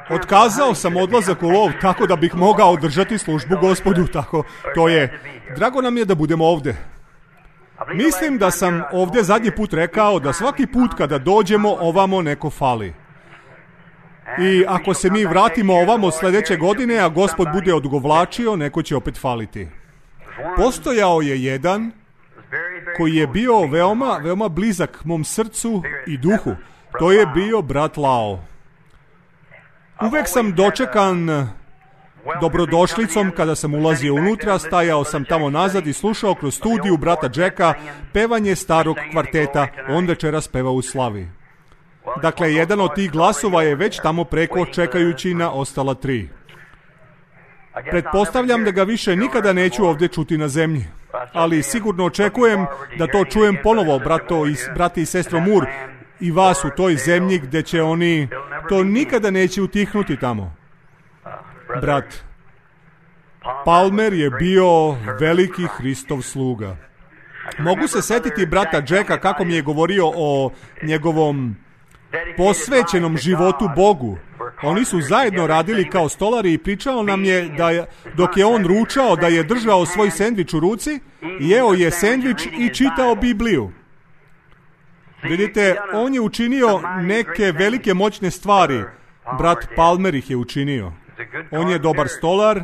Otkazao sam odlazak u lov tako da bih mogao održati službu Gospodu, tako to je. Drago nam je da budemo ovdje. Mislim da sam ovdje zadnji put rekao da svaki put kada dođemo ovamo neko fali. I ako se mi vratimo ovamo sljedeće godine, a Gospod bude odugovlačio, neko će opet faliti. Postojao je jedan koji je bio veoma blizak mom srcu i duhu. To je bio brat Lao. Uvijek sam dočekan dobrodošlicom kada sam ulazio unutra, stajao sam tamo nazad i slušao kroz studiju brata Jacka pevanje starog kvarteta, on večeras peva u slavi. Dakle, jedan od tih glasova je već tamo preko čekajući na ostala 3. Pretpostavljam da ga više nikada neću ovdje čuti na zemlji, ali sigurno očekujem da to čujem ponovo, brati i sestro Moore, i vas u toj zemlji gdje će oni, to nikada neće utihnuti tamo. Brat Palmer je bio veliki Hristov sluga. Mogu se setiti brata Jacka kako mi je govorio o njegovom posvećenom životu Bogu. Oni su zajedno radili kao stolari i pričao nam je da dok je on ručao da je držao svoj sendvič u ruci, jeo je sendvič i čitao Bibliju. Vidite, on je učinio neke velike moćne stvari. Brat Palmer ih je učinio. On je dobar stolar,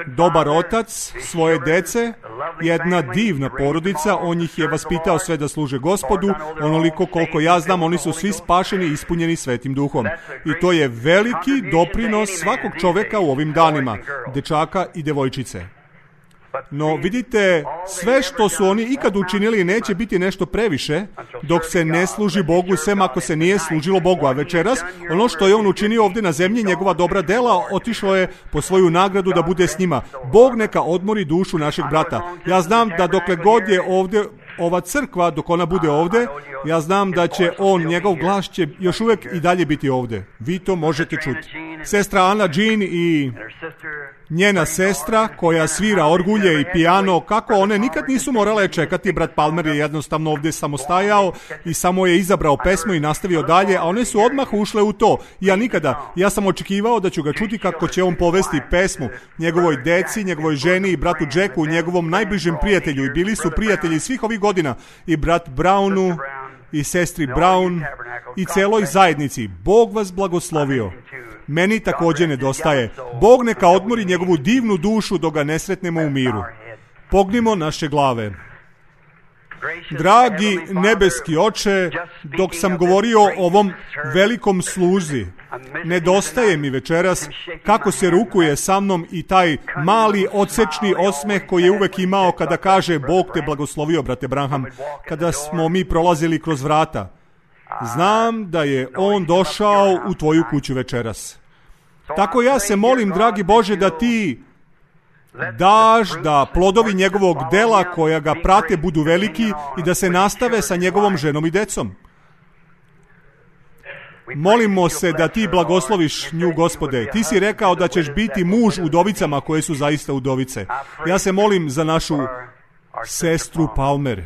dobar otac svoje dece, jedna divna porodica, on ih je vaspitao sve da služe Gospodu, onoliko koliko ja znam, oni su svi spašeni i ispunjeni Svetim Duhom. I to je veliki doprinos svakog čovjeka u ovim danima, dečaka i devojčice. No, vidite, sve što su oni ikad učinili neće biti nešto previše dok se ne služi Bogu, sem ako se nije služilo Bogu. A večeras, ono što je on učinio ovdje na zemlji, njegova dobra dela, otišlo je po svoju nagradu da bude s njima. Bog neka odmori dušu našeg brata. Ja znam da dokle god je ovdje ova crkva, dok ona bude ovdje, ja znam da će njegov glas će još uvijek i dalje biti ovdje. Vi to možete čuti. Sestra Ana Jean i njena sestra koja svira orgulje i pijano, kako one nikad nisu morale čekati. Brat Palmer je jednostavno ovdje samo stajao i samo je izabrao pesmu i nastavio dalje, a one su odmah ušle u to. Ja sam očekivao da ću ga čuti kako će on povesti pesmu njegovoj deci, njegovoj ženi i bratu Jacku, njegovom najbližem prijatelju, i bili su prijatelji svih ovih godina, i brat Brownu i sestri Brown i celoj zajednici. Bog vas blagoslovio. Meni također nedostaje. Bog neka odmori njegovu divnu dušu dok ga ne sretnemo u miru. Pognimo naše glave. Dragi nebeski Oče, dok sam govorio o ovom velikom sluzi, nedostaje mi večeras kako se rukuje sa mnom i taj mali odsečni osmeh koji je uvek imao kada kaže Bog te blagoslovio, brate Branham, kada smo mi prolazili kroz vrata. Znam da je on došao u tvoju kuću večeras. Tako ja se molim, dragi Bože, da ti daš da plodovi njegovog dela koja ga prate budu veliki i da se nastave sa njegovom ženom i decom. Molimo se da ti blagosloviš nju, Gospode. Ti si rekao da ćeš biti muž udovicama koje su zaista udovice. Ja se molim za našu sestru Palmer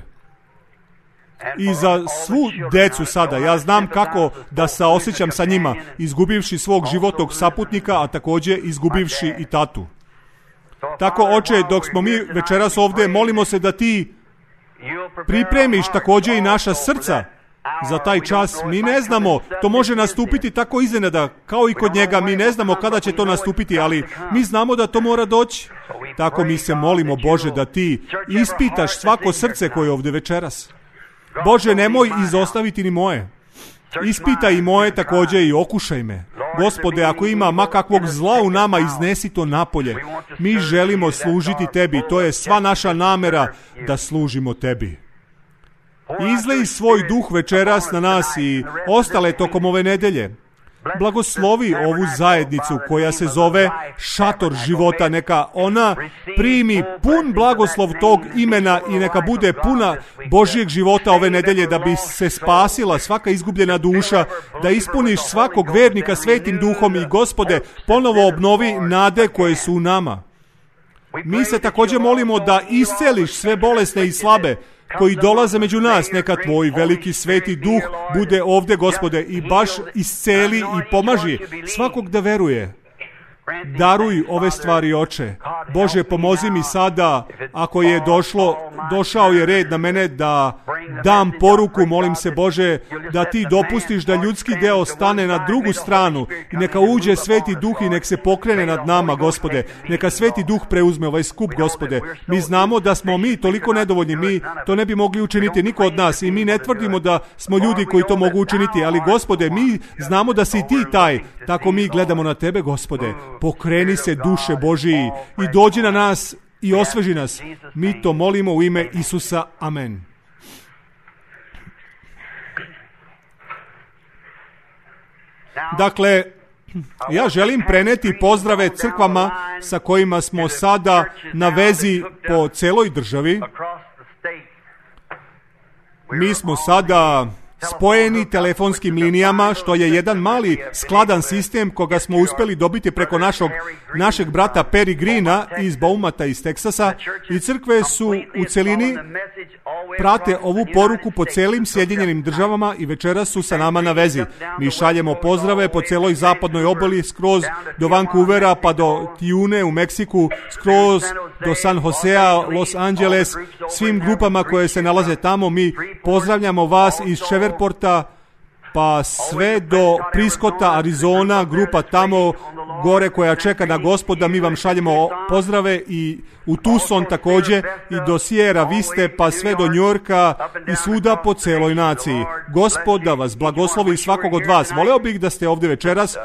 i za svu decu sada. Ja znam kako da se osjećam sa njima, izgubivši svog životnog saputnika, a također izgubivši i tatu. Tako, Oče, dok smo mi večeras ovdje, molimo se da ti pripremiš također i naša srca za taj čas. Mi ne znamo, to može nastupiti tako iznenada, kao i kod njega. Mi ne znamo kada će to nastupiti, ali mi znamo da to mora doći. Tako mi se molimo, Bože, da ti ispitaš svako srce koje je ovdje večeras. Bože, nemoj izostaviti ni moje. Ispitaj i moje također i okušaj me. Gospode, ako ima makakvog zla u nama, iznesi to napolje. Mi želimo služiti tebi. To je sva naša namera da služimo tebi. Izlej svoj duh večeras na nas i ostale tokom ove nedelje. Blagoslovi ovu zajednicu koja se zove Šator života. Neka ona primi pun blagoslov tog imena i neka bude puna Božjeg života ove nedelje, da bi se spasila svaka izgubljena duša, da ispuniš svakog vernika Svetim Duhom i, Gospode, ponovo obnovi nade koje su u nama. Mi se također molimo da isceliš sve bolesne i slabe. koji dolaze među nas. Neka tvoj veliki sveti duh bude ovdje, Gospode, i baš isceli i pomaži svakog da veruje. Daruj ove stvari, Oče. Bože, pomozi mi sada, ako je došao je red na mene da dam poruku, molim se, Bože, da ti dopustiš da ljudski deo stane na drugu stranu i neka uđe sveti duh i nek se pokrene nad nama, Gospode. Neka sveti duh preuzme ovaj skup, Gospode. Mi znamo da smo mi toliko nedovoljni, mi to ne bi mogli učiniti, niko od nas, i mi ne tvrdimo da smo ljudi koji to mogu učiniti, ali, Gospode, mi znamo da si ti taj, tako mi gledamo na tebe, Gospode. Pokreni se, duše Božiji, i dođi na nas i osveži nas. Mi to molimo u ime Isusa. Amen. Dakle, ja želim preneti pozdrave crkvama sa kojima smo sada na vezi po celoj državi. Mi smo sada spojeni telefonskim linijama, što je jedan mali skladan sistem koga smo uspjeli dobiti preko našeg brata Perry Greena iz Baumata iz Teksasa, i crkve su u celini prate ovu poruku po celim Sjedinjenim državama i večeras su sa nama na vezi. Mi šaljemo pozdrave po celoj zapadnoj obali, skroz do Vancouvera pa do Tijune u Meksiku, skroz do San Josea, Los Angeles, svim grupama koje se nalaze tamo. Mi pozdravljamo vas iz Shreveport-a pa sve do Prescotta, Arizona, grupa tamo gore koja čeka na Gospoda. Mi vam šaljemo pozdrave i u Tucson također, i do Sierra Viste pa sve do New Yorka i svuda po celoj naciji. Gospod da vas blagoslovi svakog od vas. Voleo bih da ste ovdje večeras.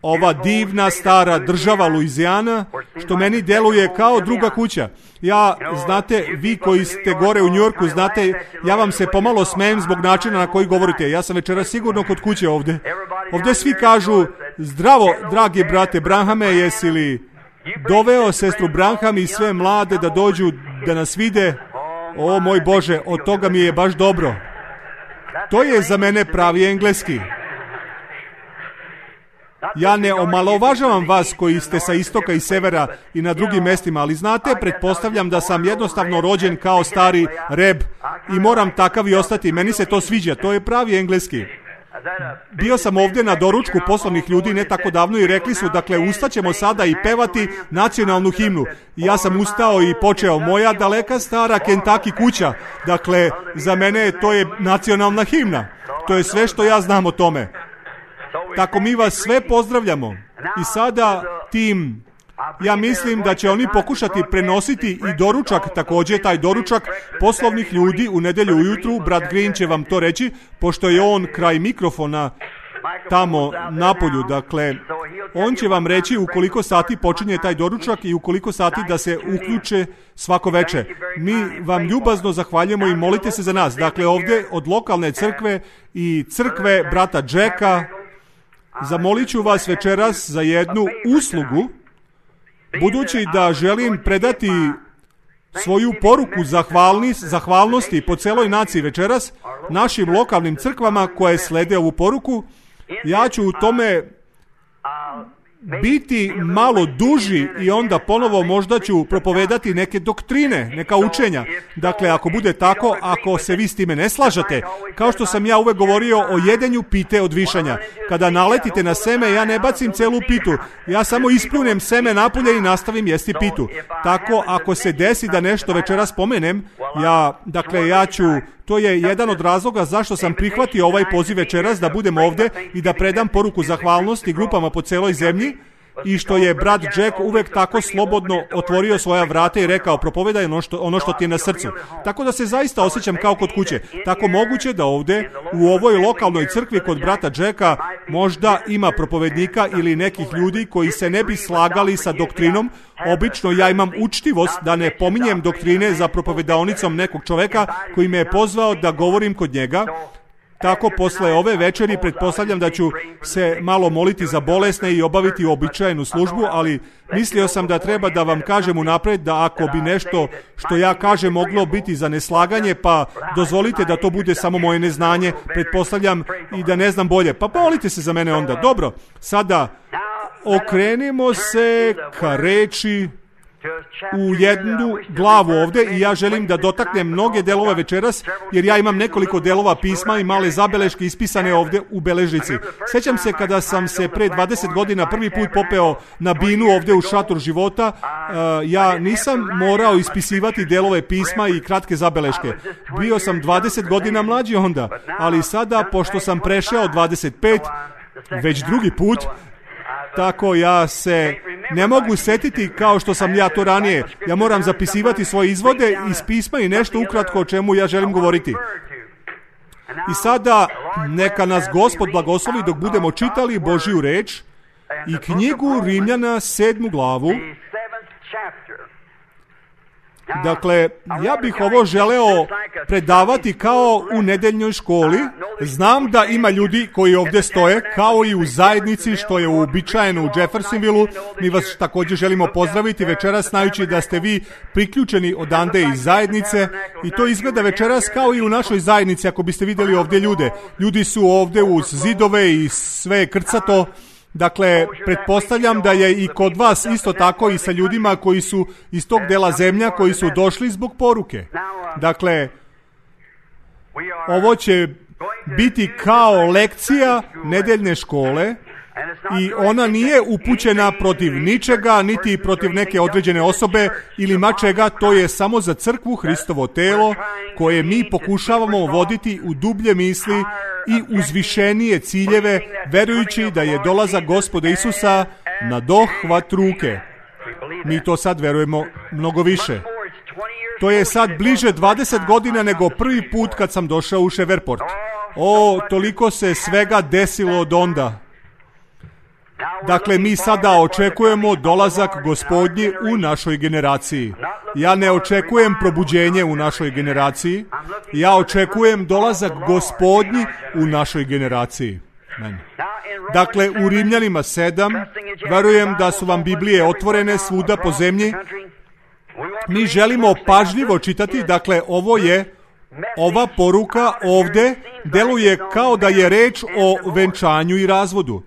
Ova divna stara država Luizijana, što meni deluje kao druga kuća. Ja, znate, vi koji ste gore u New Yorku, znate, ja vam se pomalo smijem zbog načina na koji govorite. Ja sam večeras sigurno kod kuće ovdje. Ovdje svi kažu, zdravo, dragi brate Branhame, jesi li doveo sestru Branham i sve mlade da dođu da nas vide? O moj Bože, od toga mi je baš dobro. To je za mene pravi engleski. Ja ne omalovažavam vas koji ste sa istoka i severa i na drugim mestima, ali znate, pretpostavljam da sam jednostavno rođen kao stari reb i moram takav i ostati. Meni se to sviđa, to je pravi engleski. Bio sam ovdje na doručku poslovnih ljudi ne tako davno i rekli su, dakle, ustaćemo sada i pevati nacionalnu himnu. I ja sam ustao i počeo, moja daleka stara Kentucky kuća. Dakle, za mene to je nacionalna himna. To je sve što ja znam o tome. Tako mi vas sve pozdravljamo. I sada tim, ja mislim da će oni pokušati prenositi i doručak, također taj doručak poslovnih ljudi u nedjelju ujutru. Brat Green će vam to reći, pošto je on kraj mikrofona tamo napolju. Dakle, on će vam reći u koliko sati počinje taj doručak i u koliko sati da se uključe svako večer. Mi vam ljubazno zahvaljujemo i molite se za nas. Dakle, ovdje od lokalne crkve i crkve brata Jacka, zamolit ću vas večeras za jednu uslugu, budući da želim predati svoju poruku zahvalnosti po celoj naciji večeras, našim lokalnim crkvama koje slede ovu poruku. Ja ću u tome biti malo duži i onda ponovo možda ću propovedati neke doktrine, neka učenja. Dakle, ako bude tako, ako se vi s time ne slažete, kao što sam ja uvek govorio o jedenju pite od višanja. Kada naletite na seme, ja ne bacim celu pitu, ja samo ispljunem seme napolje i nastavim jesti pitu. Tako, ako se desi da nešto večeras spomenem, ja ću, to je jedan od razloga zašto sam prihvatio ovaj poziv večeras da budem ovdje i da predam poruku zahvalnosti grupama po celoj zemlji, i što je brat Jack uvek tako slobodno otvorio svoja vrata i rekao, propovedaj ono što ti je na srcu. Tako da se zaista osjećam kao kod kuće. Tako moguće da ovdje u ovoj lokalnoj crkvi kod brata Jacka možda ima propovednika ili nekih ljudi koji se ne bi slagali sa doktrinom. Obično ja imam učtivost da ne pominjem doktrine za propovedaonicom nekog čoveka koji me je pozvao da govorim kod njega. Tako, posle ove večeri pretpostavljam da ću se malo moliti za bolesne i obaviti uobičajenu službu, ali mislio sam da treba da vam kažem unapred da ako bi nešto što ja kažem moglo biti za neslaganje, pa dozvolite da to bude samo moje neznanje, pretpostavljam, i da ne znam bolje. Pa molite se za mene onda. Dobro, sada okrenimo se ka reči u jednu glavu ovdje i ja želim da dotaknem mnoge delove večeras, jer ja imam nekoliko delova pisma i male zabeleške ispisane ovdje u beležnici. Sjećam se kada sam se pre 20 godina prvi put popeo na binu ovdje u šator života, ja nisam morao ispisivati delove pisma i kratke zabeleške. Bio sam 20 godina mlađi onda, ali sada, pošto sam prešao 25, već drugi put, tako ja se ne mogu setiti kao što sam ja to ranije. Ja moram zapisivati svoje izvode iz pisma i nešto ukratko o čemu ja želim govoriti. I sada neka nas Gospod blagoslovi dok budemo čitali Božju reč i knjigu Rimljana 7. glavu. Dakle, ja bih ovo želeo predavati kao u nedeljnoj školi. Znam da ima ljudi koji ovdje stoje, kao i u zajednici što je uobičajeno u Jeffersonvilleu. Mi vas također želimo pozdraviti večeras, znajući da ste vi priključeni odande iz zajednice. I to izgleda večeras kao i u našoj zajednici, ako biste vidjeli ovdje ljude. Ljudi su ovdje uz zidove i sve je krcato. Dakle, pretpostavljam da je i kod vas isto tako i sa ljudima koji su iz tog dela zemlja, koji su došli zbog poruke. Dakle, ovo će biti kao lekcija nedeljne škole i ona nije upućena protiv ničega, niti protiv neke određene osobe ili mačega, to je samo za crkvu, Hristovo telo, koje mi pokušavamo voditi u dublje misli i uzvišenije ciljeve, verujući da je dolazak Gospoda Isusa na dohvat ruke. Mi to sad verujemo mnogo više. To je sad bliže 20 godina nego prvi put kad sam došao u Shreveport. Toliko se svega desilo od onda. Dakle, mi sada očekujemo dolazak Gospodnji u našoj generaciji. Ja ne očekujem probuđenje u našoj generaciji. Ja očekujem dolazak Gospodnji u našoj generaciji. Amen. Dakle, u Rimljanima 7, verujem da su vam Biblije otvorene svuda po zemlji. Mi želimo pažljivo čitati, dakle, ova poruka ovdje deluje kao da je reč o venčanju i razvodu.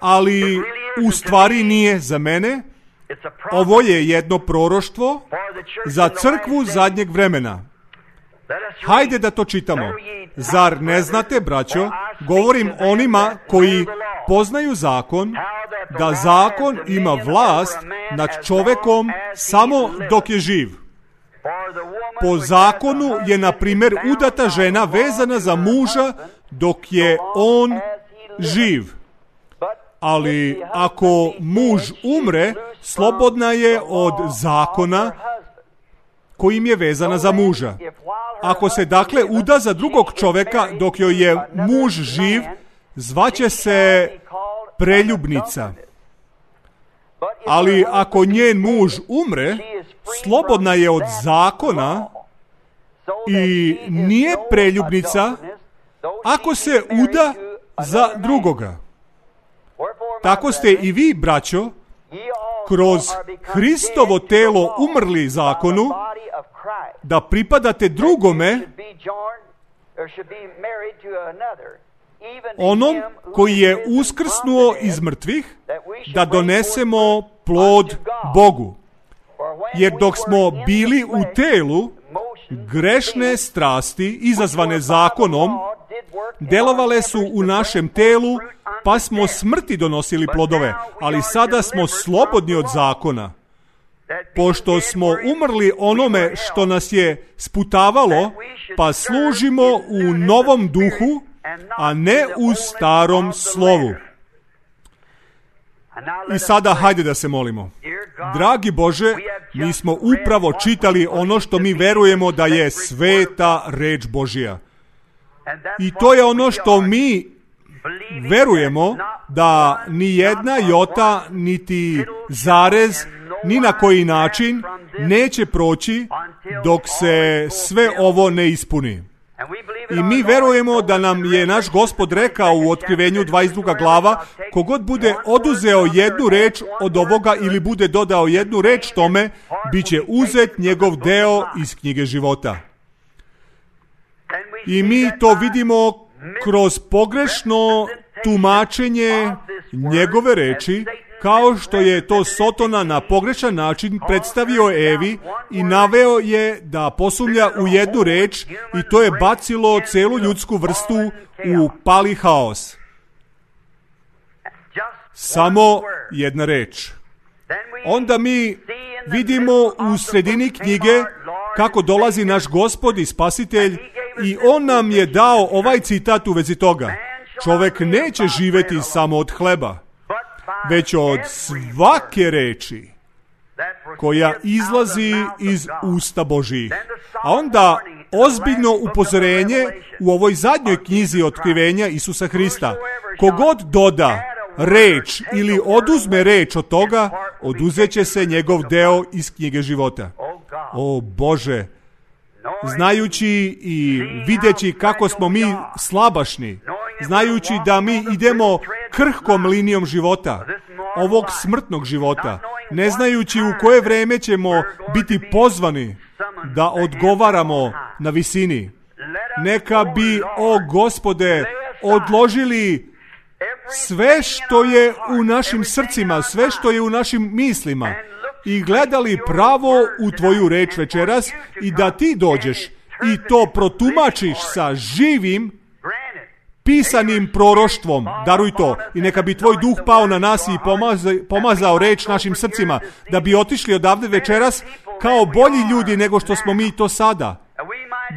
Ali u stvari nije za mene. Ovo je jedno proroštvo za crkvu zadnjeg vremena. Hajde da to čitamo. Zar ne znate, braćo, govorim onima koji poznaju zakon, da zakon ima vlast nad čovekom samo dok je živ. Po zakonu je, na primjer, udata žena vezana za muža dok je on živ. Ali ako muž umre, slobodna je od zakona kojim je vezana za muža. Ako se dakle uda za drugog čoveka dok joj je muž živ, zvaće se preljubnica. Ali ako njen muž umre, slobodna je od zakona i nije preljubnica ako se uda za drugoga. Tako ste i vi, braćo, kroz Hristovo telo umrli zakonu, da pripadate drugome, onom koji je uskrsnuo iz mrtvih, da donesemo plod Bogu. Jer dok smo bili u telu, grešne strasti izazvane zakonom delovale su u našem telu, pa smo smrti donosili plodove, ali sada smo slobodni od zakona. Pošto smo umrli onome što nas je sputavalo, pa služimo u novom duhu, a ne u starom slovu. I sada hajde da se molimo. Dragi Bože, mi smo upravo čitali ono što mi verujemo da je sveta reč Božja. I to je ono što mi verujemo, da ni jedna jota, niti zarez, ni na koji način neće proći dok se sve ovo ne ispuni. I mi verujemo da nam je naš Gospod rekao u Otkrivenju 22. glava, kogod bude oduzeo jednu reč od ovoga ili bude dodao jednu reč tome, bit će uzet njegov deo iz knjige života. I mi to vidimo kroz pogrešno tumačenje njegove reči, kao što je to Sotona na pogrešan način predstavio Evi i naveo je da posumnja u jednu reč i to je bacilo celu ljudsku vrstu u pali haos. Samo jedna reč. Onda mi vidimo u sredini knjige kako dolazi naš Gospod i Spasitelj i on nam je dao ovaj citat u vezi toga. Čovek neće živeti samo od hleba, već od svake reči koja izlazi iz usta Božjih. A onda ozbiljno upozorenje u ovoj zadnjoj knjizi otkrivenja Isusa Hrista. Kogod doda reč ili oduzme reč od toga, oduzet će se njegov deo iz knjige života. O Bože, znajući i videći kako smo mi slabašni, znajući da mi idemo krhkom linijom života, ovog smrtnog života, ne znajući u koje vreme ćemo biti pozvani da odgovaramo na visini. Neka bi, o Gospode, odložili sve što je u našim srcima, sve što je u našim mislima i gledali pravo u tvoju reč večeras i da ti dođeš i to protumačiš sa živim pisanim proroštvom. Daruj to i neka bi tvoj duh pao na nas i pomazao reč našim srcima, da bi otišli odavde večeras kao bolji ljudi nego što smo mi to sada,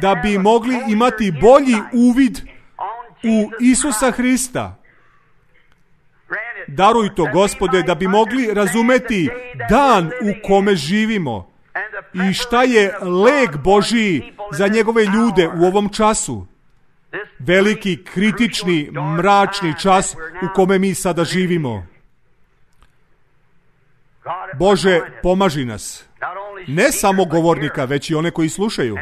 da bi mogli imati bolji uvid u Isusa Hrista. Daruj to, Gospode, da bi mogli razumeti dan u kome živimo i šta je lek Božiji za njegove ljude u ovom času. Veliki, kritični, mračni čas u kome mi sada živimo. Bože, pomaži nas. Ne samo govornika, već i one koji slušaju.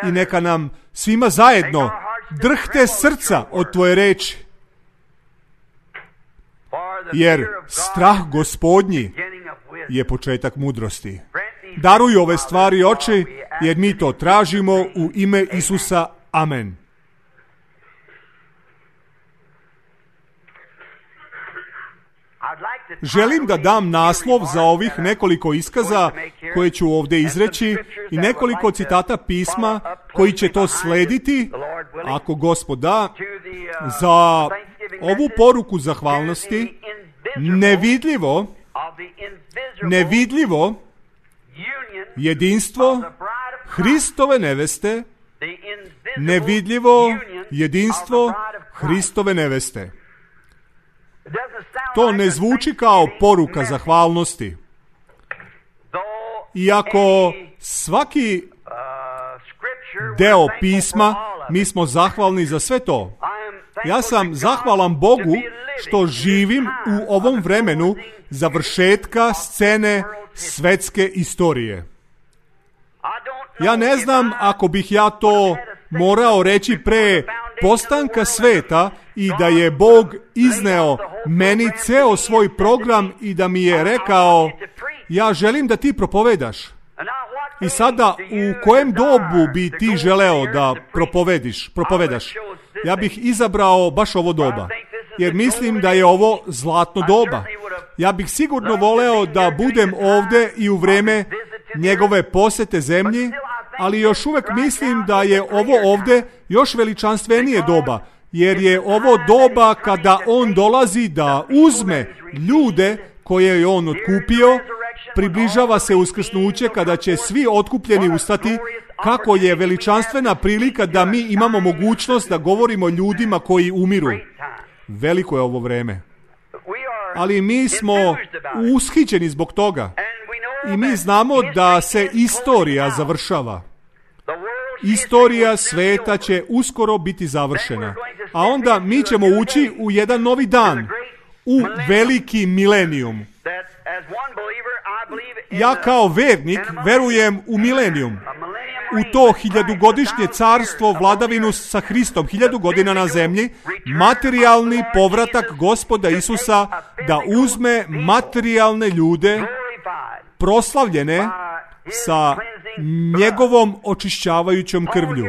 I neka nam svima zajedno drhte srca od tvoje reči. Jer strah Gospodnji je početak mudrosti. Daruj ove stvari, Oče, jer mi to tražimo u ime Isusa. Amen. Želim da dam naslov za ovih nekoliko iskaza koje ću ovdje izreći i nekoliko citata pisma koji će to slediti, ako Gospod da, za ovu poruku zahvalnosti, nevidljivo jedinstvo Hristove neveste, nevidljivo jedinstvo Hristove neveste. To ne zvuči kao poruka zahvalnosti. Iako svaki deo pisma, mi smo zahvalni za sve to. Ja sam zahvalan Bogu što živim u ovom vremenu završetka scene svetske istorije. Ja ne znam ako bih ja to morao reći pre postanka sveta i da je Bog izneo meni ceo svoj program i da mi je rekao, ja želim da ti propovedaš. I sada u kojem dobu bi ti želeo da propovedaš? Ja bih izabrao baš ovo doba, jer mislim da je ovo zlatno doba. Ja bih sigurno voleo da budem ovde i u vreme njegove posete zemlji, ali još uvek mislim da je ovo ovde još veličanstvenije doba, jer je ovo doba kada on dolazi da uzme ljude koje je on otkupio, približava se uskrsnuće kada će svi otkupljeni ustati, kako je veličanstvena prilika da mi imamo mogućnost da govorimo ljudima koji umiru. Veliko je ovo vreme. Ali mi smo ushićeni zbog toga i mi znamo da se istorija završava. Istorija sveta će uskoro biti završena. A onda mi ćemo ući u jedan novi dan, u veliki milenijum. Ja kao vernik verujem u milenijum, u to 1000-godišnje carstvo, vladavinu sa Hristom, 1000 godina na zemlji, materijalni povratak Gospoda Isusa da uzme materijalne ljude, proslavljene sa njegovom očišćavajućom krvlju.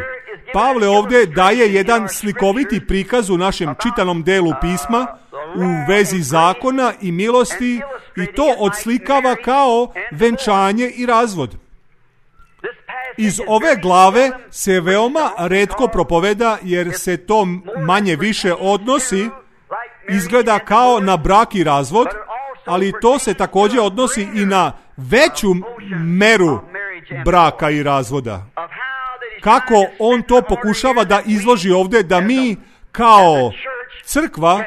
Pavle ovdje daje jedan slikoviti prikaz u našem čitanom delu pisma u vezi zakona i milosti i to odslikava kao venčanje i razvod. Iz ove glave se veoma retko propoveda, jer se to manje više odnosi, izgleda kao na brak i razvod, ali to se također odnosi i na veću meru braka i razvoda. Kako on to pokušava da izloži ovdje, da mi kao crkva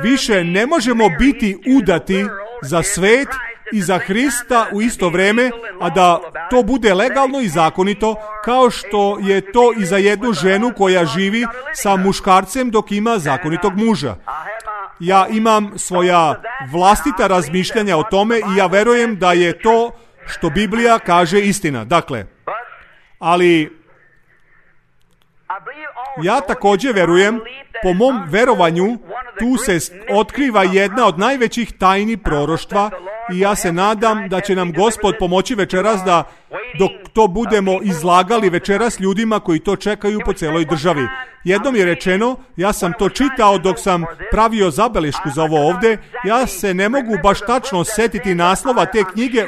više ne možemo biti udati za svet i za Hrista u isto vrijeme, a da to bude legalno i zakonito, kao što je to i za jednu ženu koja živi sa muškarcem dok ima zakonitog muža. Ja imam svoja vlastita razmišljanja o tome i ja verujem da je to što Biblija kaže istina. Dakle, ali ja također verujem, po mom verovanju, tu se otkriva jedna od najvećih tajni proroštva i ja se nadam da će nam Gospod pomoći večeras da dok to budemo izlagali večeras ljudima koji to čekaju po celoj državi. Jednom je rečeno, ja sam to čitao dok sam pravio zabelešku za ovo ovdje, ja se ne mogu baš tačno setiti naslova te knjige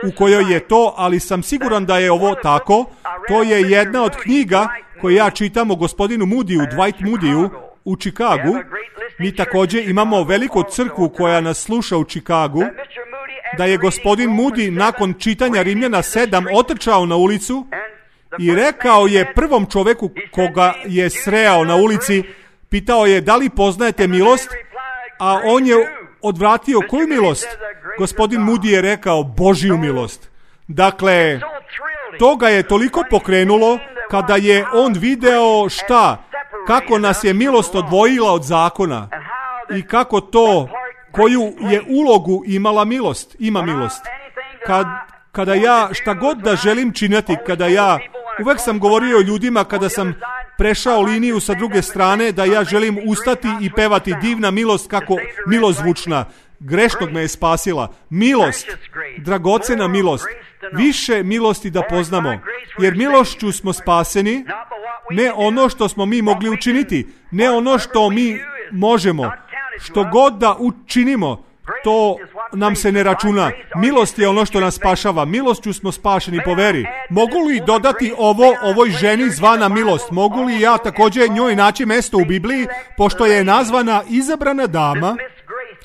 u kojoj je to, ali sam siguran da je ovo tako. To je jedna od knjiga koje ja čitam o gospodinu Moodiju, Dwight Moodiju, u Čikagu. Mi također imamo veliku crkvu koja nas sluša u Čikagu, da je gospodin Moody nakon čitanja Rimljana 7 otrčao na ulicu i rekao je prvom čoveku koga je sreo na ulici, pitao je da li poznajete milost, a on je odvratio koju milost? Gospodin Moody je rekao Božju milost. Dakle, to ga je toliko pokrenulo kada je on video kako nas je milost odvojila od zakona i kako to, koju je ulogu imala milost, ima milost. Kada ja šta god da želim činiti, uvek sam govorio ljudima kada sam prešao liniju sa druge strane, da ja želim ustati i pevati divna milost, kako milost zvučna. Grešnog me je spasila. Milost, dragocena milost. Više milosti da poznamo. Jer milošću smo spaseni, ne ono što smo mi mogli učiniti, ne ono što mi možemo. Što god da učinimo, to nam se ne računa. Milost je ono što nas spašava. Milošću smo spašeni po veri. Mogu li dodati ovoj ženi zvana milost? Mogu li ja također njoj naći mesto u Bibliji, pošto je nazvana izabrana dama?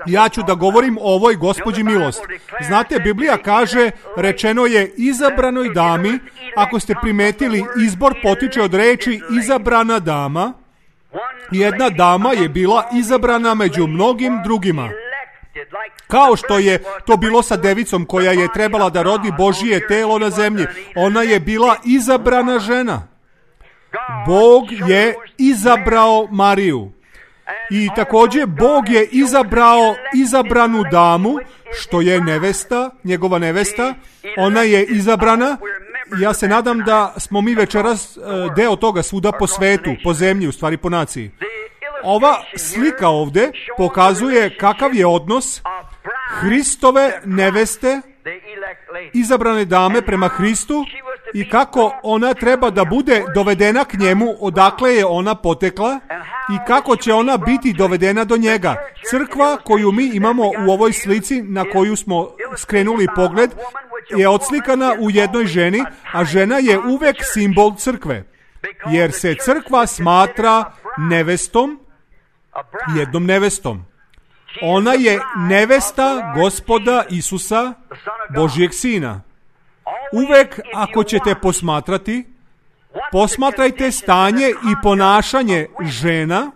Ja ću da govorim o ovoj gospođi milost. Znate, Biblija kaže, rečeno je izabranoj dami. Ako ste primetili, izbor potiče od reči izabrana dama. Jedna dama je bila izabrana među mnogim drugima. Kao što je to bilo sa devicom koja je trebala da rodi Božije telo na zemlji. Ona je bila izabrana žena. Bog je izabrao Mariju. I također Bog je izabrao izabranu damu, što je nevesta, njegova nevesta. Ona je izabrana. Ja se nadam da smo mi večeras deo toga svuda po svetu, po zemlji, u stvari po naciji. Ova slika ovdje pokazuje kakav je odnos Hristove neveste, izabrane dame prema Hristu, i kako ona treba da bude dovedena k njemu, odakle je ona potekla i kako će ona biti dovedena do njega. Crkva koju mi imamo u ovoj slici na koju smo skrenuli pogled je odslikana u jednoj ženi, a žena je uvek simbol crkve, jer se crkva smatra nevestom, jednom nevestom. Ona je nevesta Gospoda Isusa, Božijeg Sina. Uvek ako ćete posmatrajte stanje i ponašanje žena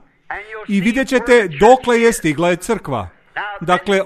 i vidjet ćete dokle je stigla crkva. Dakle,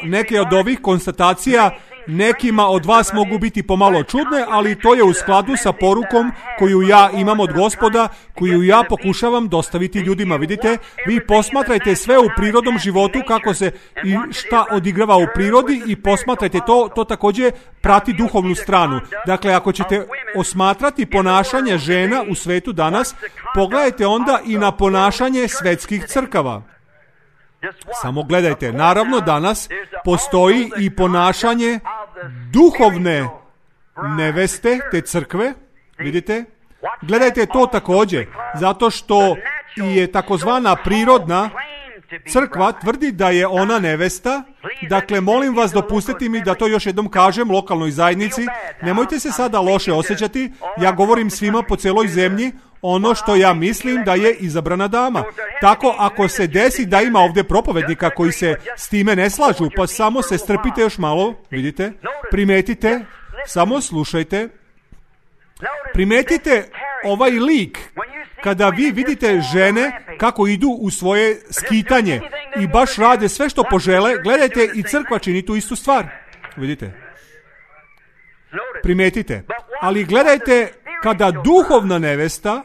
neke od ovih konstatacija nekima od vas mogu biti pomalo čudne, ali to je u skladu sa porukom koju ja imam od Gospoda, koju ja pokušavam dostaviti ljudima. Vidite, vi posmatrajte sve u prirodnom životu, kako se i šta odigrava u prirodi, i posmatrajte to također prati duhovnu stranu. Dakle, ako ćete osmatrati ponašanje žena u svetu danas, pogledajte onda i na ponašanje svetskih crkava. Samo gledajte, naravno danas postoji i ponašanje duhovne neveste te crkve, vidite? Gledajte to također, zato što je takozvana prirodna crkva tvrdi da je ona nevesta. Dakle, molim vas, dopustite mi da to još jednom kažem lokalnoj zajednici. Nemojte se sada loše osjećati. Ja govorim svima po celoj zemlji ono što ja mislim da je izabrana dama. Tako, ako se desi da ima ovdje propovednika koji se s time ne slažu, pa samo se strpite još malo, vidite, primetite, samo slušajte, primetite ovaj lik. Kada vi vidite žene kako idu u svoje skitanje i baš rade sve što požele, gledajte, i crkva čini tu istu stvar. Vidite? Primetite. Ali gledajte, kada duhovna nevesta,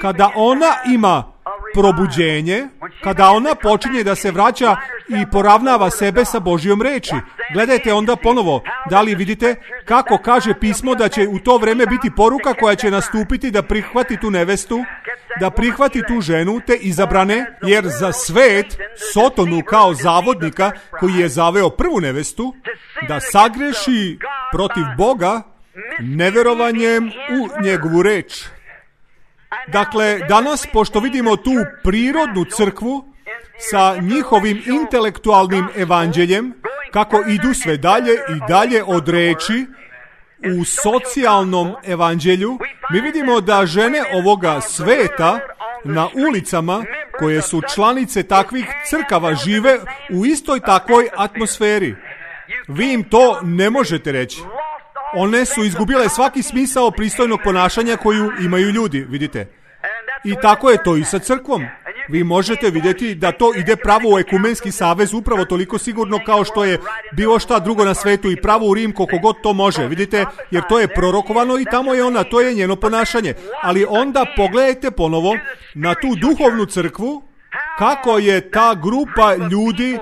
kada ona ima probuđenje, kada ona počinje da se vraća i poravnava sebe sa Božjom reči. Gledajte onda ponovo, da li vidite kako kaže pismo da će u to vreme biti poruka koja će nastupiti da prihvati tu nevestu, da prihvati tu ženu, te izabrane, jer za svet, Sotonu kao zavodnika koji je zaveo prvu nevestu, da sagreši protiv Boga neverovanjem u njegovu reč. Dakle, danas, pošto vidimo tu prirodnu crkvu sa njihovim intelektualnim evanđeljem, kako idu sve dalje i dalje od reči u socijalnom evanđelju, mi vidimo da žene ovoga sveta na ulicama, koje su članice takvih crkava, žive u istoj takvoj atmosferi. Vi im to ne možete reći. One su izgubile svaki smisao pristojnog ponašanja koju imaju ljudi, vidite. I tako je to i sa crkvom. Vi možete vidjeti da to ide pravo u ekumenski savez upravo toliko sigurno kao što je bilo šta drugo na svetu i pravo u Rim koliko god to može, vidite, jer to je prorokovano i tamo je ona, to je njeno ponašanje. Ali onda pogledajte ponovo na tu duhovnu crkvu, kako je ta grupa ljudi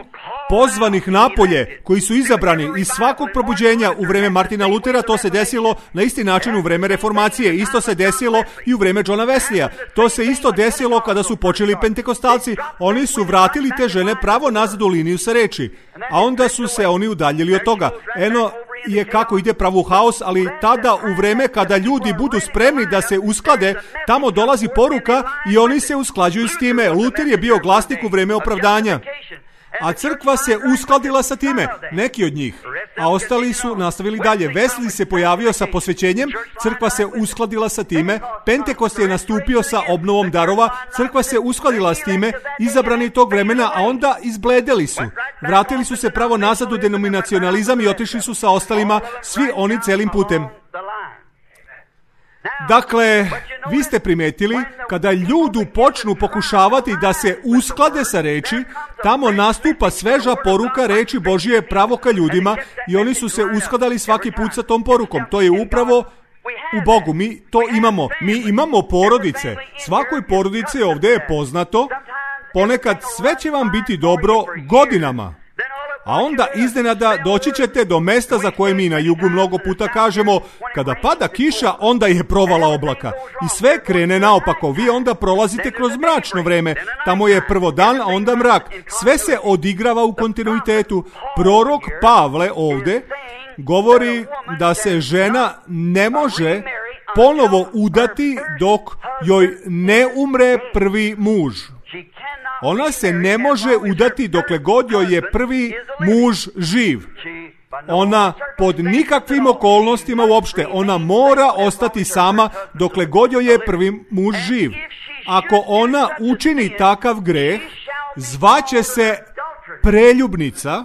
pozvanih napolje, koji su izabrani iz svakog probuđenja u vreme Martina Lutera. To se desilo na isti način u vreme reformacije. Isto se desilo i u vreme Johna Wesleya. To se isto desilo kada su počeli pentekostalci. Oni su vratili te žene pravo nazad u liniju sa reči. A onda su se oni udaljili od toga. Eno je kako ide pravo u haos, ali tada u vreme kada ljudi budu spremni da se usklade, tamo dolazi poruka i oni se usklađuju s time. Luter je bio glasnik u vreme opravdanja. A crkva se uskladila sa time, neki od njih, a ostali su nastavili dalje. Wesley se pojavio sa posvećenjem, crkva se uskladila sa time, Pentekost je nastupio sa obnovom darova, crkva se uskladila s time, izabrani tog vremena, a onda izbledeli su. Vratili su se pravo nazad u denominacionalizam i otišli su sa ostalima, svi oni celim putem. Dakle, vi ste primetili, kada ljudi počnu pokušavati da se usklade sa reči, tamo nastupa sveža poruka reči Božije pravo ka ljudima i oni su se uskladali svaki put sa tom porukom. To je upravo u Bogu. Mi to imamo. Mi imamo porodice. Svakoj porodici ovdje je poznato, ponekad sve će vam biti dobro godinama. A onda iznenada doći ćete do mesta za koje mi na jugu mnogo puta kažemo, kada pada kiša, onda je provala oblaka. I sve krene naopako. Vi onda prolazite kroz mračno vreme. Tamo je prvo dan, a onda mrak. Sve se odigrava u kontinuitetu. Prorok Pavle ovdje govori da se žena ne može ponovo udati dok joj ne umre prvi muž. Ona se ne može udati dokle god joj je prvi muž živ. Ona pod nikakvim okolnostima uopšte, ona mora ostati sama dokle god joj je prvi muž živ. Ako ona učini takav greh, zvaće se preljubnica.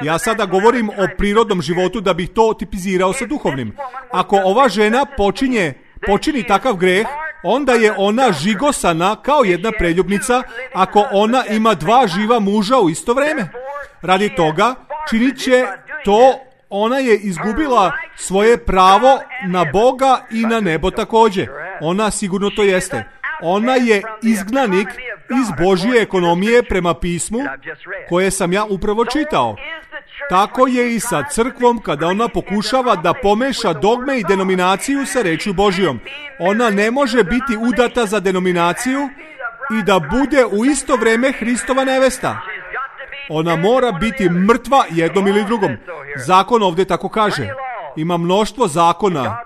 Ja sada govorim o prirodnom životu da bih to tipizirao sa duhovnim. Ako ova žena počini takav greh, onda je ona žigosana kao jedna preljubnica ako ona ima dva živa muža u isto vreme. Radi toga, činit će to, ona je izgubila svoje pravo na Boga i na nebo također. Ona sigurno to jeste. Ona je izgnanik iz Božje ekonomije prema pismu koje sam ja upravo čitao. Tako je i sa crkvom kada ona pokušava da pomeša dogme i denominaciju sa rečju Božjom. Ona ne može biti udata za denominaciju i da bude u isto vrijeme Hristova nevesta. Ona mora biti mrtva jednom ili drugom. Zakon ovdje tako kaže. Ima mnoštvo zakona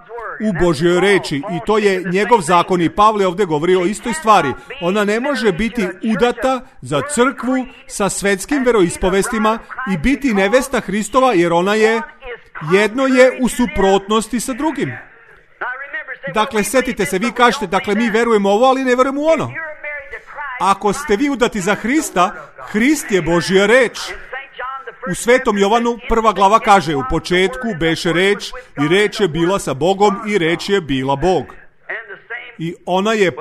u Božjoj reči i to je njegov zakon i Pavle ovdje govori o istoj stvari. Ona ne može biti udata za crkvu sa svetskim veroispovestima i biti nevesta Hristova jer ona je, jedno je u suprotnosti sa drugim. Dakle, setite se, vi kažete, dakle, mi verujemo ovo, ali ne verujemo u ono. Ako ste vi udati za Hrista, Hrist je Božja reč. U Svetom Jovanu 1. glava kaže, u početku beše reč i reč je bila sa Bogom i reč je bila Bog. I ona je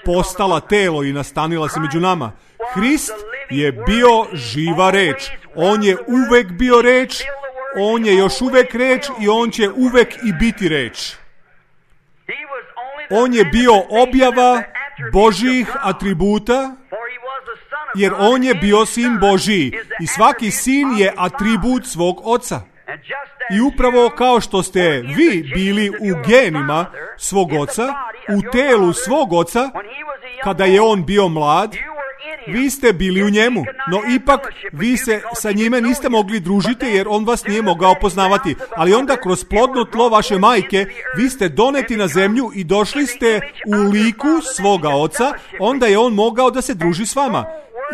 postala telo i nastanila se među nama. Hrist je bio živa reč. On je uvek bio reč, on je još uvek reč i on će uvek i biti reč. On je bio objava Božjih atributa, jer on je bio sin Božiji i svaki sin je atribut svog oca. I upravo kao što ste vi bili u genima svog oca, u telu svog oca, kada je on bio mlad, vi ste bili u njemu, no ipak vi se sa njime niste mogli družiti jer on vas nije mogao poznavati. Ali onda kroz plodno tlo vaše majke vi ste doneti na zemlju i došli ste u liku svoga oca, onda je on mogao da se druži s vama.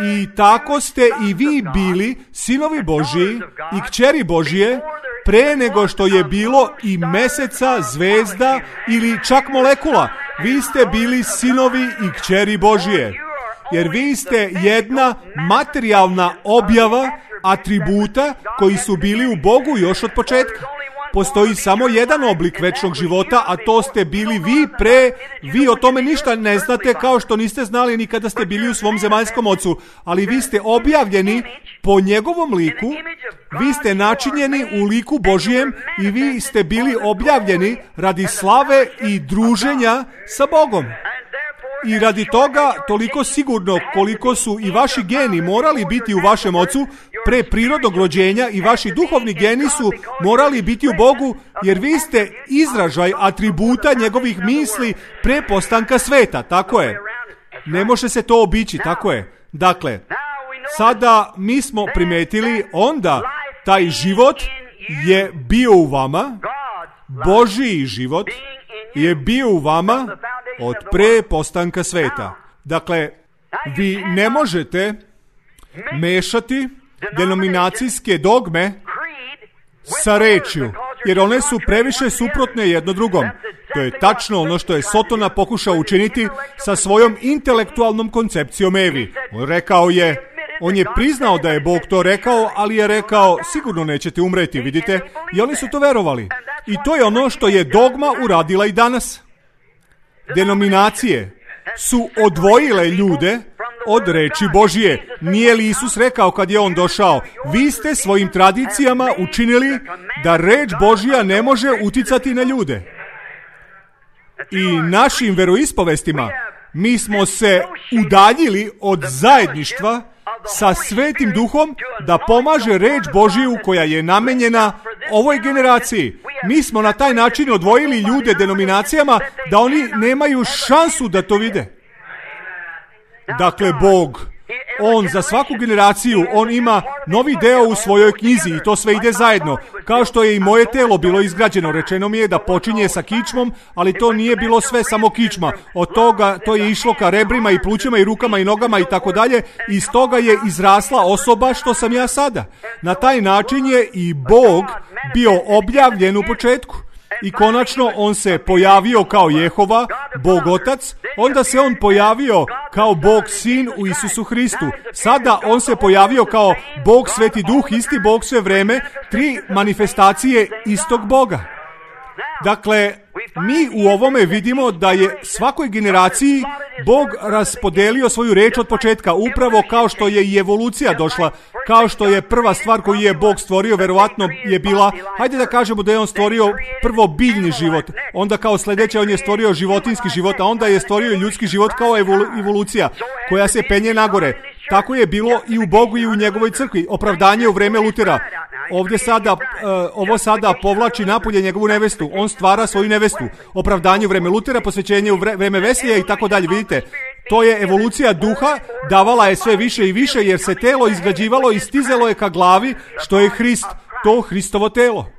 I tako ste i vi bili sinovi Božiji i kćeri Božije pre nego što je bilo i meseca, zvezda ili čak molekula. Vi ste bili sinovi i kćeri Božije. Jer vi ste jedna materijalna objava atributa koji su bili u Bogu još od početka. Postoji samo jedan oblik večnog života, a to ste bili vi pre, vi o tome ništa ne znate kao što niste znali ni kada ste bili u svom zemaljskom ocu, ali vi ste objavljeni po njegovom liku, vi ste načinjeni u liku Božijem i vi ste bili objavljeni radi slave i druženja sa Bogom. I radi toga, toliko sigurno koliko su i vaši geni morali biti u vašem ocu pre prirodnog rođenja i vaši duhovni geni su morali biti u Bogu, jer vi ste izražaj atributa njegovih misli pre postanka sveta, tako je. Ne može se to obići, tako je. Dakle, sada mi smo primetili, onda taj život je bio u vama, Božji život je bio u vama od pre postanka sveta. Dakle, vi ne možete mešati denominacijske dogme sa rečju, jer one su previše suprotne jedno drugom. To je tačno ono što je Sotona pokušao učiniti sa svojom intelektualnom koncepcijom Evi. On je priznao da je Bog to rekao, ali je rekao, sigurno nećete umreti, vidite? I oni su to verovali. I to je ono što je dogma uradila i danas. Denominacije su odvojile ljude od reči Božije. Nije li Isus rekao kad je on došao, vi ste svojim tradicijama učinili da reč Božja ne može uticati na ljude. I našim veroispovestima mi smo se udaljili od zajedništva sa Svetim Duhom da pomaže reč Božiju koja je namenjena ovoj generaciji. Mi smo na taj način odvojili ljude denominacijama da oni nemaju šansu da to vide. Dakle, Bog, on za svaku generaciju, on ima novi deo u svojoj knjizi i to sve ide zajedno. Kao što je i moje telo bilo izgrađeno, rečeno mi je da počinje sa kičmom, ali to nije bilo sve samo kičma. Od toga to je išlo ka rebrima i plućima i rukama i nogama i tako dalje. Iz toga je izrasla osoba što sam ja sada. Na taj način je i Bog bio objavljen u početku. I konačno on se pojavio kao Jehova, Bog Otac, onda se on pojavio kao Bog Sin u Isusu Hristu. Sada on se pojavio kao Bog Sveti Duh, isti Bog sve vreme, 3 manifestacije istog Boga. Dakle, mi u ovome vidimo da je svakoj generaciji Bog raspodelio svoju reč od početka, upravo kao što je i evolucija došla, kao što je prva stvar koju je Bog stvorio, verovatno je bila, hajde da kažemo da je on stvorio prvo biljni život, onda kao sljedeće on je stvorio životinski život, a onda je stvorio ljudski život kao evolucija koja se penje nagore. Tako je bilo i u Bogu i u njegovoj crkvi. Opravdanje u vreme Lutera. Ovo sada povlači napolje njegovu nevestu. On stvara svoju nevestu. Opravdanje u vreme Lutera, posvećenje u vreme Veslija i tako dalje. Vidite, to je evolucija duha, davala je sve više i više jer se telo izgrađivalo i stizalo je ka glavi, što je Hrist, to Hristovo telo.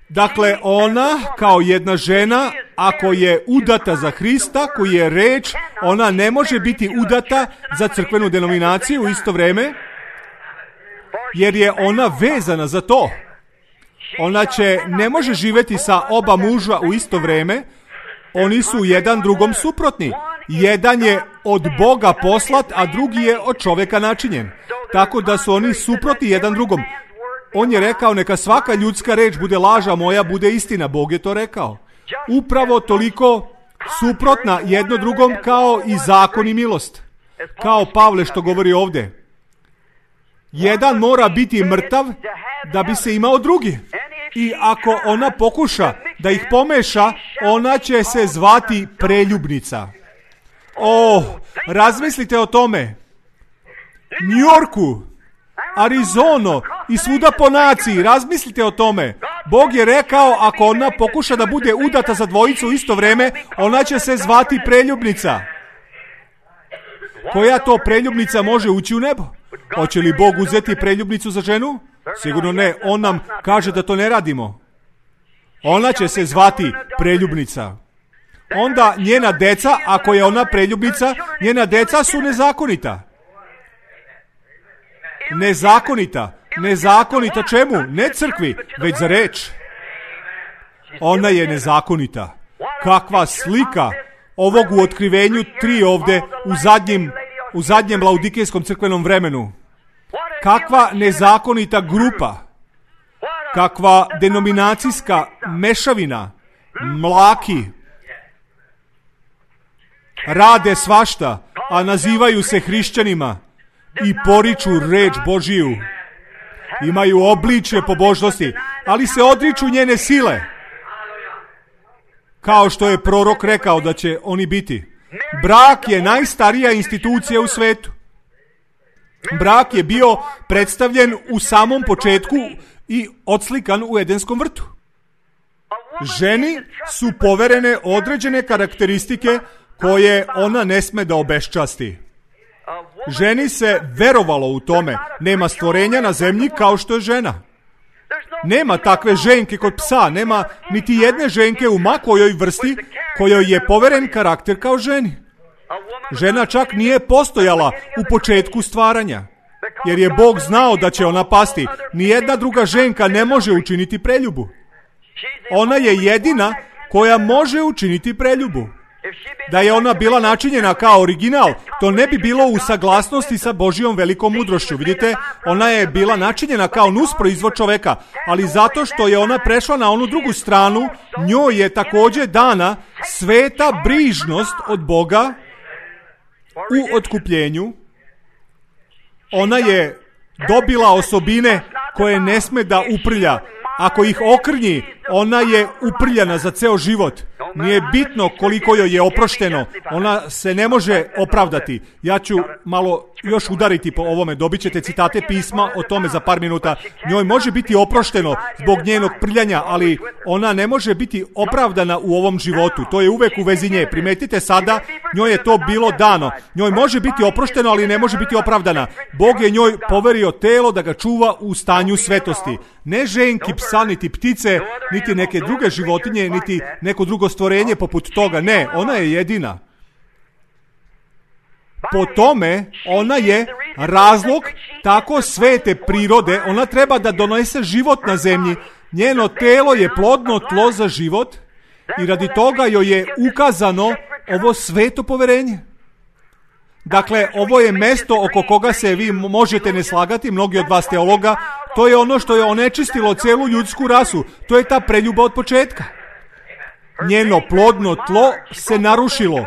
Dakle, ona kao jedna žena, ako je udata za Hrista, koji je reč, ona ne može biti udata za crkvenu denominaciju u isto vrijeme, jer je ona vezana za to. Ona ne može živjeti sa oba muža u isto vrijeme, oni su jedan drugom suprotni. Jedan je od Boga poslat, a drugi je od čovjeka načinjen. Tako da su oni suprotni jedan drugom. On je rekao, neka svaka ljudska reč bude laž, a moja bude istina. Bog je to rekao. Upravo toliko suprotna jedno drugom kao i zakon i milost. Kao Pavle što govori ovdje. Jedan mora biti mrtav da bi se imao drugi. I ako ona pokuša da ih pomeša, ona će se zvati preljubnica. Razmislite o tome. New Yorku, Arizono i svuda po naciji, razmislite o tome. Bog je rekao, ako ona pokuša da bude udata za dvojicu u isto vrijeme, ona će se zvati preljubnica. Koja to preljubnica može ući u nebo? Hoće li Bog uzeti preljubnicu za ženu? Sigurno ne, on nam kaže da to ne radimo. Ona će se zvati preljubnica. Onda njena deca, ako je ona preljubnica, njena deca su nezakonita. Nezakonita čemu? Ne crkvi, već za reč. Ona je nezakonita. Kakva slika ovog u Otkrivenju 3 ovdje u zadnjem laudikejskom crkvenom vremenu. Kakva nezakonita grupa. Kakva denominacijska mešavina. Mlaki. Rade svašta, a nazivaju se hrišćanima i poriču reč Božiju. Imaju obličje pobožnosti, ali se odriču njene sile. Kao što je prorok rekao da će oni biti. Brak je najstarija institucija u svetu. Brak je bio predstavljen u samom početku i odslikan u Edenskom vrtu. Ženi su poverene određene karakteristike koje ona ne sme da obeščasti. Ženi se verovalo u tome. Nema stvorenja na zemlji kao što je žena. Nema takve ženke kod psa, nema niti jedne ženke u ma kojoj vrsti kojoj je poveren karakter kao ženi. Žena čak nije postojala u početku stvaranja, jer je Bog znao da će ona pasti. Nijedna druga ženka ne može učiniti preljubu. Ona je jedina koja može učiniti preljubu. Da je ona bila načinjena kao original, to ne bi bilo u saglasnosti sa Božjom velikom mudrošću. Vidite, ona je bila načinjena kao nusproizvod čoveka, ali zato što je ona prešla na onu drugu stranu, njoj je također dana sveta brižnost od Boga u otkupljenju. Ona je dobila osobine koje ne sme da uprlja. Ako ih okrnji, ona je uprljana za ceo život. Nije bitno koliko joj je oprošteno, ona se ne može opravdati. Ja ću malo još udariti po ovome, dobit ćete citate pisma o tome za par minuta. Njoj može biti oprošteno zbog njenog prljanja, ali ona ne može biti opravdana u ovom životu. To je uvek u vezi nje. Primetite sada, njoj je to bilo dano. Njoj može biti oprošteno, ali ne može biti opravdana. Bog je njoj poverio telo da ga čuva u stanju svetosti. Ne ženki, psa, niti ptice, niti neke druge životinje, niti neko drugo stvorenje poput toga. Ne, ona je jedina. Po tome, ona je razlog tako svete prirode. Ona treba da donese život na zemlji. Njeno telo je plodno tlo za život i radi toga joj je ukazano ovo sveto poverenje. Dakle, ovo je mesto oko koga se vi možete ne slagati, mnogi od vas teologa. To je ono što je onečistilo celu ljudsku rasu. To je ta preljuba od početka. Njeno plodno tlo se narušilo.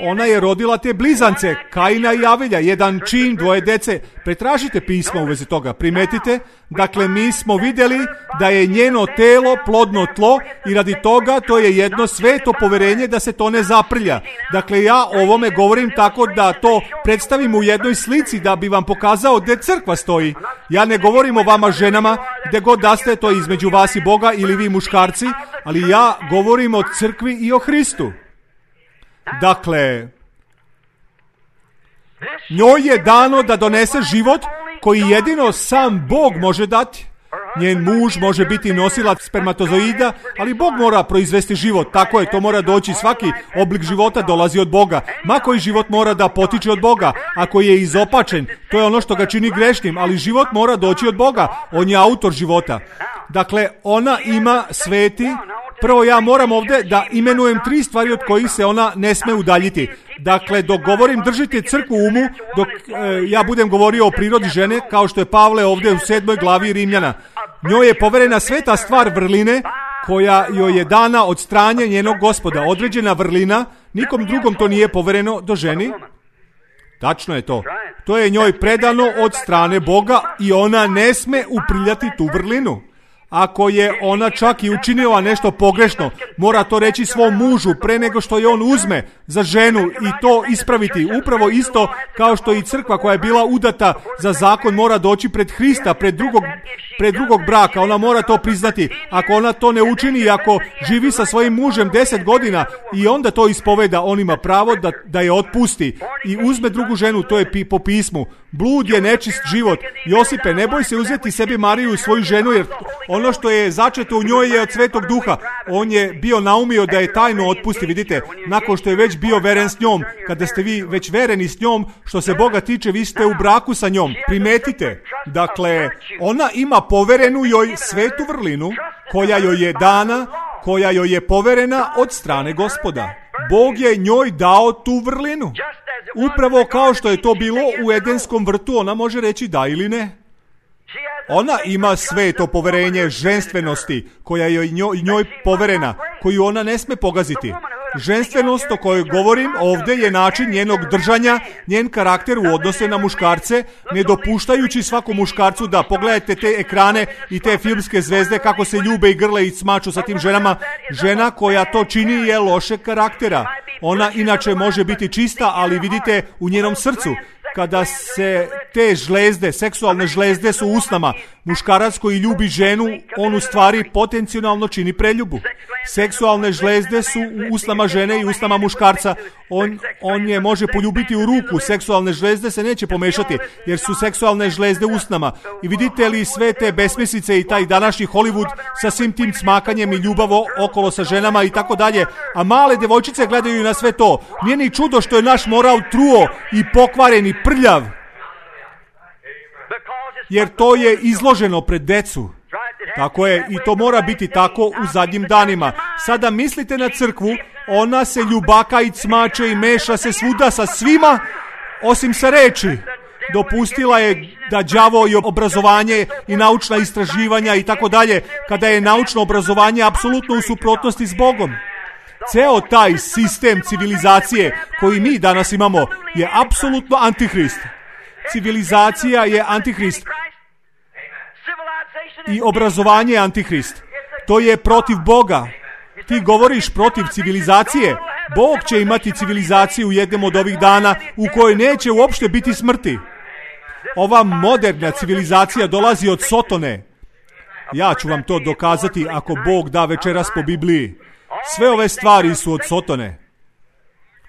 Ona je rodila te blizance, Kaina i Avelja, jedan čin, 2 dece. Pretražite pisma u vezi toga, primetite. Dakle, mi smo vidjeli da je njeno telo plodno tlo i radi toga to je jedno sveto poverenje da se to ne zaprlja. Dakle, ja o ovome govorim tako da to predstavim u jednoj slici da bi vam pokazao gdje crkva stoji. Ja ne govorim o vama ženama, gdje god da ste, to je između vas i Boga ili vi muškarci, ali ja govorim o crkvi i o Hristu. Dakle, njoj je dano da donese život koji jedino sam Bog može dati. Njen muž može biti nosilac spermatozoida, ali Bog mora proizvesti život. Tako je, to mora doći. Svaki oblik života dolazi od Boga. Ma koji život mora da potiče od Boga. Ako je izopačen, to je ono što ga čini grešnim, ali život mora doći od Boga. On je autor života. Dakle, ona ima sveti. Prvo, ja moram ovdje da imenujem 3 stvari od kojih se ona ne sme udaljiti. Dakle, dok govorim, držite crkvu u umu, dok ja budem govorio o prirodi žene, kao što je Pavle ovdje u 7. glavi Rimljana. Njoj je poverena sveta stvar vrline, koja joj je dana od strane njenog Gospoda. Određena vrlina, nikom drugom to nije povereno do ženi. Tačno je to. To je njoj predano od strane Boga i ona ne sme upriljati tu vrlinu. Ako je ona čak i učinila nešto pogrešno, mora to reći svom mužu pre nego što je on uzme za ženu i to ispraviti. Upravo isto kao što i crkva koja je bila udata za zakon mora doći pred Hrista, pred drugog braka. Ona mora to priznati. Ako ona to ne učini i ako živi sa svojim mužem 10 godina i onda to ispoveda, on ima pravo da je otpusti i uzme drugu ženu, to je po pismu. Blud je nečist život. Josipe, ne boj se uzeti sebi Mariju, svoju ženu, jer ono što je začeto u njoj je od Svetog Duha. On je bio naumio da je tajno otpusti, vidite, nakon što je već bio veren s njom. Kada ste vi već vereni s njom, što se Boga tiče, vi ste u braku sa njom. Primetite, dakle, ona ima poverenu joj svetu vrlinu, koja joj je dana, koja joj je poverena od strane Gospoda. Bog je njoj dao tu vrlinu. Upravo kao što je to bilo u Edenskom vrtu, ona može reći da ili ne. Ona ima sveto poverenje ženstvenosti koja je njoj poverena, koju ona ne sme pogaziti. Ženstvenost o kojoj govorim ovdje je način njenog držanja, njen karakter u odnose na muškarce, ne dopuštajući svakom muškarcu da pogledajte te ekrane i te filmske zvezde kako se ljube i grle i smaču sa tim ženama. Žena koja to čini je lošeg karaktera. Ona inače može biti čista, ali vidite u njenom srcu, kada se te žlezde, seksualne žlezde su u usnama, muškarac koji ljubi ženu, on u stvari potencijalno čini preljubu. Seksualne žlezde su u usnama žene i usnama muškarca. On je može poljubiti u ruku. Seksualne žlezde se neće pomešati, jer su seksualne žlezde u usnama. I vidite li sve te besmislice i taj današnji Hollywood sa svim tim smakanjem i ljubavo okolo sa ženama i tako dalje. A male devojčice gledaju na sve to. Nije ni čudo što je naš moral truo i pokvaren i prljav. Jer to je izloženo pred decu. Tako je, i to mora biti tako u zadnjim danima. Sada mislite na crkvu, ona se ljubaka i cmače i meša se svuda sa svima, osim sa reči. Dopustila je da đavo i obrazovanje i naučna istraživanja i tako dalje, kada je naučno obrazovanje apsolutno u suprotnosti s Bogom. Ceo taj sistem civilizacije koji mi danas imamo je apsolutno antihrist. Civilizacija je antihrist. I obrazovanje je antihrist. To je protiv Boga. Ti govoriš protiv civilizacije. Bog će imati civilizaciju u jednom od ovih dana u kojoj neće uopšte biti smrti. Ova moderna civilizacija dolazi od Sotone. Ja ću vam to dokazati ako Bog da večeras po Bibliji. Sve ove stvari su od Sotone.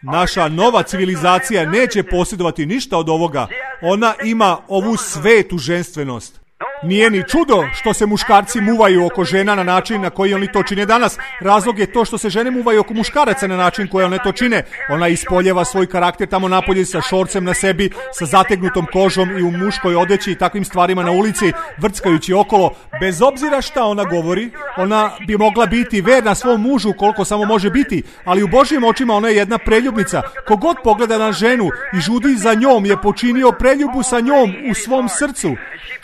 Naša nova civilizacija neće posjedovati ništa od ovoga. Ona ima ovu svetu ženstvenost. Nije ni čudo što se muškarci muvaju oko žena na način na koji oni to čine danas. Razlog je to što se žene muvaju oko muškaraca na način koji one to čine. Ona ispoljeva svoj karakter tamo napolje sa šorcem na sebi, sa zategnutom kožom i u muškoj odeći i takvim stvarima na ulici, vrckajući okolo. Bez obzira šta ona govori, ona bi mogla biti verna svom mužu koliko samo može biti, ali u Božjim očima ona je jedna preljubnica. Kogod pogleda na ženu i žudi za njom je počinio preljubu sa njom u svom srcu.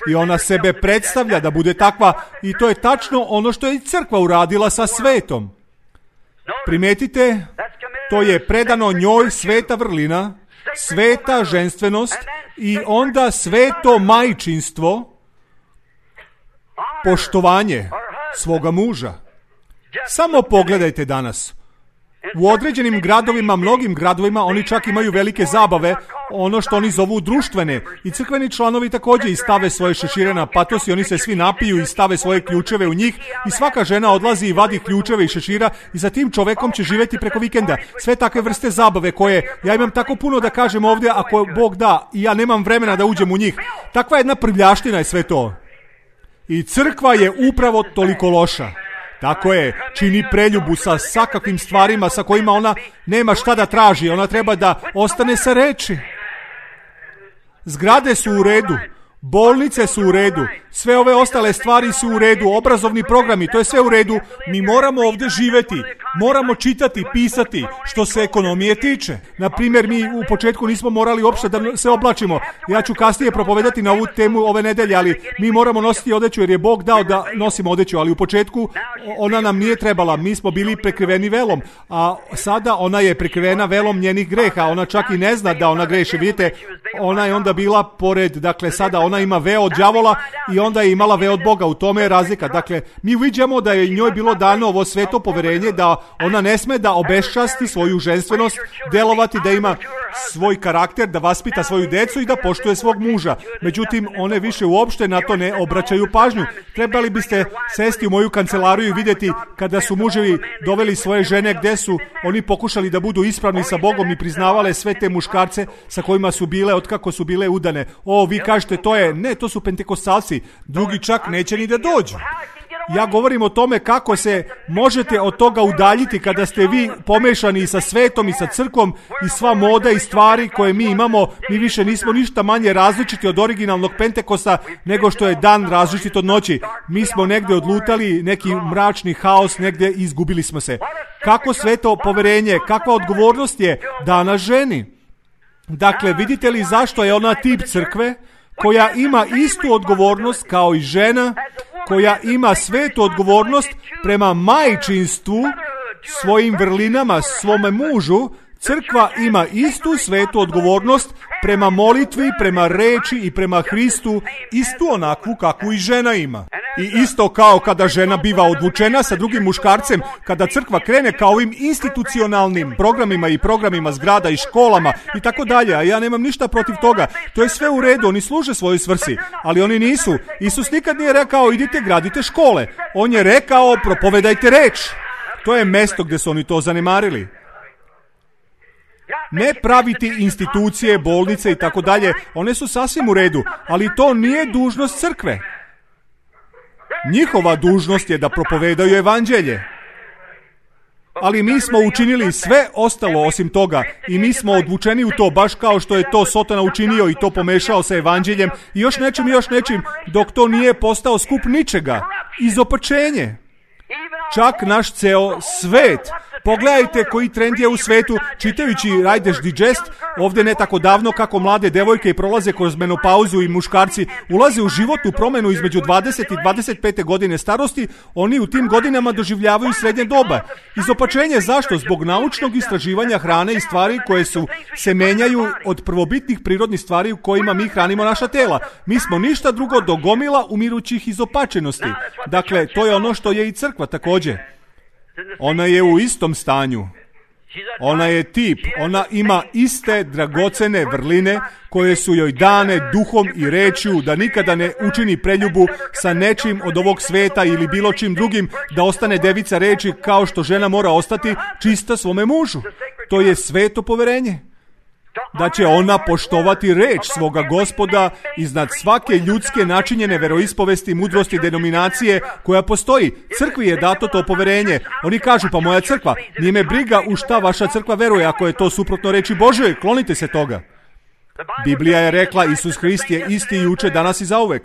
I ona sebe predstavlja da bude takva i to je tačno ono što je i crkva uradila sa svetom. Primetite, to je predano njoj sveta vrlina, sveta ženstvenost i onda sveto majčinstvo, poštovanje svoga muža. Samo pogledajte danas. U određenim gradovima, mnogim gradovima, oni čak imaju velike zabave, ono što oni zovu društvene. I crkveni članovi također i stave svoje šešire na patos i oni se svi napiju i stave svoje ključeve u njih i svaka žena odlazi i vadi ključeve i šešira i za tim čovekom će živjeti preko vikenda. Sve takve vrste zabave koje, ja imam tako puno da kažem ovdje, ako Bog da, i ja nemam vremena da uđem u njih. Takva jedna prljaština je sve to. I crkva je upravo toliko loša. Tako je, čini preljubu sa svakakvim stvarima sa kojima ona nema šta da traži. Ona treba da ostane sa reči. Zgrade su u redu. Bolnice su u redu, sve ove ostale stvari su u redu, obrazovni programi, to je sve u redu. Mi moramo ovdje živjeti, moramo čitati, pisati, što se ekonomije tiče. Na primjer, mi u početku nismo morali uopšte da se oblačimo. Ja ću kasnije propovedati na ovu temu ove nedelje, ali mi moramo nositi odeću jer je Bog dao da nosimo odeću, ali u početku ona nam nije trebala, mi smo bili prekriveni velom, a sada ona je prekrivena velom njenih greha, ona čak i ne zna da ona greši. Vidite, ona je onda bila pored, dakle sada ona ima veo od đavola i onda je imala veo od Boga, u tome je razlika. Dakle, mi vidimo da je njoj bilo dano ovo sveto poverenje da ona ne sme da obeščasti svoju ženstvenost, delovati, da ima svoj karakter, da vaspita svoju decu i da poštuje svog muža. Međutim, one više uopšte na to ne obraćaju pažnju. Trebali biste sesti u moju kancelariju i vidjeti kada su muževi doveli svoje žene gde su oni pokušali da budu ispravni sa Bogom i priznavale sve te muškarce sa kojima su bile, otkako su bile udane. O, vi kažete to su pentekostalci, drugi čak neće ni da dođu. Ja govorim o tome kako se možete od toga udaljiti kada ste vi pomešani sa svetom i sa crkvom i sva moda i stvari koje mi imamo. Mi više nismo ništa manje različiti od originalnog Pentekosta nego što je dan različit od noći. Mi smo negdje odlutali, neki mračni haos, negdje izgubili smo se. Kako sveto poverenje, kakva odgovornost je dana ženi? Dakle, vidite li zašto je ona tip crkve koja ima istu odgovornost kao i žena, koja ima svetu odgovornost prema majčinstvu, svojim vrlinama, svome mužu. Crkva ima istu svetu odgovornost prema molitvi, prema reči i prema Hristu, istu onakvu kakvu i žena ima. I isto kao kada žena biva odvučena sa drugim muškarcem, kada crkva krene kao ovim institucionalnim programima i programima zgrada i školama i tako dalje, a ja nemam ništa protiv toga. To je sve u redu, oni služe svojoj svrsi, ali oni nisu. Isus nikad nije rekao idite gradite škole. On je rekao propovedajte reč. To je mesto gdje su oni to zanemarili. Ne praviti institucije, bolnice i tako dalje, one su sasvim u redu, ali to nije dužnost crkve. Njihova dužnost je da propovedaju evanđelje. Ali mi smo učinili sve ostalo osim toga i mi smo odvučeni u to, baš kao što je to Sotona učinio i to pomešao sa evanđeljem i još nečim, dok to nije postao skup ničega. Izopačenje. Čak naš ceo svet. Pogledajte koji trend je u svetu, čitajući Riders Digest, ovdje ne tako davno, kako mlade devojke prolaze kroz menopauzu i muškarci ulaze u životnu promjenu između 20 i 25 godine starosti, oni u tim godinama doživljavaju srednje doba. Izopačenje zašto? Zbog naučnog istraživanja hrane i stvari koje se menjaju od prvobitnih prirodnih stvari u kojima mi hranimo naša tela. Mi smo ništa drugo do gomila umirućih izopačenosti. Dakle, to je ono što je i crkva također. Ona je u istom stanju. Ona je tip. Ona ima iste dragocene vrline koje su joj dane duhom i rečju da nikada ne učini preljubu sa nečim od ovog sveta ili bilo čim drugim, da ostane devica reči kao što žena mora ostati čista svome mužu. To je sveto poverenje. Da će ona poštovati reč svoga Gospoda iznad svake ljudske načinjene veroispovesti, mudrosti, denominacije koja postoji. Crkvi je dato to poverenje. Oni kažu, pa moja crkva, nije me briga u šta vaša crkva veruje, ako je to suprotno reči Božjoj, klonite se toga. Biblija je rekla, Isus Hrist je isti juče, danas i zauvek.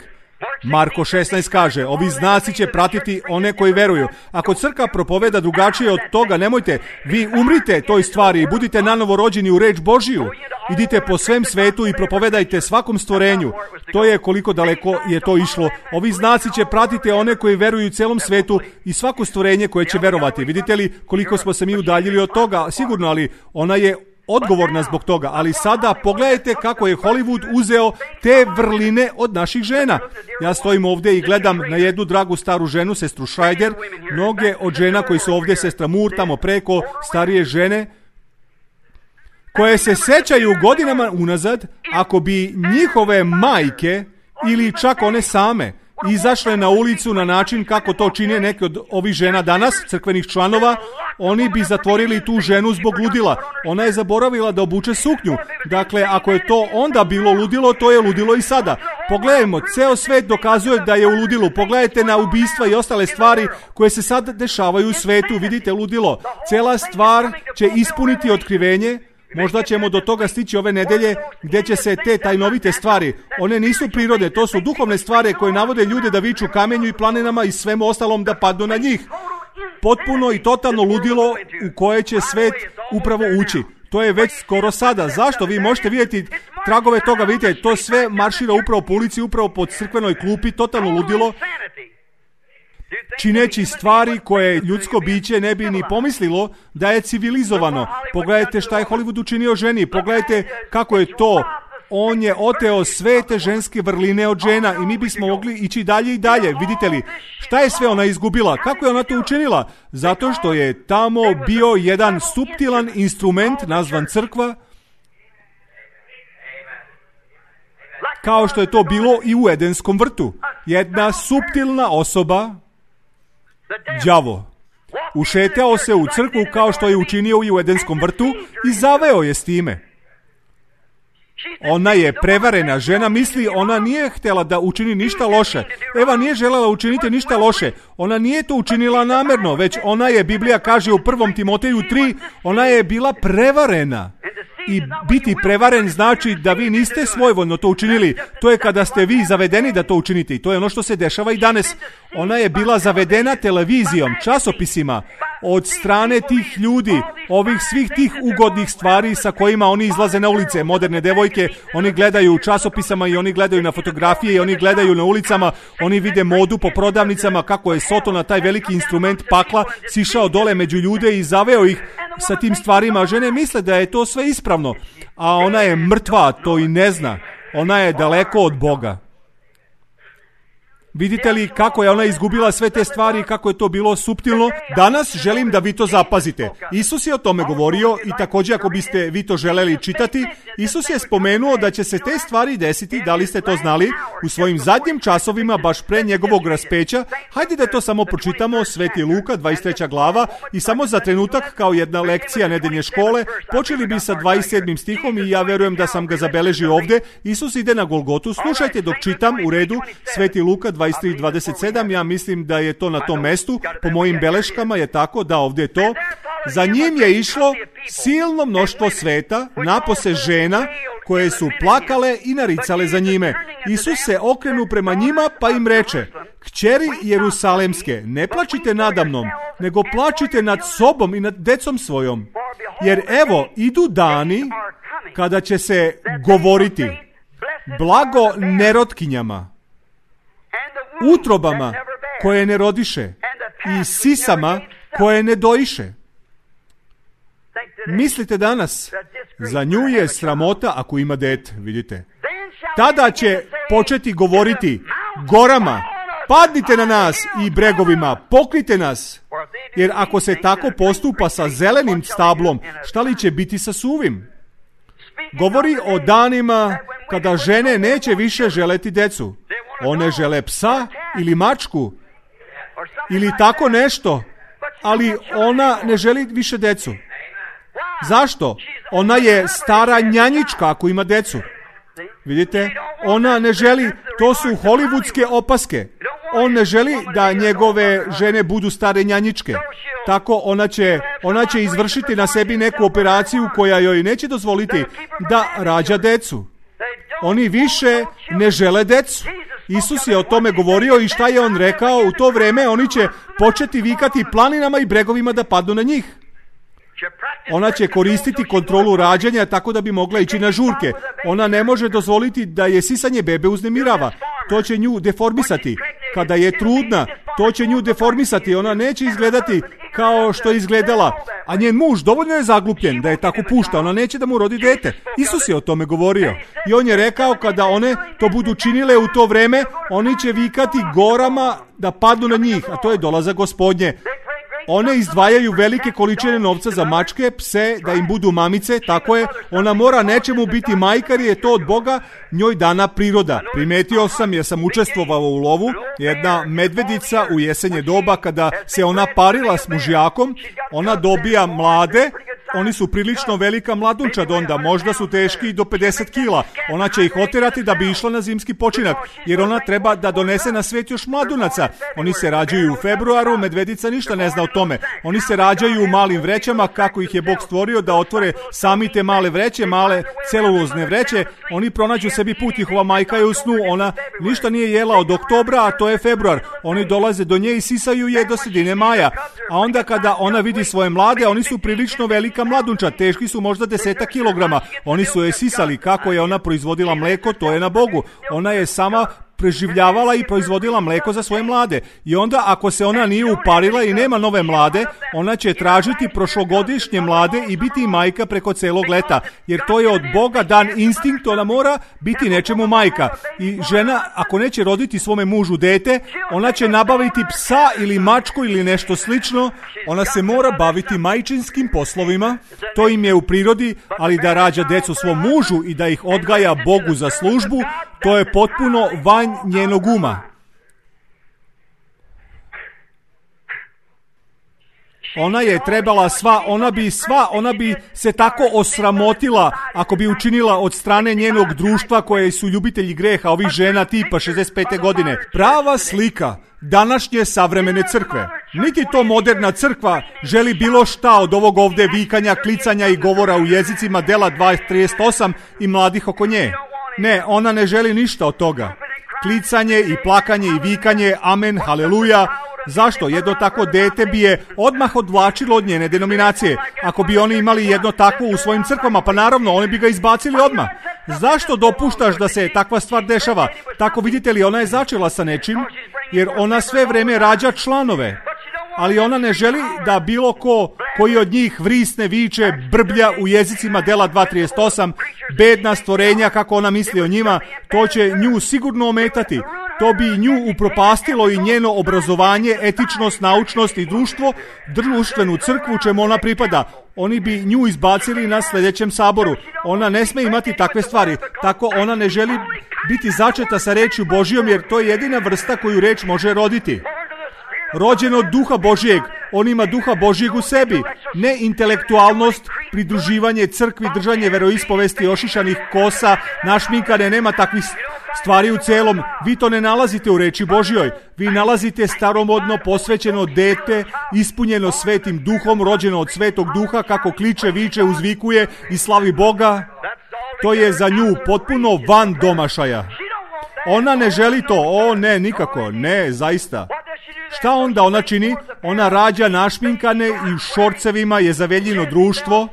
Marko 16 kaže, ovi znaci će pratiti one koji veruju. Ako crkva propoveda drugačije od toga, nemojte, vi umrite toj stvari i budite nanovo rođeni u reč Božiju. Idite po svem svetu i propovedajte svakom stvorenju. To je koliko daleko je to išlo. Ovi znaci će pratiti one koji veruju celom svetu i svako stvorenje koje će verovati. Vidite li koliko smo se mi udaljili od toga? Sigurno, ali ona je odgovorna zbog toga, ali sada pogledajte kako je Hollywood uzeo te vrline od naših žena. Ja stojim ovdje i gledam na jednu dragu staru ženu, sestru Schreider, mnoge od žena koji su ovdje, sestra Moore, tamo preko, starije žene, koje se sećaju godinama unazad, ako bi njihove majke ili čak one same izašle na ulicu na način kako to čine neke od ovih žena danas, crkvenih članova, oni bi zatvorili tu ženu zbog ludila. Ona je zaboravila da obuče suknju. Dakle, ako je to onda bilo ludilo, to je ludilo i sada. Pogledajmo, ceo svet dokazuje da je u ludilu. Pogledajte na ubistva i ostale stvari koje se sad dešavaju u svetu. Vidite ludilo. Cela stvar će ispuniti otkrivenje. Možda ćemo do toga stići ove nedelje gdje će se te tajnovite stvari, one nisu prirodne, to su duhovne stvari koje navode ljude da viču kamenju i planinama i svemu ostalom da padnu na njih. Potpuno i totalno ludilo u koje će svet upravo ući. To je već skoro sada. Zašto? Vi možete vidjeti tragove toga, vidite, to sve maršira upravo po ulici, upravo po crkvenoj klupi, totalno ludilo, čineći stvari koje ljudsko biće ne bi ni pomislilo da je civilizovano. Pogledajte šta je Hollywood učinio ženi, pogledajte kako je to. On je oteo sve te ženske vrline od žena i mi bismo mogli ići dalje i dalje. Vidite li, šta je sve ona izgubila? Kako je ona to učinila? Zato što je tamo bio jedan suptilan instrument nazvan crkva, kao što je to bilo i u Edenskom vrtu. Jedna suptilna osoba, đavo, ušetao se u crkvu kao što je učinio i u Edenskom vrtu i zaveo je s time. Ona je prevarena, žena misli, ona nije htjela da učini ništa loše. Eva nije željela učiniti ništa loše. Ona nije to učinila namjerno, već ona je, Biblija kaže u 1. Timoteju 3, ona je bila prevarena. I biti prevaren znači da vi niste svojvoljno to učinili. To je kada ste vi zavedeni da to učinite. I to je ono što se dešava i danas. Ona je bila zavedena televizijom, časopisima, od strane tih ljudi, ovih svih tih ugodnih stvari sa kojima oni izlaze na ulice. Moderne devojke, oni gledaju u časopisama i oni gledaju na fotografije i oni gledaju na ulicama, oni vide modu po prodavnicama, kako je Sotona, taj veliki instrument pakla, sišao dole među ljude i zaveo ih sa tim stvarima. Žene misle da je to sve ispravno, a ona je mrtva, to i ne zna. Ona je daleko od Boga. Vidite li kako je ona izgubila sve te stvari i kako je to bilo suptilno? Danas želim da vi to zapazite. Isus je o tome govorio i također ako biste vi to želeli čitati, Isus je spomenuo da će se te stvari desiti, da li ste to znali, u svojim zadnjim časovima baš pre njegovog raspeća. Hajde da to samo pročitamo, Sveti Luka, 23. glava, i samo za trenutak kao jedna lekcija nedeljne škole, počeli bi sa 27. stihom i ja verujem da sam ga zabeležio ovdje. Isus ide na Golgotu, slušajte dok čitam u redu, Sveti Luka 23:27, ja mislim da je to na tom mestu, po mojim beleškama je tako, da ovdje je to. Za njim je išlo silno mnoštvo sveta, napose žena, koje su plakale i naricale za njime. Isus se okrenu prema njima pa im reče: Kćeri Jerusalemske, ne plačite nadamnom, nego plačite nad sobom i nad decom svojom. Jer evo, idu dani kada će se govoriti blago nerotkinjama, utrobama koje ne rodiše i sisama koje ne doiše. Mislite danas, za nju je sramota ako ima dete, vidite. Tada će početi govoriti gorama, padnite na nas, i bregovima, pokrite nas. Jer ako se tako postupa sa zelenim stablom, šta li će biti sa suvim? Govori o danima kada žene neće više želeti decu. One žele psa ili mačku ili tako nešto, ali ona ne želi više decu. Zašto? Ona je stara njanjička ako ima decu. Vidite, ona ne želi, to su hollywoodske opaske. On ne želi da njegove žene budu stare njanjičke. Tako ona će izvršiti na sebi neku operaciju koja joj neće dozvoliti da rađa decu. Oni više ne žele decu. Isus je o tome govorio i šta je on rekao? U to vrijeme oni će početi vikati planinama i bregovima da padnu na njih. Ona će koristiti kontrolu rađanja tako da bi mogla ići na žurke. Ona ne može dozvoliti da je sisanje bebe uznemirava. To će nju deformisati. Kada je trudna, to će nju deformisati. Ona neće izgledati kao što je izgledala. A njen muž dovoljno je zaglupljen da je tako pušta. Ona neće da mu rodi dete. Isus je o tome govorio. I on je rekao kada one to budu činile u to vrijeme, oni će vikati gorama da padnu na njih. A to je dolazak Gospodnje. One izdvajaju velike količine novca za mačke, pse, da im budu mamice, tako je. Ona mora nečemu biti majka jer je to od Boga njoj dana priroda. Primetio sam jer sam učestvovao u lovu, jedna medvedica u jesenje doba kada se ona parila s mužjakom, ona dobija mlade, oni su prilično velika mladunčad onda, možda su teški i do 50 kila. Ona će ih oterati da bi išla na zimski počinak, jer ona treba da donese na svijet još mladunaca. Oni se rađaju u februaru, medvedica ništa ne zna o tome. Oni se rađaju u malim vrećama, kako ih je Bog stvorio da otvore sami te male vreće, male celulozne vreće. Oni pronađu sebi put, njihova majka je u snu, ona ništa nije jela od oktobra, a to je februar. Oni dolaze do nje i sisaju je do sredine maja. A onda kada ona vidi svoje mlade, oni su prilično velika mladunča, teški su možda 10 kilograma. Oni su je sisali, kako je ona proizvodila mleko, to je na Bogu. Ona je sama preživljavala i proizvodila mleko za svoje mlade. I onda ako se ona nije uparila i nema nove mlade, ona će tražiti prošlogodišnje mlade i biti majka preko celog leta. Jer to je od Boga dan instinkt, ona mora biti nečemu majka. I žena, ako neće roditi svome mužu dete, ona će nabaviti psa ili mačku ili nešto slično. Ona se mora baviti majčinskim poslovima. To im je u prirodi, ali da rađa decu svom mužu i da ih odgaja Bogu za službu, to je potpuno van njenog uma. Ona je trebala ona bi se tako osramotila ako bi učinila od strane njenog društva koje su ljubitelji greha, ovih žena tipa 65. godine. Prava slika današnje savremene crkve. Niti to moderna crkva želi bilo šta od ovog ovdje vikanja, klicanja i govora u jezicima dela 2:38 i mladih oko nje. Ne, ona ne želi ništa od toga. Klicanje i plakanje i vikanje, amen, haleluja. Zašto? Jedno tako dete bi je odmah odvlačilo od njene denominacije. Ako bi oni imali jedno takvo u svojim crkvama, pa naravno, oni bi ga izbacili odmah. Zašto dopuštaš da se takva stvar dešava? Tako vidite li, ona je začela sa nečim, jer ona sve vreme rađa članove. Ali ona ne želi da bilo koji od njih vrisne, viče, brblja u jezicima dela 2:38, bedna stvorenja, kako ona misli o njima, to će nju sigurno ometati. To bi nju upropastilo i njeno obrazovanje, etičnost, naučnost i društvenu crkvu čemu ona pripada. Oni bi nju izbacili na sljedećem saboru. Ona ne sme imati takve stvari. Tako ona ne želi biti začeta sa rečju Božijom, jer to je jedina vrsta koju reč može roditi. Rođen od duha Božijeg, on ima duha Božijeg u sebi, ne intelektualnost, pridruživanje crkvi, držanje veroispovesti, ošišanih kosa, našminkane, nema takvih stvari u celom. Vi to ne nalazite u reči Božjoj. Vi nalazite staromodno posvećeno dete, ispunjeno svetim duhom, rođeno od svetog duha, kako kliče, viče, uzvikuje i slavi Boga. To je za nju potpuno van domašaja. Ona ne želi to, nikako, ne, zaista. Šta onda ona čini? Ona rađa našminkane i u šorcevima je zaveljino društvo.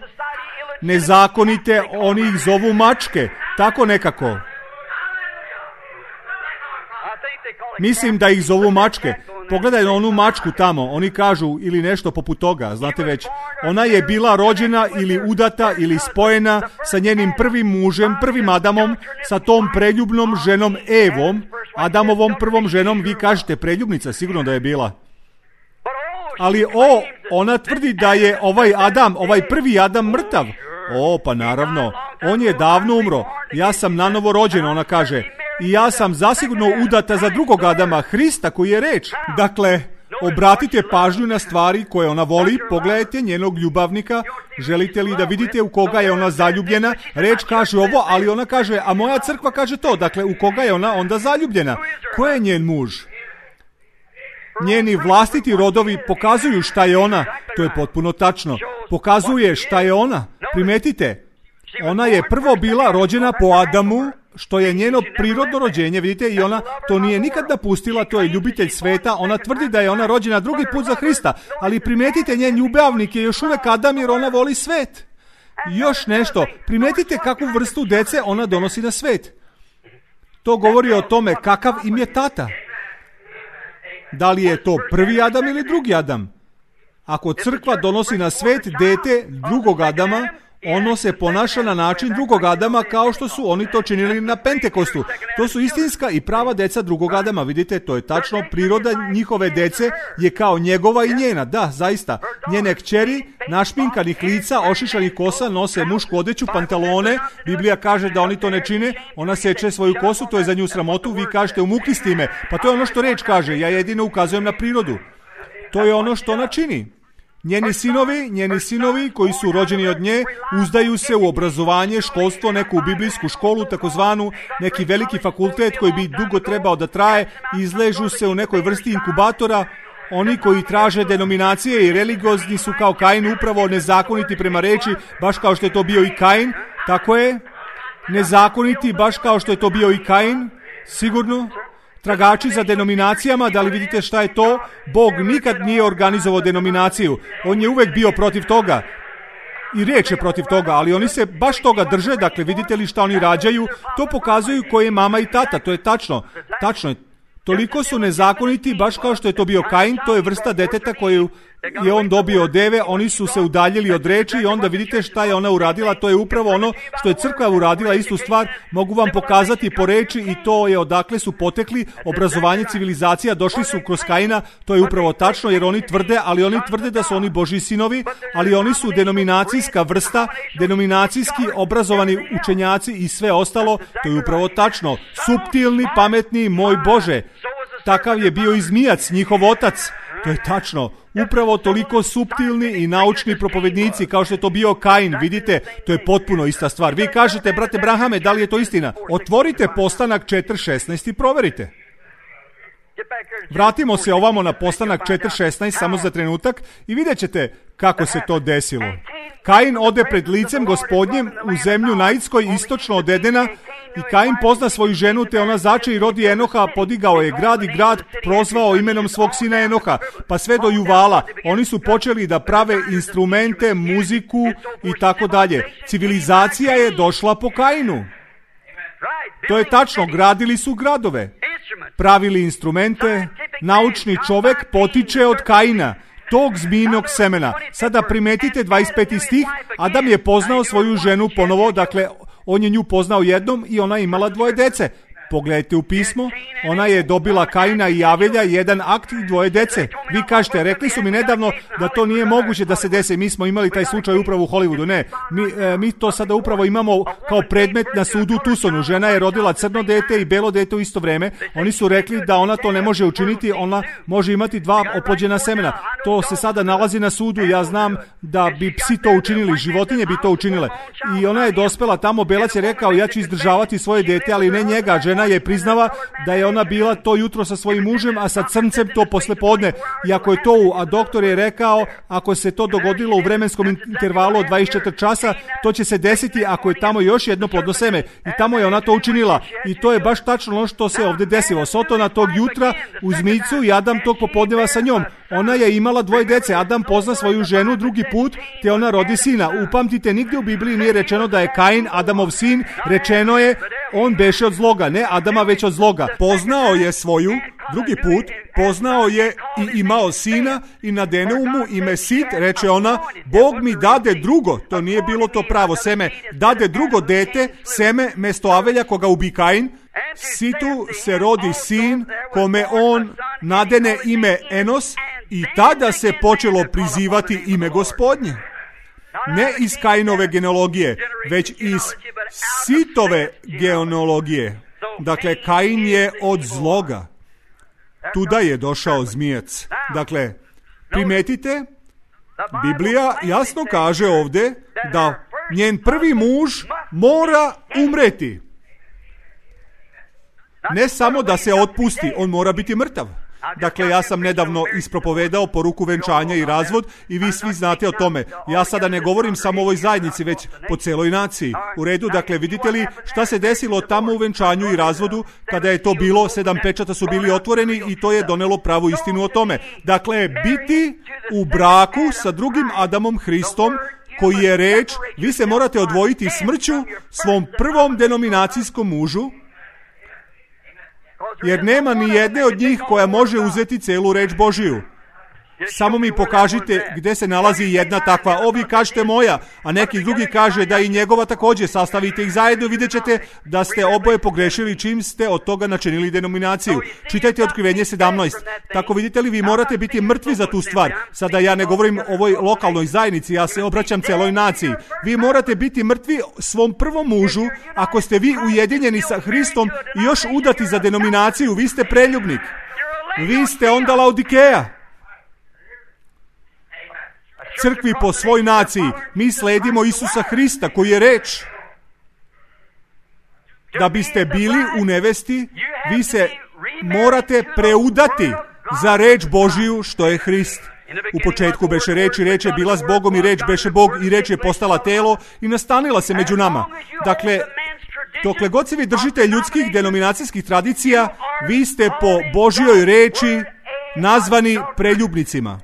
Nezakonite, oni ih zovu mačke, tako nekako. Mislim da ih zovu mačke. Pogledaj na onu mačku tamo, oni kažu ili nešto poput toga, znate već. Ona je bila rođena ili udata ili spojena sa njenim prvim mužem, prvim Adamom, sa tom preljubnom ženom Evom, Adamovom prvom ženom, vi kažete preljubnica, sigurno da je bila. Ali ona tvrdi da je ovaj prvi Adam mrtav. Pa naravno, on je davno umro, ja sam nanovo rođen, ona kaže. I ja sam zasigurno udata za drugog Adama, Hrista koji je reč. Dakle, obratite pažnju na stvari koje ona voli, pogledajte njenog ljubavnika, želite li da vidite u koga je ona zaljubljena? Reč kaže ovo, ali ona kaže, a moja crkva kaže to, dakle u koga je ona onda zaljubljena? Ko je njen muž? Njeni vlastiti rodovi pokazuju šta je ona, to je potpuno tačno. Pokazuje šta je ona, primetite. Ona je prvo bila rođena po Adamu, što je njeno prirodno rođenje, vidite, i ona to nije nikad napustila, to je ljubitelj sveta, ona tvrdi da je ona rođena drugi put za Hrista, ali primetite, njen ljubavnik je još uvek Adam jer ona voli svet. Još nešto, primetite kakvu vrstu dece ona donosi na svet. To govori o tome kakav im je tata. Da li je to prvi Adam ili drugi Adam? Ako crkva donosi na svet dete drugog Adama, ono se ponaša na način drugog Adama kao što su oni to činili na Pentekostu. To su istinska i prava deca drugog Adama. Vidite, to je tačno. Priroda njihove dece je kao njegova i njena. Da, zaista. Njene kćeri, našminkanih lica, ošišanih kosa, nose mušku odeću, pantalone. Biblija kaže da oni to ne čine. Ona seče svoju kosu, to je za nju sramotu. Vi kažete umukli s time. Pa to je ono što reč kaže. Ja jedino ukazujem na prirodu. To je ono što ona čini. Njeni sinovi koji su rođeni od nje uzdaju se u obrazovanje, školstvo, neku biblijsku školu, takozvanu neki veliki fakultet koji bi dugo trebao da traje, izležu se u nekoj vrsti inkubatora. Oni koji traže denominacije i religiozni su kao Kain upravo nezakoniti prema reči, baš kao što je to bio i Kain. Tako je, nezakoniti baš kao što je to bio i Kain, sigurno. Tragači za denominacijama, da li vidite šta je to? Bog nikad nije organizovao denominaciju. On je uvek bio protiv toga. I riječ je protiv toga, ali oni se baš toga drže. Dakle, vidite li šta oni rađaju? To pokazuju ko je mama i tata. To je tačno. Tačno je. Toliko su nezakoniti, baš kao što je to bio Kain. To je vrsta deteta koju je on dobio od Eve. Oni su se udaljili od reči i onda vidite šta je ona uradila. To je upravo ono što je crkva uradila, istu stvar. Mogu vam pokazati po reči i to je odakle su potekli. Obrazovanje civilizacija došli su kroz Kaina. To je upravo tačno jer oni tvrde da su oni Božji sinovi, ali oni su denominacijska vrsta, denominacijski obrazovani učenjaci i sve ostalo. To je upravo tačno. Suptilni, pametni, moj Bože. Takav je bio i zmijac, njihov otac. To je tačno. Upravo toliko suptilni i naučni propovednici kao što je to bio Kain. Vidite, to je potpuno ista stvar. Vi kažete, brate Brahame, da li je to istina? Otvorite Postanak 4.16 i proverite. Vratimo se ovamo na Postanak 4.16 samo za trenutak i vidjet ćete kako se to desilo. Kain ode pred licem Gospodnjem u zemlju Naidskoj istočno od Edena i Kain pozna svoju ženu te ona zače i rodi Enoha, podigao je grad i grad prozvao imenom svog sina Enoha, pa sve do Juvala. Oni su počeli da prave instrumente, muziku i tako dalje. Civilizacija je došla po Kainu. To je tačno, gradili su gradove, pravili instrumente, naučni čovek potiče od Kaina, tog zmijinog semena. Sada primetite 25. stih, Adam je poznao svoju ženu ponovo, dakle, on je nju poznao jednom i ona imala 2 dece. Pogledajte u pismo, ona je dobila Kaina i Avelja, 1 akt i 2 dece. Vi kažete, rekli su mi nedavno da to nije moguće da se desi. Mi smo imali taj slučaj upravo u Hollywoodu. Ne, mi to sada upravo imamo kao predmet na sudu u Tucsonu. Žena je rodila crno dete i belo dete u isto vreme. Oni su rekli da ona to ne može učiniti, ona može imati 2 oplođena semena. To se sada nalazi na sudu. Ja znam da bi psi to učinili, životinje bi to učinile. I ona je dospela tamo, belac je rekao, ja ću izdržavati svoje dete, ali ne njega. Žena je priznava da je ona bila to jutro sa svojim mužem, a sa crncem to poslepodne. I ako je to, a doktor je rekao, ako se to dogodilo u vremenskom intervalu od 24 časa, to će se desiti ako je tamo još jedno plodno seme. I tamo je ona to učinila. I to je baš tačno ono što se ovdje desilo. Sotona tog jutra u zmijcu i Adam tog popodneva sa njom. Ona je imala 2 dece. Adam pozna svoju ženu drugi put, te ona rodi sina. Upamtite, nigdje u Bibliji nije rečeno da je Kain Adamov sin. Rečeno je, on beše od zloga, ne Adama već od zloga. Poznao je svoju, drugi put, poznao je i imao sina i nadene mu ime Sit, reče ona, Bog mi dade drugo, to nije bilo to pravo seme, dade drugo dete, seme mesto Avelja koga ubi Kain. Situ se rodi sin kome on nadene ime Enos i tada se počelo prizivati ime Gospodnje. Ne iz Kainove genealogije, već iz Sitove genealogije. Dakle, Kain je od zloga. Tuda je došao zmijac. Dakle, primetite, Biblija jasno kaže ovdje da njen prvi muž mora umreti. Ne samo da se otpusti, on mora biti mrtav. Dakle, ja sam nedavno ispropovedao poruku venčanja i razvod i vi svi znate o tome. Ja sada ne govorim samo o ovoj zajednici, već po celoj naciji. U redu, dakle, vidite li šta se desilo tamo u venčanju i razvodu kada je to bilo, 7 pečata su bili otvoreni i to je donelo pravu istinu o tome. Dakle, biti u braku sa drugim Adamom Hristom, koji je reč, vi se morate odvojiti smrću svom prvom denominacijskom mužu, jer nema ni jedne od njih koja može uzeti celu reč Božiju. Samo mi pokažite gdje se nalazi jedna takva. Ovi kažete moja, a neki drugi kaže da i njegova također. Sastavite ih zajedno, vidjet ćete da ste oboje pogrešili čim ste od toga načinili denominaciju. Čitajte Otkrivenje 17. Tako vidite li, vi morate biti mrtvi za tu stvar. Sada ja ne govorim o ovoj lokalnoj zajednici, ja se obraćam celoj naciji. Vi morate biti mrtvi svom prvom mužu. Ako ste vi ujedinjeni sa Hristom i još udati za denominaciju, vi ste preljubnik. Vi ste onda Laodikeja. Crkvi po svoj naciji. Mi sledimo Isusa Hrista koji je reč. Da biste bili u nevesti, vi se morate preudati za reč Božiju što je Hrist. U početku beše reč i reč je bila s Bogom i reč beše Bog i reč je postala telo i nastanila se među nama. Dakle, dokle god se vi držite ljudskih denominacijskih tradicija, vi ste po Božjoj reči nazvani preljubnicima.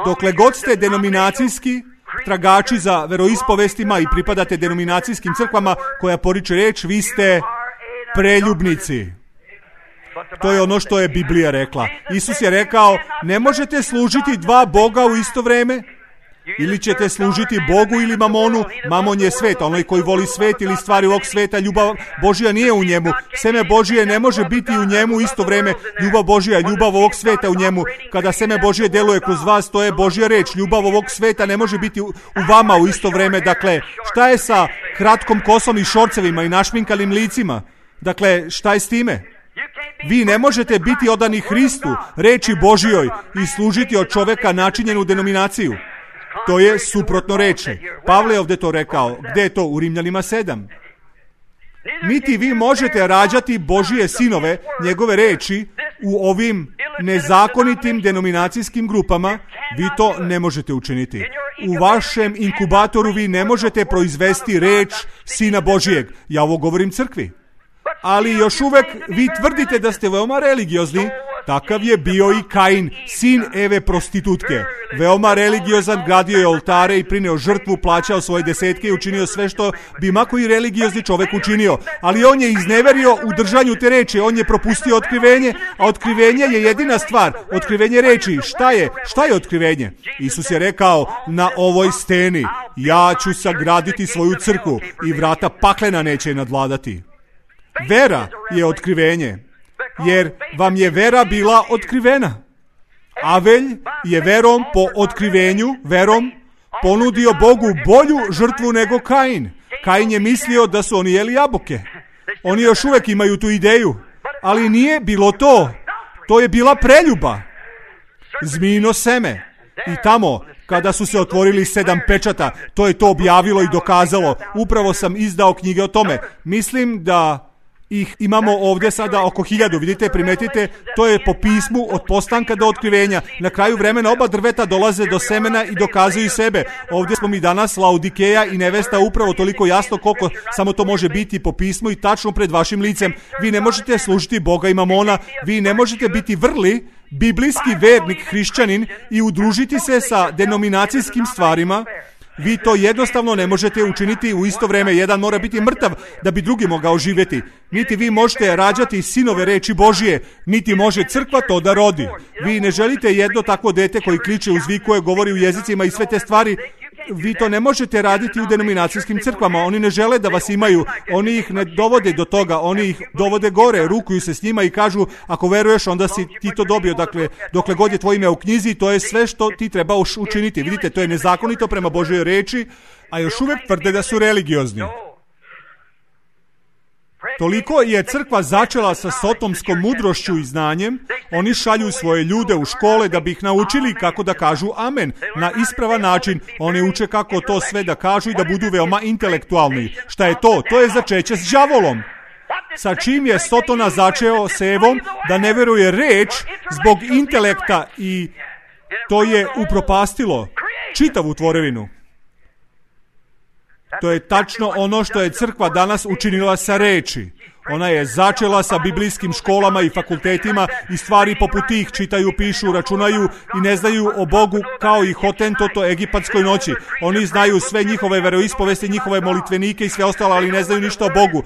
Dokle god ste denominacijski tragači za veroispovestima i pripadate denominacijskim crkvama koja poriče reč, vi ste preljubnici. To je ono što je Biblija rekla. Isus je rekao, ne možete služiti dva Boga u isto vreme. Ili ćete služiti Bogu ili mamonu. Mamon je svet, onaj koji voli svet ili stvari ovog sveta, ljubav Božja nije u njemu. Seme Božje ne može biti u njemu u isto vreme. Ljubav Božja, ljubav ovog sveta u njemu. Kada seme Božje deluje kroz vas, to je Božja reč. Ljubav ovog sveta ne može biti u vama u isto vreme. Dakle, šta je sa kratkom kosom i šorcevima i našminkalim licima? Dakle, šta je s time? Vi ne možete biti odani Hristu, reči Božjoj i služiti od čoveka načinjenu denominaciju. To je suprotno reči. Pavle je ovdje to rekao. Gdje je to? U Rimljanima 7. Niti vi možete rađati Božije sinove, njegove reči, u ovim nezakonitim denominacijskim grupama. Vi to ne možete učiniti. U vašem inkubatoru vi ne možete proizvesti reč Sina Božijeg. Ja ovo govorim crkvi. Ali još uvek vi tvrdite da ste veoma religiozni. Takav je bio i Kain, sin Eve prostitutke. Veoma religiozan, gradio je oltare i prineo žrtvu, plaćao svoje desetke i učinio sve što bi ma koji religiozni čovek učinio. Ali on je izneverio u držanju te reči, on je propustio otkrivenje, a otkrivenje je jedina stvar. Otkrivenje reči, šta je? Šta je otkrivenje? Isus je rekao, na ovoj steni ja ću sagraditi svoju crkvu i vrata paklena neće je nadvladati. Vera je otkrivenje, jer vam je vera bila otkrivena. Avelj je verom po otkrivenju, verom, ponudio Bogu bolju žrtvu nego Kain. Kain je mislio da su oni jeli jabuke. Oni još uvek imaju tu ideju, ali nije bilo to. To je bila preljuba. Zmijino seme. I tamo, kada su se otvorili 7 pečata, to je to objavilo i dokazalo. Upravo sam izdao knjige o tome. Mislim da ih imamo ovdje sada oko 1000, vidite, primetite, to je po pismu od postanka do otkrivenja. Na kraju vremena oba drveta dolaze do semena i dokazuju sebe. Ovdje smo mi danas, Laodikeja i nevesta, upravo toliko jasno koliko samo to može biti po pismu i tačno pred vašim licem. Vi ne možete služiti Boga i mamona, vi ne možete biti vrli, biblijski vernik, hrišćanin i udružiti se sa denominacijskim stvarima. Vi to jednostavno ne možete učiniti u isto vrijeme. Jedan mora biti mrtav da bi drugi mogao živjeti. Niti vi možete rađati sinove reči Božije, niti može crkva to da rodi. Vi ne želite jedno takvo dete koji kliče, uzvikuje, govori u jezicima i sve te stvari. Vi to ne možete raditi u denominacijskim crkvama. Oni ne žele da vas imaju. Oni ih ne dovode do toga. Oni ih dovode gore, rukuju se s njima i kažu, ako veruješ, onda si ti to dobio. Dakle, dokle god je tvoje ime u knjizi, to je sve što ti treba učiniti. Vidite, to je nezakonito prema Božjoj reči, a još uvijek tvrde da su religiozni. Toliko je crkva začela sa sotomskom mudrošću i znanjem, oni šalju svoje ljude u škole da bi ih naučili kako da kažu amen na ispravan način. Oni uče kako to sve da kažu i da budu veoma intelektualni. Šta je to? To je začeće s đavolom. Sa čim je Sotona začeo s Evom da ne veruje reč zbog intelekta i to je upropastilo čitavu tvorevinu. To je tačno ono što je crkva danas učinila sa reči. Ona je začela sa biblijskim školama i fakultetima i stvari poput tih čitaju, pišu, računaju i ne znaju o Bogu kao i Hotentoto egipatskoj noći. Oni znaju sve njihove veroispovesti, njihove molitvenike i sve ostalo, ali ne znaju ništa o Bogu.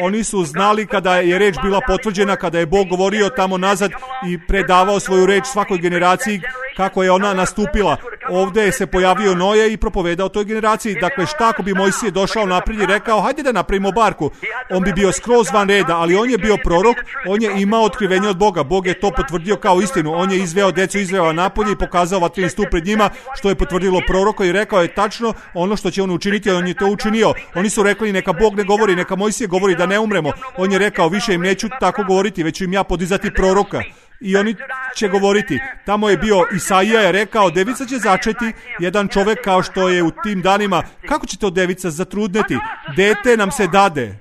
Oni su znali kada je reč bila potvrđena, kada je Bog govorio tamo nazad i predavao svoju reč svakoj generaciji kako je ona nastupila. Ovdje se pojavio Noje i propovedao toj generaciji. Dakle, šta ako bi Mojsije došao naprijed i rekao, hajde da napravimo barku. On bi bio skroz van reda, ali on je bio prorok, on je imao otkrivenje od Boga. Bog je to potvrdio kao istinu. On je izveo decu, izveo napolje i pokazao vatrin stup pred njima, što je potvrdilo proroka i rekao je tačno ono što će on učiniti, on je to učinio. Oni su rekli, neka Bog ne govori, neka Mojsije govori da ne umremo. On je rekao, više im neću tako govoriti, već ću im ja podizati proroka. I oni će govoriti. Tamo je bio Isaija je rekao, devica će začeti, jedan čovjek kao što je u tim danima. Kako će to devica zatrudneti? Dete nam se dade.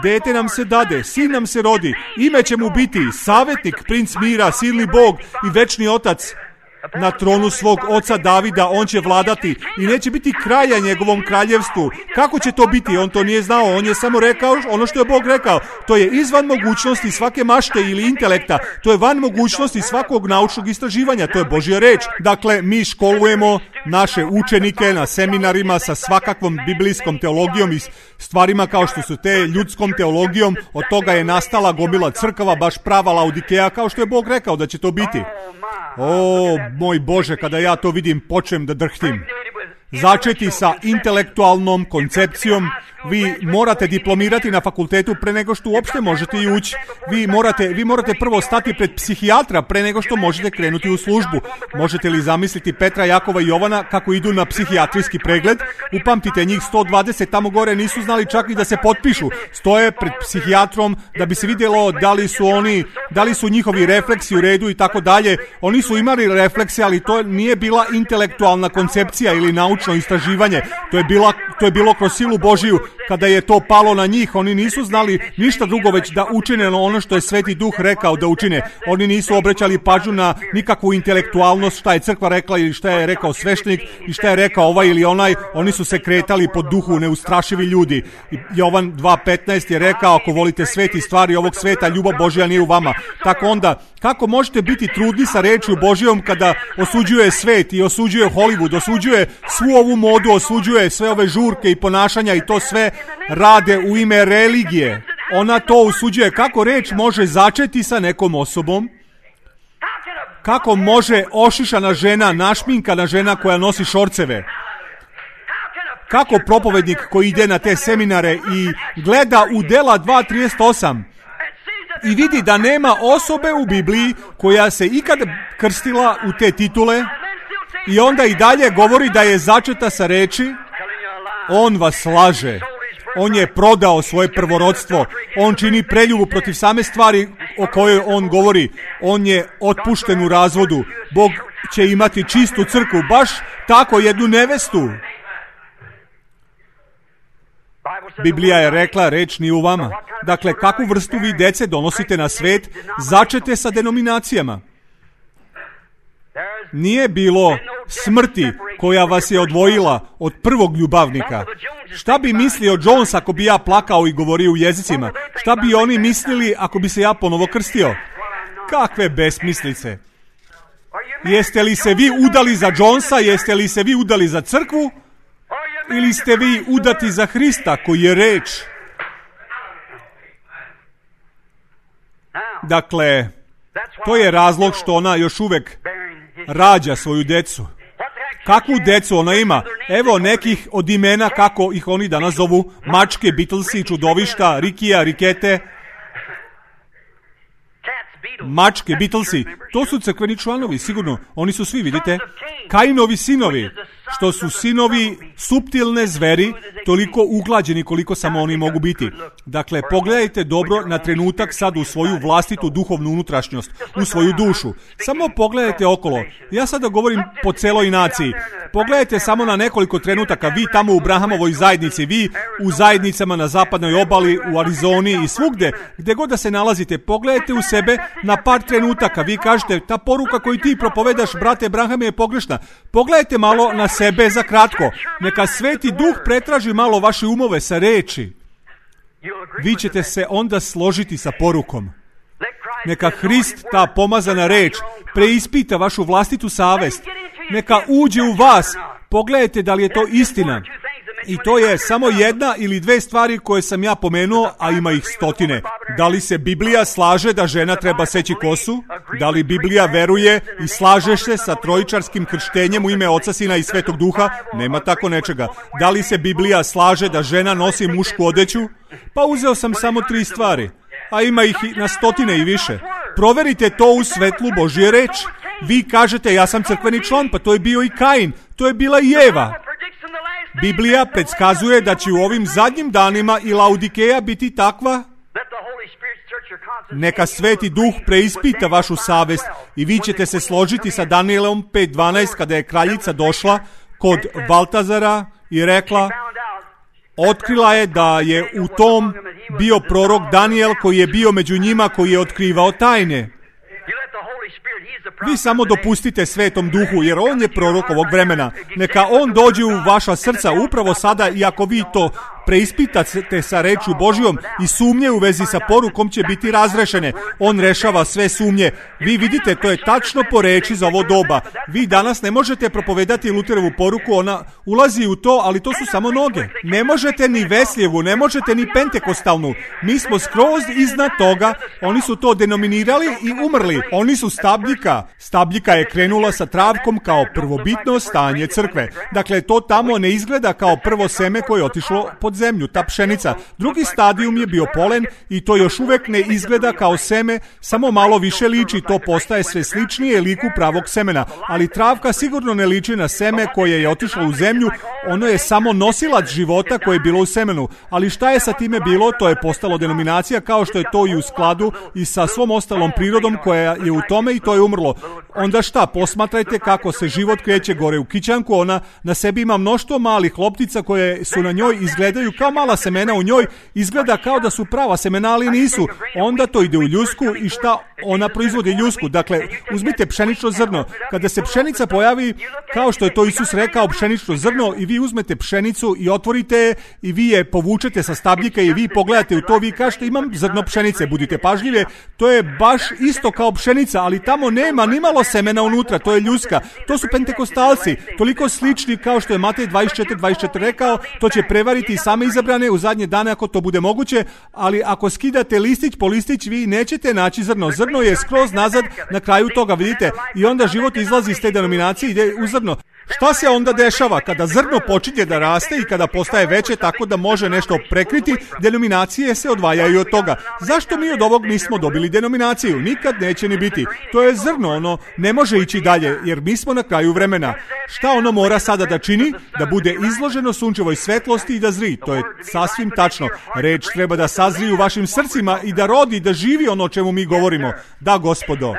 Dete nam se dade, sin nam se rodi. Ime će mu biti savjetnik, princ mira, silni Bog i večni otac. Na tronu svog oca Davida on će vladati i neće biti kraja njegovom kraljevstvu. Kako će to biti? On to nije znao, on je samo rekao ono što je Bog rekao. To je izvan mogućnosti svake mašte ili intelekta. To je van mogućnosti svakog naučnog istraživanja. To je Božja reč. Dakle, mi školujemo naše učenike na seminarima sa svakakvom biblijskom teologijom i stvarima kao što su te ljudskom teologijom. Od toga je nastala gomila crkava, baš prava Laodikeja, kao što je Bog rekao da će to biti. O, moj Bože, kada ja to vidim, počnem da drhtim. Začeti sa intelektualnom koncepcijom. Vi morate diplomirati na fakultetu pre nego što uopšte možete i ući. Vi morate prvo stati pred psihijatra pre nego što možete krenuti u službu. Možete li zamisliti Petra, Jakova i Jovana kako idu na psihijatrijski pregled? Upamtite, njih 120 tamo gore nisu znali čak i da se potpišu. Stoje pred psihijatrom da bi se vidjelo da li su njihovi refleksi u redu i tako dalje. Oni su imali reflekse, ali to nije bila intelektualna koncepcija ili naučno istraživanje. To je bilo kroz silu Božiju. Kada je to palo na njih, oni nisu znali ništa drugo već da učine ono što je Sveti Duh rekao da učine. Oni nisu obraćali pažnju na nikakvu intelektualnost, šta je crkva rekla ili šta je rekao sveštenik i šta je rekao ovaj ili onaj. Oni su se kretali po duhu, neustrašivi ljudi. Jovan 2.15 je rekao, ako volite svet i stvari ovog sveta, ljubav Božja nije u vama. Tako onda, kako možete biti trudni sa rečju Božjom kada osuđuje svet i osuđuje Hollywood, osuđuje svu ovu modu, osuđuje sve ove žurke i ponašanja i to sve rade u ime religije. Ona to osuđuje. Kako reč može začeti sa nekom osobom? Kako može ošišana žena, našminkana žena koja nosi šorceve? Kako propovednik koji ide na te seminare i gleda u Dela 2.38 i vidi da nema osobe u Bibliji koja se ikad krstila u te titule i onda i dalje govori da je začeta sa reči, on vas laže. On je prodao svoje prvorodstvo. On čini preljubu protiv same stvari o kojoj on govori. On je otpušten u razvodu. Bog će imati čistu crkvu, baš tako jednu nevestu. Biblija je rekla, reč nije u vama. Dakle, kakvu vrstu vi dece donosite na svet, začete sa denominacijama. Nije bilo smrti koja vas je odvojila od prvog ljubavnika. Šta bi mislio Jones ako bi ja plakao i govorio u jezicima? Šta bi oni mislili ako bi se ja ponovo krstio? Kakve besmislice! Jeste li se vi udali za Jonesa? Jeste li se vi udali za crkvu? Ili ste vi udati za Hrista koji je reč? Dakle, to je razlog što ona još uvek rađa svoju decu. Kakvu decu ona ima? Evo nekih od imena kako ih oni danas zovu. Mačke, Beatlesi, čudovišta, Rikija, Rikete. Mačke, Beatlesi, to su crkveni članovi, sigurno. Oni su svi, vidite, Kainovi sinovi, što su sinovi suptilne zveri, toliko uglađeni koliko samo oni mogu biti. Dakle, pogledajte dobro na trenutak sad u svoju vlastitu duhovnu unutrašnjost, u svoju dušu. Samo pogledajte okolo. Ja sada govorim po celoj naciji. Pogledajte samo na nekoliko trenutaka, vi tamo u Brahamovoj zajednici, vi u zajednicama na zapadnoj obali, u Arizoni i svugde, gdje god da se nalazite, pogledajte u sebe na par trenutaka. Vi kažete, ta poruka koju ti propovedaš, brate Brahame, je pogrešna. Pogledajte malo na sebe sebe za kratko. Neka Sveti Duh pretraži malo vaše umove sa reči. Vi ćete se onda složiti sa porukom. Neka Hrist, ta pomazana reč, preispita vašu vlastitu savest. Neka uđe u vas. Pogledajte da li je to istina. I to je samo jedna ili dve stvari koje sam ja pomenuo, a ima ih stotine. Da li se Biblija slaže da žena treba seći kosu? Da li Biblija veruje i slaže se sa trojičarskim krštenjem u ime Oca, Sina i Svetog Duha? Nema tako nečega. Da li se Biblija slaže da žena nosi mušku odeću? Pa uzeo sam samo 3 stvari, a ima ih na stotine i više. Proverite to u svetlu Božje reči. Vi kažete, ja sam crkveni član, pa to je bio i Kain, to je bila i Eva. Biblija predskazuje da će u ovim zadnjim danima i Laodikeja biti takva. Neka Sveti Duh preispita vašu savest i vi ćete se složiti sa Danielom 5.12 kada je kraljica došla kod Baltazara i rekla, otkrila je da je u tom bio prorok Daniel koji je bio među njima, koji je otkrivao tajne. Vi samo dopustite Svetom Duhu, jer on je prorok ovog vremena. Neka on dođe u vaša srca upravo sada, i ako vi to preispitate sa rečju Božjom i sumnje u vezi sa porukom će biti razrešene. On rešava sve sumnje. Vi vidite, to je tačno po reči za ovo doba. Vi danas ne možete propovedati Luterovu poruku, ona ulazi u to, ali to su samo noge. Ne možete ni Veslijevu, ne možete ni Pentekostalnu. Mi smo skroz iznad toga. Oni su to denominirali i umrli. Oni su stabljika. Stabljika je krenula sa travkom kao prvobitno stanje crkve. Dakle, to tamo ne izgleda kao prvo seme koje je otišlo pod zemlju, ta pšenica. Drugi stadijum je bio polen i to još uvek ne izgleda kao seme, samo malo više liči, to postaje sve sličnije liku pravog semena. Ali travka sigurno ne liči na seme koje je otišlo u zemlju, ono je samo nosilac života koje je bilo u semenu. Ali šta je sa time bilo, to je postalo denominacija, kao što je to i u skladu i sa svom ostalom prirodom koja je u tome, i to je umrlo. Onda šta, posmatrajte kako se život kreće gore u kićanku, ona na sebi ima mnoštvo malih loptica koje su na njoj, izgledaju kao mala semena u njoj, izgleda kao da su prava semena, ali nisu. Onda to ide u ljusku i šta ona proizvodi ljusku. Dakle, uzmite pšenično zrno. Kada se pšenica pojavi, kao što je to Isus rekao, pšenično zrno, i vi uzmete pšenicu i otvorite je i vi je povučete sa stabljika i vi pogledate u to, vi kažete imam zrno pšenice, budite pažljive, to je baš isto kao pšenica, ali tamo nema ni malo semena unutra, to je ljuska. To su pentekostalci, toliko slični kao što je Matej 24 rekao, to će prevariti same izabrane u zadnje dane ako to bude moguće, ali ako skidate listić po listić, vi nećete naći zrno. Zrno je skroz nazad na kraju toga, vidite, i onda život izlazi iz te denominacije i ide u zrno. Šta se onda dešava? Kada zrno počinje da raste i kada postaje veće tako da može nešto prekriti, denominacije se odvajaju od toga. Zašto mi od ovog nismo dobili denominaciju? Nikad neće ni biti. To je zrno, ono ne može ići dalje, jer mi smo na kraju vremena. Šta ono mora sada da čini? Da bude izloženo sunčevoj svetlosti i da zri. To je sasvim tačno. Reč treba da sazri u vašim srcima i da rodi, da živi ono o čemu mi govorimo. Da, Gospodo.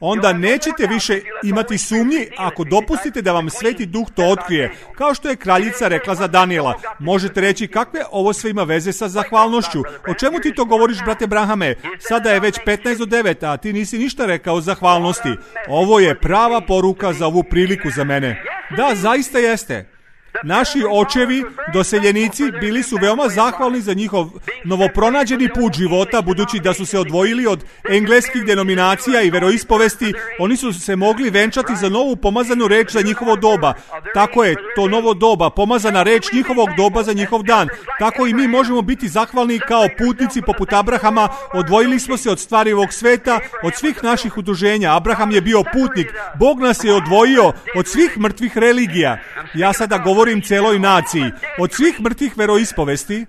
Onda nećete više imati sumnji ako dopustite da vam Sveti Duh to otkrije. Kao što je kraljica rekla za Daniela. Možete reći kakve ovo sve ima veze sa zahvalnošću. O čemu ti to govoriš, brate Brahame? Sada je već 15:09, a ti nisi ništa rekao o zahvalnosti. Ovo je prava poruka za ovu priliku za mene. Da, zaista jeste. Naši očevi, doseljenici, bili su veoma zahvalni za njihov novopronađeni put života, budući da su se odvojili od engleskih denominacija i veroispovesti. Oni su se mogli venčati za novu pomazanu reč za njihovo doba. Tako je, to novo doba, pomazana reč njihovog doba za njihov dan. Tako i mi možemo biti zahvalni kao putnici poput Abrahama. Odvojili smo se od stvari ovog sveta, od svih naših udruženja. Abraham je bio putnik. Bog nas je odvojio od svih mrtvih religija. Ja sada govorim celoj naciji, od svih mrtvih veroispovesti.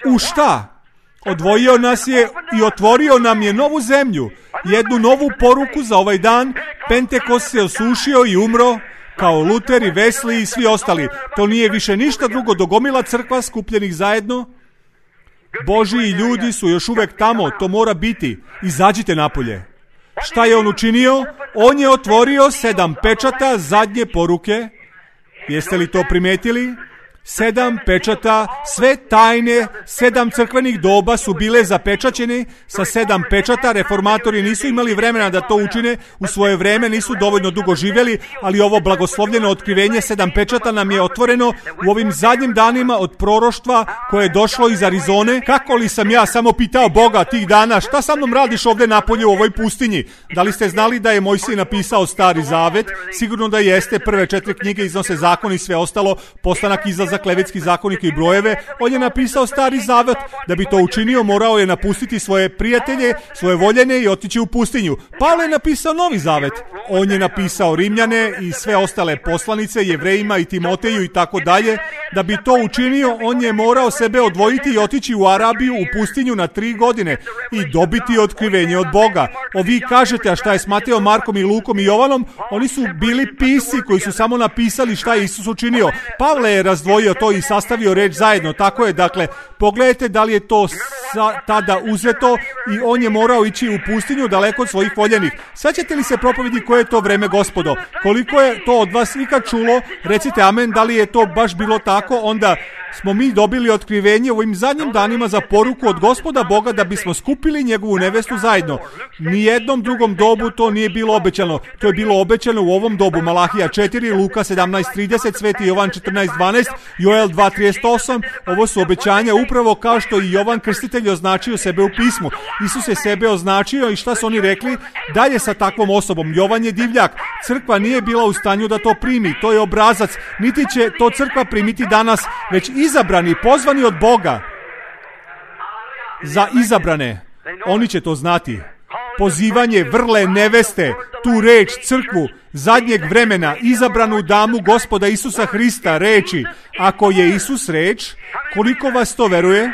U šta? Odvojio nas je i otvorio nam je novu zemlju, jednu novu poruku za ovaj dan. Pentekost se osušio i umro, kao Luter i Wesley i svi ostali. To nije više ništa drugo do gomila crkva skupljenih zajedno. Božiji ljudi su još uvek tamo, to mora biti. Izađite napolje. Šta je on učinio? On je otvorio 7 pečata zadnje poruke. Jeste li to primetili? 7 pečata, sve tajne, 7 crkvenih doba su bile zapečaćene sa 7 pečata. Reformatori nisu imali vremena da to učine, u svoje vreme nisu dovoljno dugo živjeli, ali ovo blagoslovljeno otkrivenje 7 pečata nam je otvoreno u ovim zadnjim danima od proroštva koje je došlo iz Arizone. Kako li sam ja samo pitao Boga tih dana, šta sa mnom radiš ovdje napolje u ovoj pustinji? Da li ste znali da je Mojsije napisao Stari Zavet? Sigurno da jeste. Prve 4 knjige iznose zakon i sve ostalo, postanak, izlazak, Levitski zakonik i brojeve. On je napisao Stari Zavet. Da bi to učinio, morao je napustiti svoje prijatelje, svoje voljene i otići u pustinju. Pavle je napisao Novi Zavet. On je napisao Rimljane i sve ostale poslanice, Jevrejima i Timoteju i tako dalje. Da bi to učinio, on je morao sebe odvojiti i otići u Arabiju, u pustinju na 3 godine i dobiti otkrivenje od Boga. Vi kažete, a šta je s Mateom, Markom i Lukom i Jovanom? Oni su bili pisci koji su samo napisali šta je Isus učinio. Pavle je razdvojio to i sastavio reč zajedno. Tako je, dakle, pogledajte da li je to tada uzeto i on je morao ići u pustinju daleko od svojih voljenih. Sjećate li se propovedi koje je to vreme, gospodo? Koliko je to od vas ikad čulo? Recite amen, da li je to baš bilo tako? Onda smo mi dobili otkrivenje u ovim zadnjim danima za poruku od Gospoda Boga da bismo skupili njegovu nevestu zajedno. Nijednom drugom dobu to nije bilo obećano. To je bilo obećano u ovom dobu. Malahija 4, Luka 17:30, Sveti Jovan 14:12, Joel 2:38. Ovo su obećanja upravo kao što i Jovan Krstitelj označio sebe u pismu. Isus je sebe označio i šta su oni rekli? Dalje sa takvom osobom. Jovan je divljak. Crkva nije bila u stanju da to primi. To je obrazac. Niti će to crkva primiti danas, već izabrani, pozvani od Boga. Za izabrane. Oni će to znati. Pozivanje vrle neveste, tu reč, crkvu, zadnjeg vremena, izabranu damu Gospoda Isusa Hrista, reči. Ako je Isus reč, koliko vas to veruje?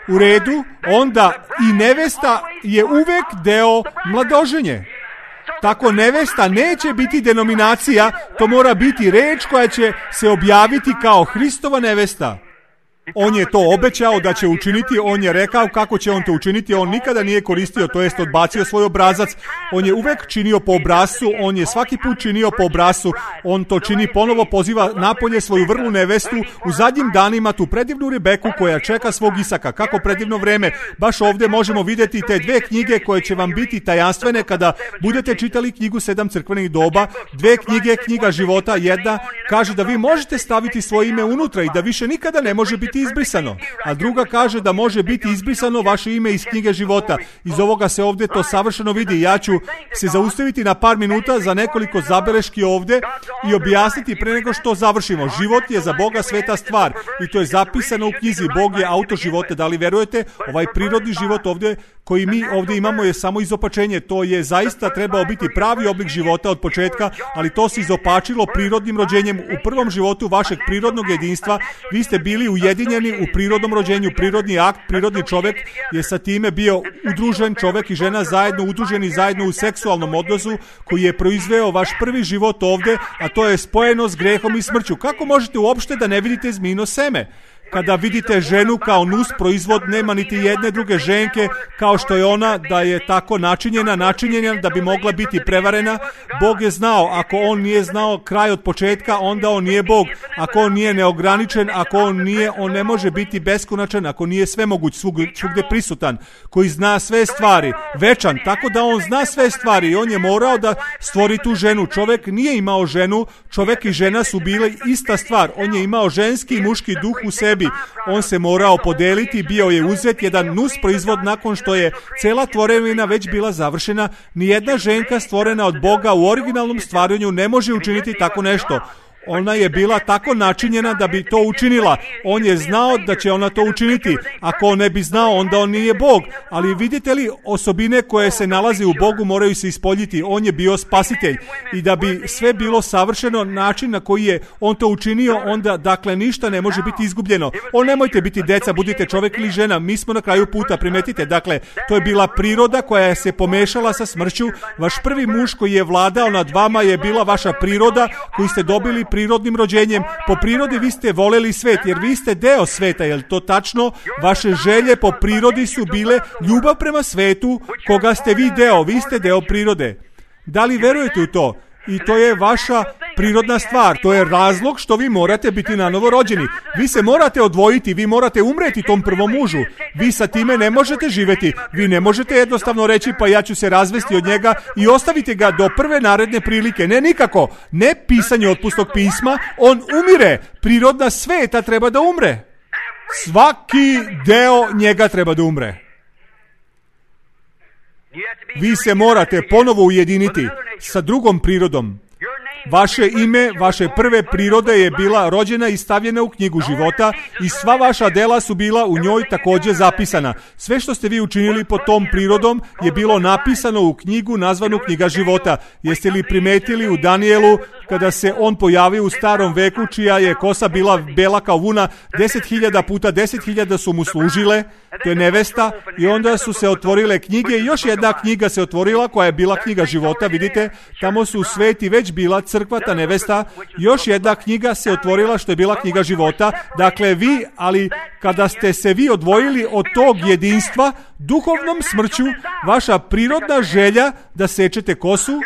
U redu, onda i nevesta je uvek deo mladoženje. Tako nevesta neće biti denominacija, to mora biti reč koja će se objaviti kao Hristova nevesta. On je to obećao da će učiniti, on je rekao kako će on to učiniti, on nikada nije koristio, to jest odbacio svoj obrazac, on je uvek činio po obrascu, on je svaki put činio po obrascu, on to čini ponovo, poziva napolje svoju vrlu nevestu u zadnjim danima, tu predivnu Rebeku koja čeka svog Isaka. Kako predivno vreme, baš ovdje možemo vidjeti te 2 knjige koje će vam biti tajanstvene kada budete čitali knjigu 7 crkvenih doba. 2 knjige, knjiga života, jedna kaže da vi možete staviti svoje ime unutra i da više nikada ne može biti izbrisano, a druga kaže da može biti izbrisano vaše ime iz knjige života. Iz ovoga se ovdje to savršeno vidi. Ja ću se zaustaviti na par minuta za nekoliko zabeleški ovdje i objasniti pre nego što završimo. Život je za Boga sveta stvar i to je zapisano u knjizi. Bog je autor života. Da li verujete? Ovaj prirodni život ovdje koji mi ovdje imamo je samo izopačenje. To je zaista trebao biti pravi oblik života od početka, ali to se izopačilo prirodnim rođenjem. U prvom životu vašeg prirodnog jedinstva vi ste bili ujedinjeni u prirodnom rođenju. Prirodni akt, prirodni čovjek je sa time bio udružen, čovjek i žena zajedno udruženi zajedno u seksualnom odnosu koji je proizveo vaš prvi život ovdje, a to je spojeno s grehom i smrću. Kako možete uopšte da ne vidite zmijino seme? Kada vidite ženu kao nus proizvod, nema niti jedne druge ženke kao što je ona, da je tako načinjena da bi mogla biti prevarena. Bog je znao, ako on nije znao kraj od početka, onda on nije Bog. Ako on nije neograničen, ako on ne može biti beskonačan, ako nije svemoguć, svugdje prisutan, koji zna sve stvari, večan, tako da on zna sve stvari i on je morao da stvori tu ženu. Čovjek nije imao ženu, čovjek i žena su bile ista stvar. On je imao ženski i muški duh u sebi. On se morao podeliti, bio je uzet jedan nus proizvod nakon što je cela tvorevina već bila završena. Nijedna ženka stvorena od Boga u originalnom stvaranju ne može učiniti tako nešto. Ona je bila tako načinjena da bi to učinila. On je znao da će ona to učiniti. Ako on ne bi znao, onda on nije Bog. Ali vidite li, osobine koje se nalaze u Bogu moraju se ispoljiti. On je bio spasitelj. I da bi sve bilo savršeno, način na koji je on to učinio, onda dakle ništa ne može biti izgubljeno. Nemojte biti deca, budite čovjek ili žena. Mi smo na kraju puta, primetite. Dakle, to je bila priroda koja se pomešala sa smrću. Vaš prvi muž koji je vladao nad vama je bila vaša priroda koju ste dobili prirodnim rođenjem. Po prirodi vi ste voleli svet, jer vi ste deo sveta, je li to tačno? Vaše želje po prirodi su bile ljubav prema svetu, koga ste vi deo ste deo prirode. Da li verujete u to? I to je vaša prirodna stvar. To je razlog što vi morate biti nanovo rođeni. Vi se morate odvojiti, vi morate umreti tom prvom mužu. Vi sa time ne možete živjeti. Vi ne možete jednostavno reći pa ja ću se razvesti od njega i ostaviti ga do prve naredne prilike. Ne, nikako. Ne pisanje otpusnog pisma. On umire. Prirodna sveta treba da umre. Svaki deo njega treba da umre. Vi se morate ponovo ujediniti sa drugom prirodom. Vaše ime, vaše prve prirode je bila rođena i stavljena u knjigu života i sva vaša dela su bila u njoj također zapisana. Sve što ste vi učinili pod tom prirodom je bilo napisano u knjigu nazvanu knjiga života. Jeste li primetili u Danijelu kada se on pojavio u starom veku čija je kosa bila bela kao vuna, 10.000 puta 10.000 su mu služile, to je nevesta, i onda su se otvorile knjige i još jedna knjiga se otvorila koja je bila knjiga života, vidite, tamo su sveti već bila crkva, ta nevesta, još jedna knjiga se otvorila što je bila knjiga života. Dakle vi, ali kada ste se vi odvojili od tog jedinstva, duhovnom smrću, vaša prirodna želja da sečete kosu,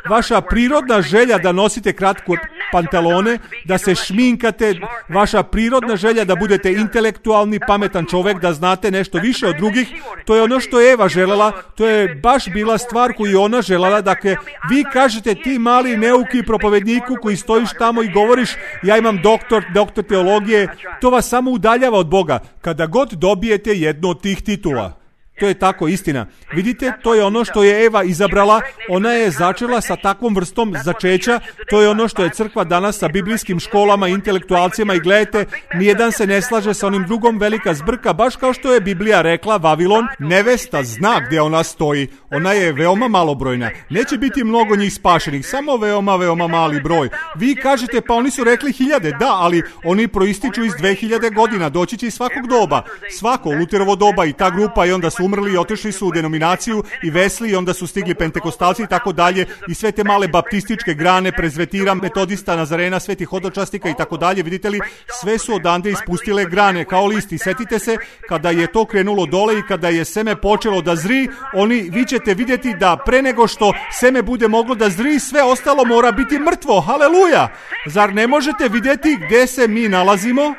vaša prirodna želja da nosite kratko pantalone, da se šminkate, vaša prirodna želja da budete intelektualni, pametan čovjek, da znate nešto više od drugih, to je ono što je Eva želela, to je baš bila stvar koju je ona želela. Dakle, vi kažete ti mali neuki propovedniku koji stojiš tamo i govoriš ja imam doktor teologije, to vas samo udaljava od Boga. Kada god dobijete jednu od tih titula, to je tako istina. Vidite, to je ono što je Eva izabrala. Ona je začela sa takvom vrstom začeća. To je ono što je crkva danas sa biblijskim školama, intelektualcima, i gledajte, nijedan se ne slaže sa onim drugom, velika zbrka, baš kao što je Biblija rekla, Vavilon, nevesta zna gdje ona stoji. Ona je veoma malobrojna. Neće biti mnogo njih spašenih, samo veoma mali broj. Vi kažete, pa oni su rekli 1000, da, ali oni proističu iz 2000 godina, doći će iz svakog doba. Svako, Luterovo doba i ta grupa, i onda su umrli i otišli su u denominaciju i Vesli, i onda su stigli pentekostalci i tako dalje, i sve te male baptističke grane, prezvetira, metodista, nazarena, svetih hodočastika i tako dalje. Vidite li, sve su odande ispustile grane kao listi. Setite se, kada je to krenulo dole i kada je seme počelo da zri, vi ćete vidjeti da pre nego što seme bude moglo da zri, sve ostalo mora biti mrtvo. Haleluja! Zar ne možete vidjeti gdje se mi nalazimo?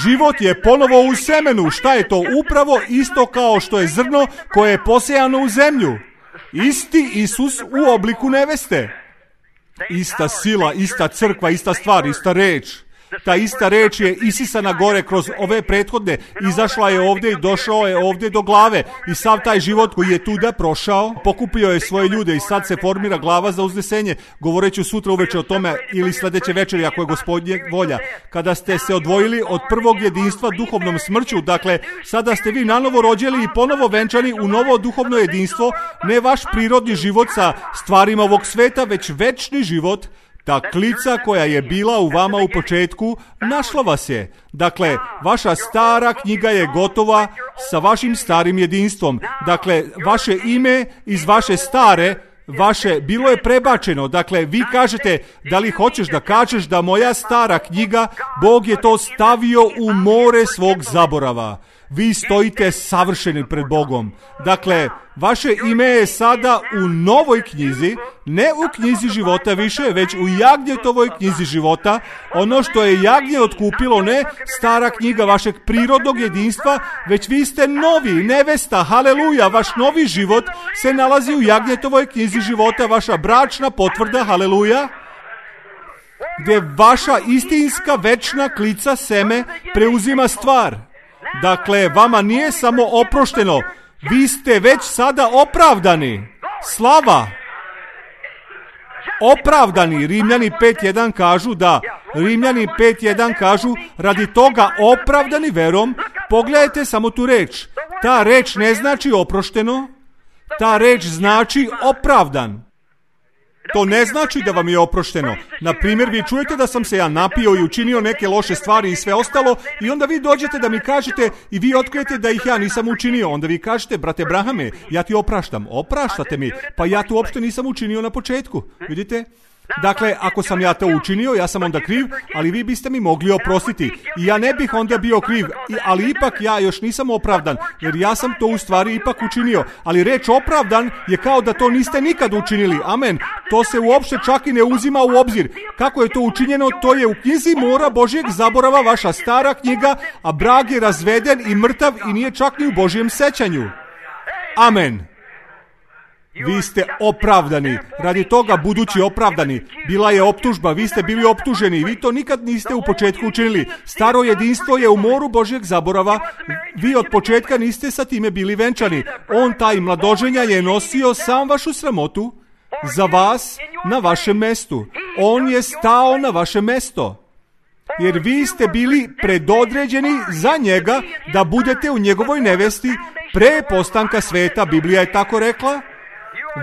Život je ponovo u semenu. Šta je to? Upravo isto kao što je zrno koje je posejano u zemlju. Isti Isus u obliku neveste. Ista sila, ista crkva, ista stvar, ista reč. Ta ista reč je isisana gore kroz ove prethodne, izašla je ovdje i došao je ovdje do glave, i sav taj život koji je tuda prošao, pokupio je svoje ljude i sad se formira glava za uznesenje. Govoreću sutra uveče o tome ili sljedeće večeri ako je Gospodnje volja. Kada ste se odvojili od prvog jedinstva duhovnom smrću, dakle sada ste vi nanovo rođeni i ponovo venčani u novo duhovno jedinstvo, ne vaš prirodni život sa stvarima ovog sveta, već večni život. Ta klica koja je bila u vama u početku, našla vas je. Dakle, vaša stara knjiga je gotova sa vašim starim jedinstvom. Dakle, vaše ime iz vaše stare, bilo je prebačeno. Dakle, vi kažete, da li hoćeš da kažeš da moja stara knjiga, Bog je to stavio u more svog zaborava. Vi stojite savršeni pred Bogom. Dakle, vaše ime je sada u novoj knjizi, ne u knjizi života više, već u Jagnjetovoj knjizi života. Ono što je Jagnje otkupilo, ne stara knjiga vašeg prirodnog jedinstva, već vi ste novi, nevesta, haleluja, vaš novi život se nalazi u Jagnjetovoj knjizi života, vaša bračna potvrda, haleluja, gdje vaša istinska večna klica seme preuzima stvar. Dakle, vama nije samo oprošteno, vi ste već sada opravdani. Slava! Opravdani. Rimljani 5.1 kažu da. Rimljani 5.1 kažu radi toga opravdani verom. Pogledajte samo tu reč. Ta reč ne znači oprošteno, ta reč znači opravdan. To ne znači da vam je oprošteno. Na primjer, vi čujete da sam se ja napio i učinio neke loše stvari i sve ostalo, i onda vi dođete da mi kažete i vi otkrijete da ih ja nisam učinio. Onda vi kažete, brate Brahame, ja ti opraštam. Opraštate mi, pa ja tu uopšte nisam učinio na početku. Vidite? Dakle, ako sam ja to učinio, ja sam onda kriv, ali vi biste mi mogli oprostiti. I ja ne bih onda bio kriv, ali ipak ja još nisam opravdan, jer ja sam to u stvari ipak učinio. Ali reč opravdan je kao da to niste nikad učinili. Amen. To se uopšte čak i ne uzima u obzir. Kako je to učinjeno, to je u knjizi mora Božjeg zaborava, vaša stara knjiga, a Brag je razveden i mrtav i nije čak ni u Božjem sećanju. Amen. Vi ste opravdani, radi toga budući opravdani. Bila je optužba, vi ste bili optuženi, vi to nikad niste u početku učinili. Staro jedinstvo je u moru Božjeg zaborava, vi od početka niste sa time bili venčani. On, taj mladoženja, je nosio sam vašu sramotu za vas na vašem mestu. On je stao na vaše mesto. Jer vi ste bili predodređeni za njega da budete u njegovoj nevesti pre postanka sveta, Biblija je tako rekla.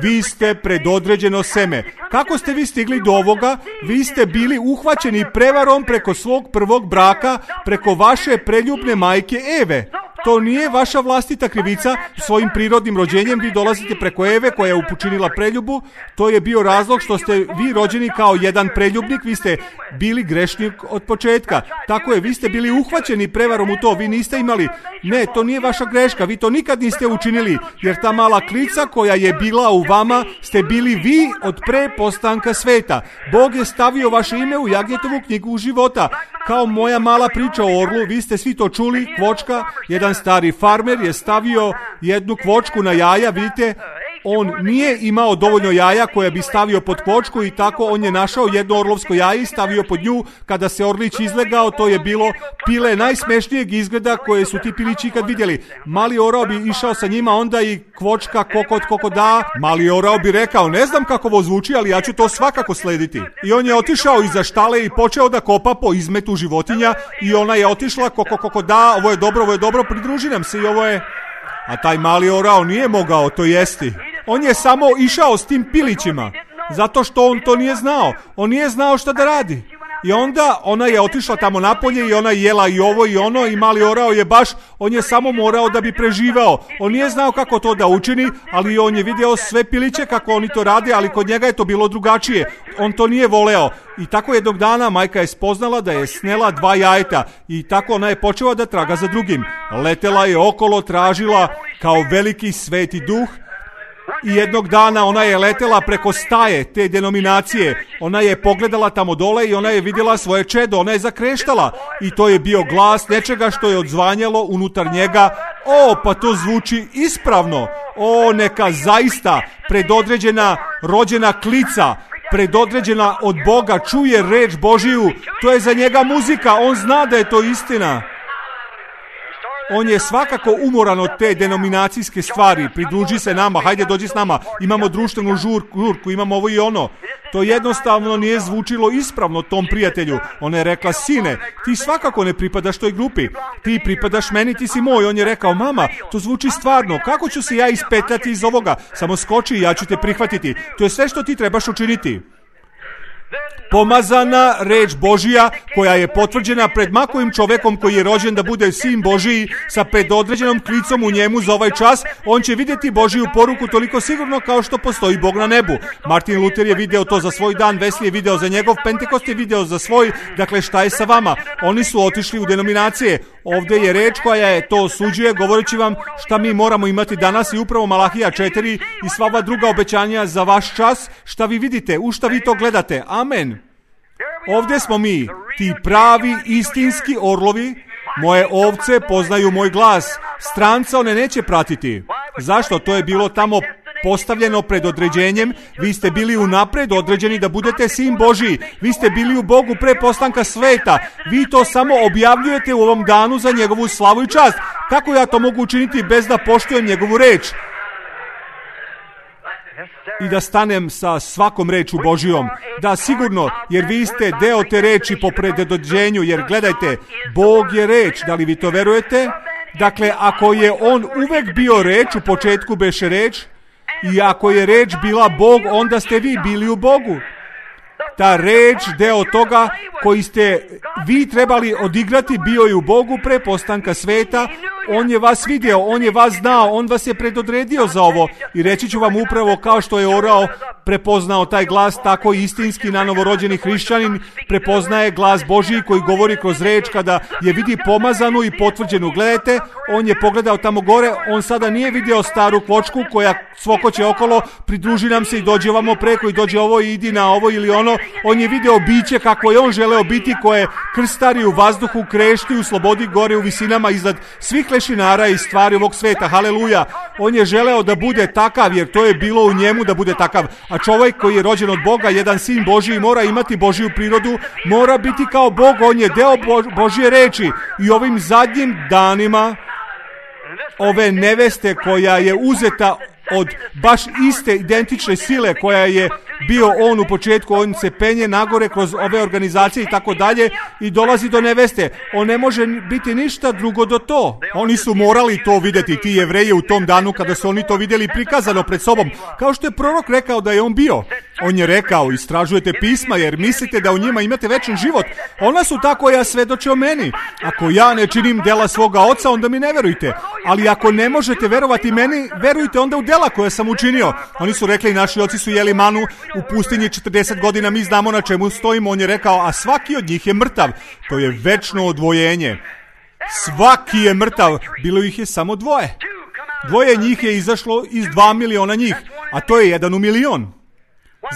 Vi ste predodređeno seme. Kako ste vi stigli do ovoga? Vi ste bili uhvaćeni prevarom preko svog prvog braka, preko vaše preljubne majke Eve. To nije vaša vlastita krivica, svojim prirodnim rođenjem vi dolazite preko Eve koja je upučinila preljubu. To je bio razlog što ste vi rođeni kao jedan preljubnik, vi ste bili grešnik od početka. Tako je, vi ste bili uhvaćeni prevarom u to, vi niste imali. Ne, to nije vaša greška, vi to nikad niste učinili, jer ta mala klica koja je bila u vama ste bili vi od pre postanka sveta. Bog je stavio vaše ime u Jagnjetovu knjigu života. Kao moja mala priča o orlu, vi ste svi to čuli, kvočka, jedan stari farmer je stavio jednu kvočku na jaja, vidite, on nije imao dovoljno jaja koje bi stavio pod kvočku i tako on je našao jedno orlovsko jaje i stavio pod nju. Kada se orlić izlegao, to je bilo pile najsmešnijeg izgleda koje su ti pilići ikad vidjeli. Mali orao bi išao sa njima, onda i kvočka kokoda. Mali orao bi rekao, ne znam kako ovo zvuči, ali ja ću to svakako slediti. I on je otišao iza štale i počeo da kopa po izmetu životinja i ona je otišla kokoda, ovo je dobro, pridruži nam se i ovo je... A taj mali orao nije mogao to jesti. On je samo išao s tim pilićima, zato što on to nije znao. On nije znao šta da radi. I onda ona je otišla tamo napolje i ona je jela i ovo i ono i mali orao je baš, on je samo morao da bi preživao. On nije znao kako to da učini, ali on je video sve piliće kako oni to rade, ali kod njega je to bilo drugačije. On to nije voleo. I tako jednog dana majka je spoznala da je snela 2 jajeta i tako ona je počela da traga za drugim. Letela je okolo, tražila kao veliki sveti duh. I jednog dana ona je letela preko staje te denominacije. Ona je pogledala tamo dole i ona je vidjela svoje čedo. Ona je zakreštala i to je bio glas nečega što je odzvanjalo unutar njega. O, pa to zvuči ispravno. O, neka zaista predodređena rođena klica, predodređena od Boga, čuje reč Božiju. To je za njega muzika. On zna da je to istina. On je svakako umoran od te denominacijske stvari. Pridruži se nama, hajde dođi s nama. Imamo društvenu žurku, imamo ovo i ono. To jednostavno nije zvučilo ispravno tom prijatelju. Ona je rekla, sine, ti svakako ne pripadaš toj grupi. Ti pripadaš meni, ti si moj. On je rekao, mama, to zvuči stvarno. Kako ću se ja ispetljati iz ovoga? Samo skoči i ja ću te prihvatiti. To je sve što ti trebaš učiniti. Pomazana reč Božija koja je potvrđena pred makovim čovekom koji je rođen da bude sin Božiji sa predodređenom klicom u njemu za ovaj čas, on će vidjeti Božiju poruku toliko sigurno kao što postoji Bog na nebu. Martin Luther je video to za svoj dan, Wesley je video za njegov, Pentekost je video za svoj. Dakle, šta je sa vama? Oni su otišli u denominacije. Ovdje je reč koja je to osuđuje, govoreći vam šta mi moramo imati danas i upravo Malahija 4 i sva ova druga obećanja za vaš čas. Šta vi vidite? U šta vi to gledate? Amen. Ovdje smo mi, ti pravi istinski orlovi. Moje ovce poznaju moj glas. Stranca one neće pratiti. Zašto? To je bilo tamo postavljeno pred određenjem. Vi ste bili unapred određeni da budete sin Božiji. Vi ste bili u Bogu pre postanka sveta. Vi to samo objavljujete u ovom danu za njegovu slavu i čast. Kako ja to mogu učiniti bez da poštujem njegovu reč? I da stanem sa svakom reču Božijom. Da, sigurno, jer vi ste deo te reči po predodređenju, jer gledajte, Bog je reč, da li vi to verujete? Dakle, ako je on uvek bio reč, u početku beše reč, i ako je reč bila Bog, onda ste vi bili u Bogu. Ta reč, deo toga koji ste vi trebali odigrati bio je u Bogu pre postanka sveta. On je vas vidio, on je vas znao, on vas je predodredio za ovo. I reći ću vam upravo kao što je orao prepoznao taj glas, tako istinski na novorođeni hrišćanin prepoznaje glas Božiji koji govori kroz reč kada je vidi pomazanu i potvrđenu. Gledajte, on je pogledao tamo gore, on sada nije vidio staru kvočku koja cvokoće okolo, pridruži nam se i dođe ovamo preko i dođe ovo i idi na ovo ili ono. On je video biće kako je on želeo biti, koje krstari u vazduhu, krešti u slobodi gore u visinama iznad svih lešinara i stvari ovog sveta. Haleluja! On je želeo da bude takav, jer to je bilo u njemu da bude takav. A čovjek koji je rođen od Boga, jedan sin Božiji, mora imati Božiju prirodu, mora biti kao Bog, on je deo Božje reči. I ovim zadnjim danima ove neveste koja je uzeta od baš iste identične sile koja je bio on u početku, on se penje nagore kroz ove organizacije i tako dalje i dolazi do neveste. On ne može biti ništa drugo do to. Oni su morali to vidjeti, ti Jevreji, u tom danu kada su oni to vidjeli prikazano pred sobom. Kao što je prorok rekao da je on bio. On je rekao, istražujete pisma jer mislite da u njima imate večan život. Ona su tako, ja svedoče o meni. Ako ja ne činim dela svoga oca, onda mi ne verujte. Ali ako ne možete verovati meni, verujte onda u dela koje sam učinio. Oni su rekli, naši oci su jeli manu u pustinji 40 godina, mi znamo na čemu stojimo. On je rekao, a svaki od njih je mrtav. To je večno odvojenje. Svaki je mrtav. Bilo ih je samo dvoje. Dvoje njih je izašlo iz 2 miliona njih, a to je 1 u milion.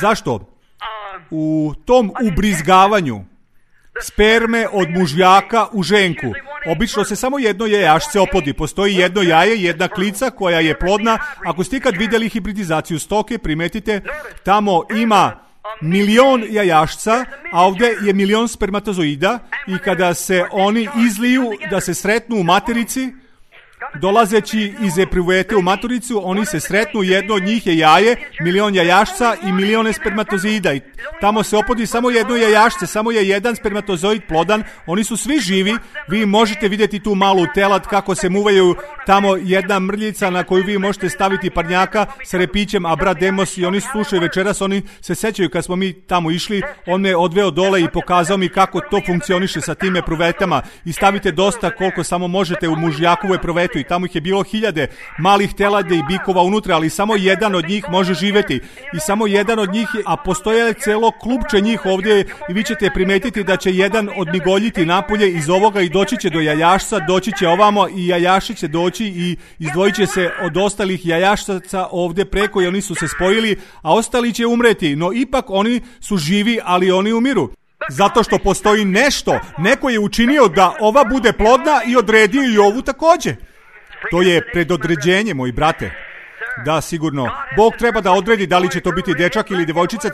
Zašto? U tom ubrizgavanju sperme od mužjaka u ženku obično se samo jedno jajašce oplodi. Postoji jedno jaje, jedna klica koja je plodna. Ako ste ikad vidjeli hibridizaciju stoke, primetite, tamo ima 1 milion jajašca, a ovdje je 1 milion spermatozoida i kada se oni izliju da se sretnu u materici, dolazeći iz epruvete u maturicu, oni se sretnu, jedno od njih je jaje, 1 milion jajašca i 1 milion spermatozoida. I tamo se opodi samo jedno jajašce, samo je jedan spermatozoid plodan, oni su svi živi, vi možete vidjeti tu malu telad kako se muvaju, tamo jedna mrljica na koju vi možete staviti parnjaka sa repićem, a brat Demos i oni slušaju večeras, oni se sećaju kad smo mi tamo išli, on me odveo dole i pokazao mi kako to funkcioniše sa tim epruvetama i stavite dosta koliko samo možete u mužjakovu epruvetu i tamo ih je bilo 1000 malih telade i bikova unutra, ali samo jedan od njih može živjeti i samo jedan od njih, a postoje celo klupče njih ovdje i vi ćete primetiti da će jedan odmigoljiti napolje iz ovoga i doći će do jajašca, doći će ovamo i jajaši će doći i izdvojit će se od ostalih jajašcaca ovdje preko i oni su se spojili, a ostali će umreti, no ipak oni su živi, ali oni umiru. Zato što postoji nešto, neko je učinio da ova bude plodna i odredio i ovu također. To je predodređenje, moji brate. Da, sigurno. Bog treba da odredi da li će to biti dečak ili djevojčica,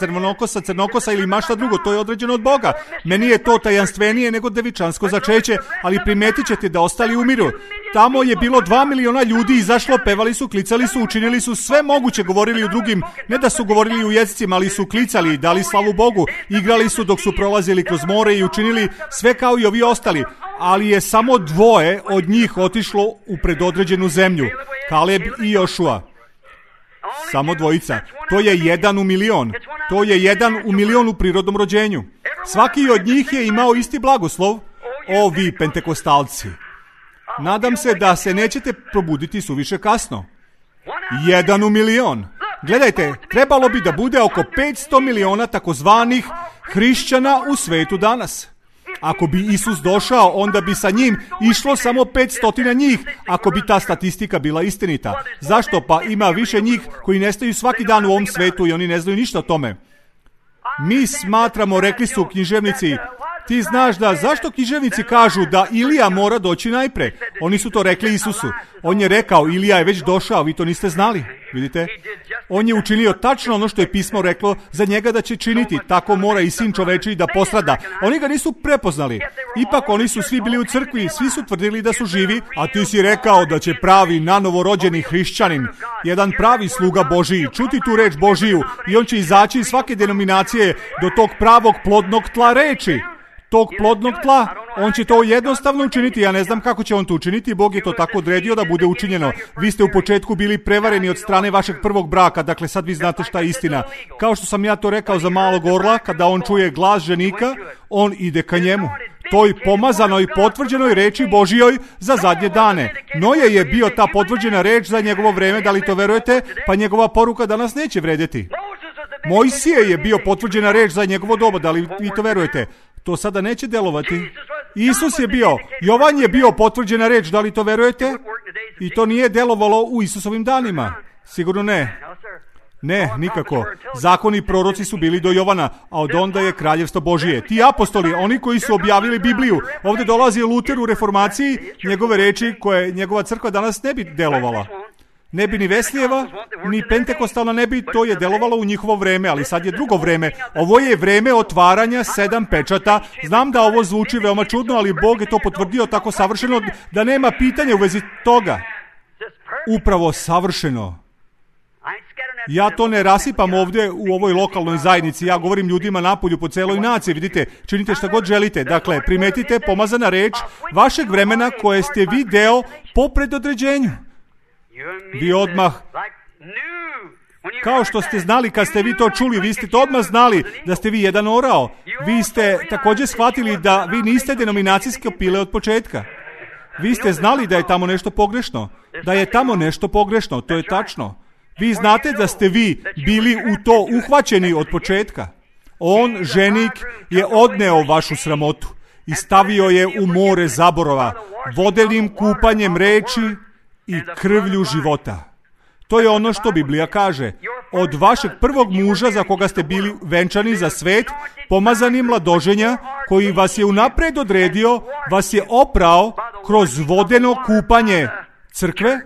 crnokosa ili mašta drugo. To je određeno od Boga. Meni je to tajanstvenije nego devičansko začeće, ali primetit ćete da ostali umiru. Tamo je bilo 2 miliona ljudi izašlo, pevali su, klicali su, učinili su sve moguće, govorili u drugim, ne da su govorili u jezicima, ali su klicali, dali slavu Bogu, igrali su dok su prolazili kroz more i učinili sve kao i ovi ostali. Ali je samo 2 od njih otišlo u predodređenu zemlju. Kaleb i Jošua. Samo 2. To je 1 u milion. To je 1 u milion u prirodnom rođenju. Svaki od njih je imao isti blagoslov. O, vi pentekostalci. Nadam se da se nećete probuditi suviše kasno. 1 u milion. Gledajte, trebalo bi da bude oko 500 miliona takozvanih hrišćana u svetu danas. Ako bi Isus došao, onda bi sa njim išlo samo 500 njih, ako bi ta statistika bila istinita. Zašto? Pa ima više njih koji nestaju svaki dan u ovom svetu i oni ne znaju ništa o tome. Mi smatramo, rekli su književnici, ti znaš da zašto književnici kažu da Ilija mora doći najpre? Oni su to rekli Isusu. On je rekao, Ilija je već došao, vi to niste znali. Vidite? On je učinio tačno ono što je pismo reklo za njega da će činiti. Tako mora i sin čovečiji da postrada. Oni ga nisu prepoznali. Ipak oni su svi bili u crkvi, svi su tvrdili da su živi, a ti si rekao da će pravi nanovorođeni hrišćanin, jedan pravi sluga Božiji, čuti tu reč Božiju i on će izaći iz svake denominacije do tog pravog plodnog tla reči. Tog plodnog tla, On će to jednostavno učiniti, ja ne znam kako će on to učiniti, Bog je to tako odredio da bude učinjeno. Vi ste u početku bili prevareni od strane vašeg prvog braka, dakle sad vi znate šta je istina. Kao što sam ja to rekao za malog orla, kada on čuje glas ženika, on ide ka njemu. Toj pomazanoj, potvrđenoj reči Božijoj za zadnje dane. Noje je bio ta potvrđena reč za njegovo vreme, da li to verujete? Pa njegova poruka danas neće vredjeti. Mojsije je bio potvrđena reč za njegovo doba, da li vi to verujete? To sada neće delovati. Isus je bio, Jovan je bio potvrđena reč, da li to verujete? I to nije delovalo u Isusovim danima. Sigurno ne. Ne, nikako. Zakoni i proroci su bili do Jovana, a od onda je kraljevstvo Božije. Ti apostoli, oni koji su objavili Bibliju, ovdje dolazi Luter u reformaciji, njegove reči koje njegova crkva danas ne bi delovala. Ne bi ni Veslijeva, ni Pentekostalna ne bi, to je delovalo u njihovo vreme, ali sad je drugo vreme. Ovo je vreme otvaranja 7 pečata. Znam da ovo zvuči veoma čudno, ali Bog je to potvrdio tako savršeno da nema pitanja u vezi toga. Upravo savršeno. Ja to ne rasipam ovdje u ovoj lokalnoj zajednici, ja govorim ljudima napolju po celoj naciji, vidite, činite šta god želite. Dakle, primetite pomazana reč vašeg vremena koje ste vi deo po predodređenju. Vi odmah, kao što ste znali kad ste vi to čuli, vi ste to odmah znali da ste vi jedan orao. Vi ste također shvatili da vi niste denominacijske pile od početka. Vi ste znali da je tamo nešto pogrešno. Da je tamo nešto pogrešno, to je tačno. Vi znate da ste vi bili u to uhvaćeni od početka. On, ženik, je odneo vašu sramotu i stavio je u more zaborava, vodenim kupanjem reči i krvlju života. To je ono što Biblija kaže. Od vašeg prvog muža za koga ste bili venčani za svet, pomazani mladoženja, koji vas je unapred odredio, vas je oprao kroz vodeno kupanje crkve.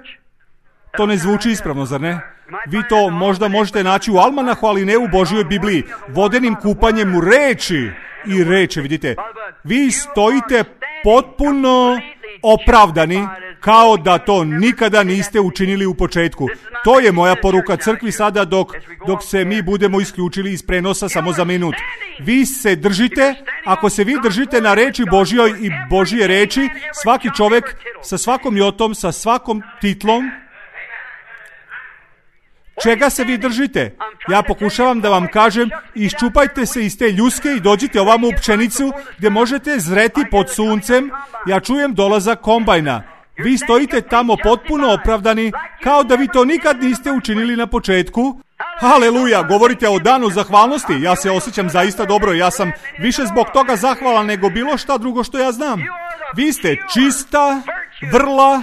To ne zvuči ispravno, zar ne? Vi to možda možete naći u almanahu, ali ne u Božjoj Bibliji. Vodenim kupanjem u reči i reči, vidite. Vi stojite potpuno opravdani, kao da to nikada niste učinili u početku. To je moja poruka crkvi sada dok se mi budemo isključili iz prenosa samo za minut. Vi se držite, ako se vi držite na reči Božjoj i Božje reči, svaki čovjek sa svakom jotom, sa svakom titlom, čega se vi držite? Ja pokušavam da vam kažem, iščupajte se iz te ljuske i dođite ovamo u pšenicu gdje možete zreti pod suncem. Ja čujem dolazak kombajna. Vi stojite tamo potpuno opravdani, kao da vi to nikad niste učinili na početku. Haleluja, govorite o danu zahvalnosti. Ja se osjećam zaista dobro. Ja sam više zbog toga zahvalan nego bilo šta drugo što ja znam. Vi ste čista, vrla,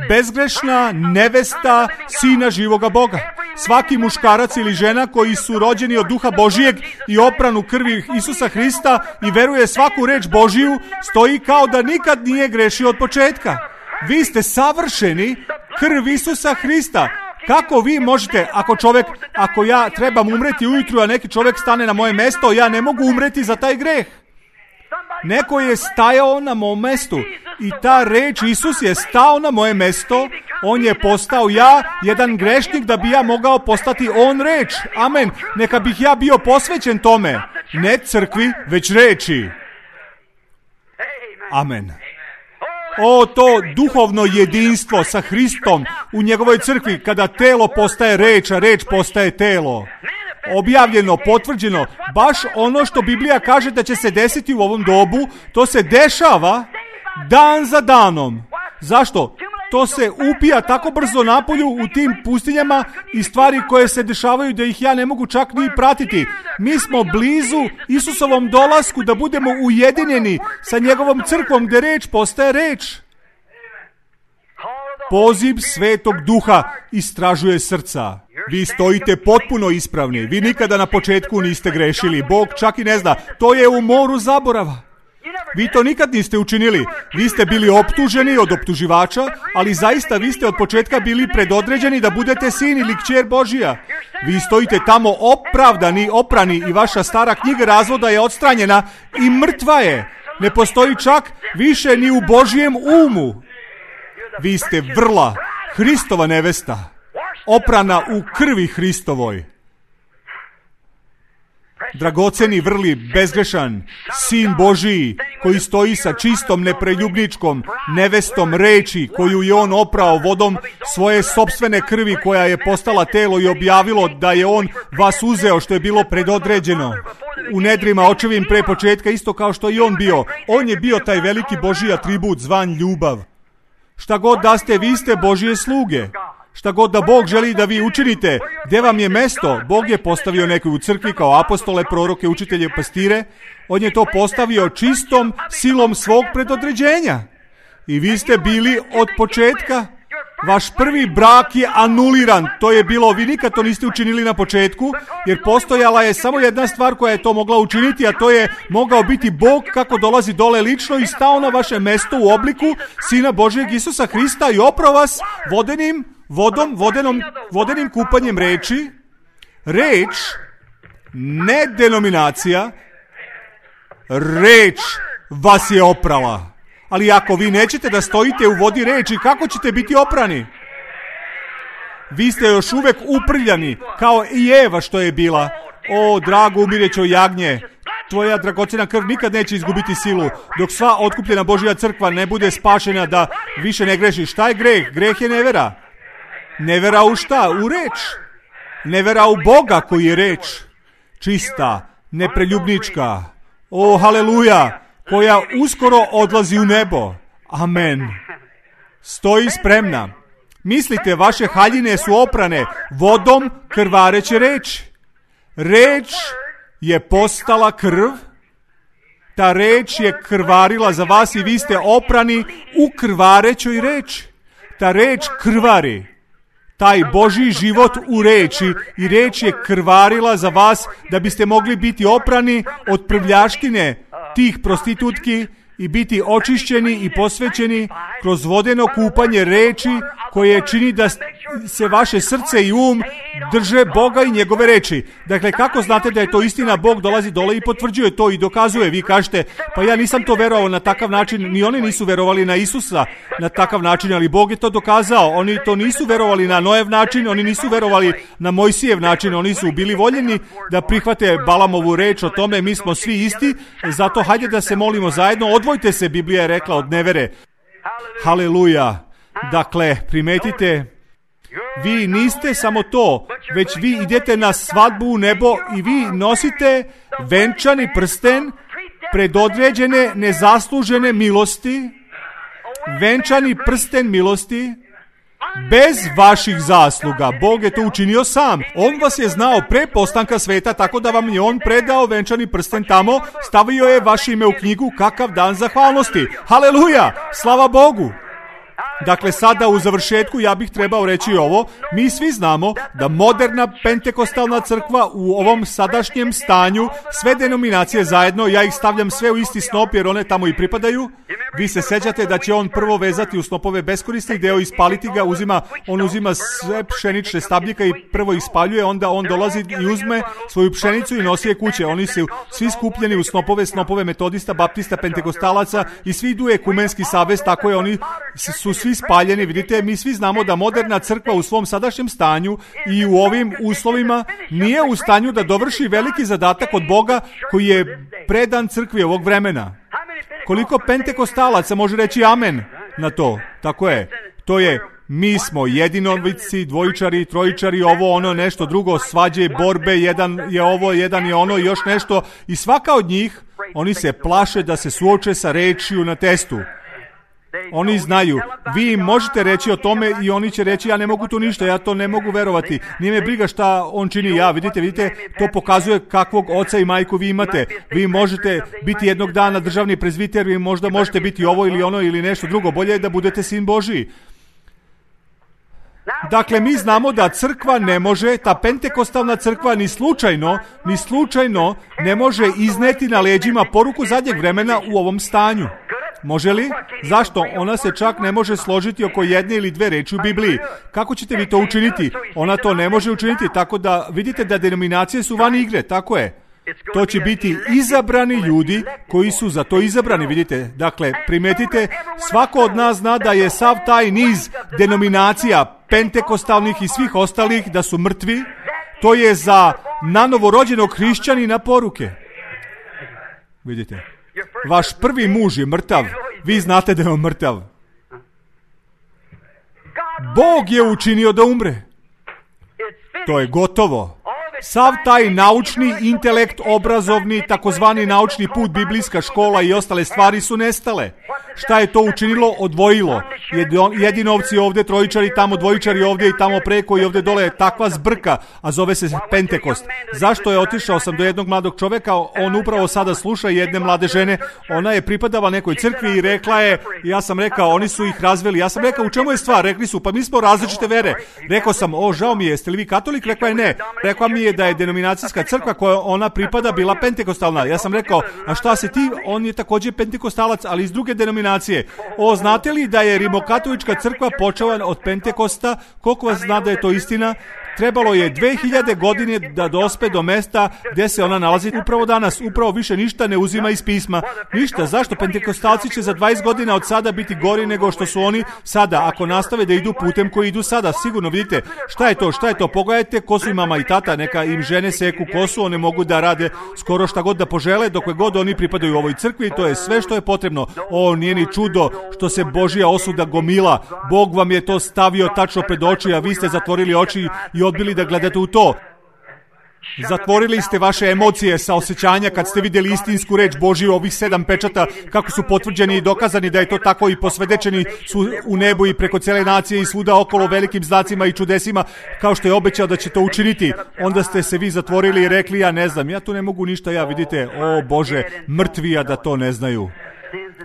bezgrešna nevesta Sina živoga Boga. Svaki muškarac ili žena koji su rođeni od Duha Božijeg i opranu krvi Isusa Hrista i veruje svaku reč Božiju, stoji kao da nikad nije grešio od početka. Vi ste savršeni, krv Isusa Hrista. Kako vi možete, ako ja trebam umreti ujutru, a neki čovjek stane na moje mesto, ja ne mogu umreti za taj greh. Neko je stajao na mom mestu i ta reč Isus je stao na moje mesto, on je postao ja, jedan grešnik, da bi ja mogao postati on reč. Amen. Neka bih ja bio posvećen tome, ne crkvi, već reči. Amen. O, to duhovno jedinstvo sa Hristom u njegovoj crkvi, kada telo postaje reč, a reč postaje telo. Objavljeno, potvrđeno, baš ono što Biblija kaže da će se desiti u ovom dobu, to se dešava dan za danom. Zašto? To se upija tako brzo napolju u tim pustinjama i stvari koje se dešavaju da ih ja ne mogu čak ni pratiti. Mi smo blizu Isusovom dolasku da budemo ujedinjeni sa njegovom crkvom gdje reč postaje reč. Poziv Svetog Duha istražuje srca. Vi stojite potpuno ispravni. Vi nikada na početku niste grešili. Bog čak i ne zna. To je u moru zaborava. Vi to nikad niste učinili. Vi ste bili optuženi od optuživača, ali zaista vi ste od početka bili predodređeni da budete sin ili kćer Božija. Vi stojite tamo opravdani, oprani i vaša stara knjiga razvoda je odstranjena i mrtva je. Ne postoji čak više ni u Božijem umu. Vi ste vrla, Hristova nevesta, oprana u krvi Hristovoj. dragoceni, vrli, bezgrešan, Sin Božiji, koji stoji sa čistom, nepreljubničkom nevestom reči, koju je on oprao vodom svoje sopstvene krvi, koja je postala telo i objavilo da je on vas uzeo, što je bilo predodređeno u nedrima očevim pre početka, isto kao što i on bio. On je bio taj veliki Božji atribut zvan ljubav. Šta god da ste, vi ste Božje sluge. Šta god da Bog želi da vi učinite, gdje vam je mesto? Bog je postavio nekoj u crkvi kao apostole, proroke, učitelje, pastire. On je to postavio čistom silom svog predodređenja. I vi ste bili od početka. Vaš prvi brak je anuliran. To je bilo, vi nikad to niste učinili na početku, jer postojala je samo jedna stvar koja je to mogla učiniti, a to je mogao biti Bog kako dolazi dole lično i stao na vaše mesto u obliku Sina Božjeg Isusa Hrista i oprao vas vodenim kupanjem reči. Reč, ne denominacija, reč vas je oprala. Ali ako vi nećete da stojite u vodi reči, kako ćete biti oprani? Vi ste još uvek uprljani, kao i Eva što je bila. O, drago umirećo jagnje, tvoja dragocena krv nikad neće izgubiti silu, dok sva otkupljena Božja crkva ne bude spašena da više ne greši. Šta je greh? Greh je nevera. Nevera u šta? U reč. Nevera u Boga koji je reč. Čista, nepreljubnička. O, haleluja, koja uskoro odlazi u nebo. Amen. Stoji spremna. Mislite, vaše haljine su oprane vodom krvareće reči. Reč je postala krv. Ta reč je krvarila za vas i vi ste oprani u krvarećoj reči. Ta reč krvari. Taj Božji život u reči i reč je krvarila za vas da biste mogli biti oprani od prljaštine tih prostitutki i biti očišćeni i posvećeni kroz vodeno kupanje reči koje čini da se vaše srce i um drže Boga i njegove reči. Dakle, kako znate da je to istina? Bog dolazi dole i potvrđuje to i dokazuje. Vi kažete, pa ja nisam to verovao na takav način, ni oni nisu verovali na Isusa na takav način, ali Bog je to dokazao. Oni to nisu verovali na Noev način, oni nisu verovali na Mojsijev način, oni su bili voljeni da prihvate Balamovu reč o tome, mi smo svi isti, zato hajde da se molimo zajedno, odvojte se, Biblija je rekla, od nevere. Haleluja. Dakle, primetite, vi niste samo to, već vi idete na svadbu u nebo i vi nosite venčani prsten predodređene nezaslužene milosti, venčani prsten milosti, bez vaših zasluga. Bog je to učinio sam. On vas je znao pre postanka sveta, tako da vam je on predao venčani prsten tamo, stavio je vaše ime u knjigu, kakav dan zahvalnosti. Haleluja, slava Bogu. Dakle, sada u završetku ja bih trebao reći ovo. Mi svi znamo da moderna pentekostalna crkva u ovom sadašnjem stanju, sve denominacije zajedno, ja ih stavljam sve u isti snop jer one tamo i pripadaju. Vi se sećate da će on prvo vezati u snopove beskorisnih deo, ispaliti ga, on uzima sve pšenične stabljika i prvo ispaljuje, onda on dolazi i uzme svoju pšenicu i nosi je kuće. Oni su svi skupljeni u snopove metodista, baptista, pentekostalaca i svi idu ekumenski savez, tako je, oni su svi spaljeni. Vidite, mi svi znamo da moderna crkva u svom sadašnjem stanju i u ovim uslovima nije u stanju da dovrši veliki zadatak od Boga koji je predan crkvi ovog vremena. Koliko pentekostalaca može reći amen na to? Tako je. To je, mi smo jedinovici, dvojičari, trojičari, ovo, ono, nešto drugo, svađe, borbe, jedan je ovo, jedan je ono, još nešto. I svaka od njih, oni se plaše da se suoče sa rečju na testu. Oni znaju, vi im možete reći o tome i oni će reći, ja ne mogu tu ništa, ja to ne mogu verovati, nije me briga šta on čini. Ja, vidite, to pokazuje kakvog oca i majku vi imate. Vi možete biti jednog dana državni prezbiter, vi možda možete biti ovo ili ono ili nešto drugo, bolje je da budete sin Božiji. Dakle, mi znamo da crkva ne može, ta pentekostalna crkva ni slučajno ne može izneti na leđima poruku zadnjeg vremena u ovom stanju. Može li? Zašto? Ona se čak ne može složiti oko jedne ili dve reči u Bibliji. Kako ćete vi to učiniti? Ona to ne može učiniti, tako da vidite da denominacije su van igre, tako je. To će biti izabrani ljudi koji su za to izabrani, vidite. Dakle, primetite, svako od nas zna da je sav taj niz denominacija, pentekostalnih i svih ostalih, da su mrtvi. To je za nanovorođenog hrišćanina poruke. Vidite, vaš prvi muž je mrtav. Vi znate da je on mrtav. Bog je učinio da umre. To je gotovo. Sav taj naučni intelekt, obrazovni, takozvani naučni put, biblijska škola i ostale stvari su nestale. Šta je to učinilo? Odvojilo. Jedinovci ovdje, trojičari tamo, dvojičari ovdje i tamo preko i ovdje dole je takva zbrka, a zove se Pentekost. Zašto je otišao sam do jednog mladog čovjeka? On upravo sada sluša jedne mlade žene. Ona je pripadala nekoj crkvi i rekla je, ja sam rekao, oni su ih razveli. Ja sam rekao, u čemu je stvar? Rekli su, pa mi smo različite vere. Rekao sam, žao mi je, jeste li vi katolik? Rekla je ne. Rekla mi je da je denominacijska crkva koja ona pripada bila pentekostalna. Ja sam rekao, a šta si ti? On je također pentekostalac, ali iz druge denominacije. Znate li da je rimokatolička crkva počela od Pentekosta? Koliko vas zna da je to istina? Trebalo je 2000 godine da dospe do mesta gdje se ona nalazi upravo danas. Upravo više ništa ne uzima iz pisma. Ništa. Zašto? Pentekostalci će za 20 godina od sada biti gori nego što su oni sada. Ako nastave da idu putem koji idu sada, sigurno vidite. Šta je to? Šta je to? Pogledajte kosu i mama i tata. Neka im žene seku kosu. One mogu da rade skoro šta god da požele. Dokle god oni pripadaju ovoj crkvi. To je sve što je potrebno. Nije ni čudo što se Božja osuda gomila. Bog vam je to stavio tačno pred oči, a vi ste zatvorili oči i odbili da gledate u to. Zatvorili ste vaše emocije sa osjećanja kad ste vidjeli istinsku reč Božju, ovih 7 pečata, kako su potvrđeni i dokazani da je to tako i posvedočeni su u nebu i preko cijele nacije i svuda okolo velikim znacima i čudesima, kao što je obećao da će to učiniti. Onda ste se vi zatvorili i rekli, ja ne znam, ja tu ne mogu ništa, vidite, Bože, mrtvi, a da to ne znaju.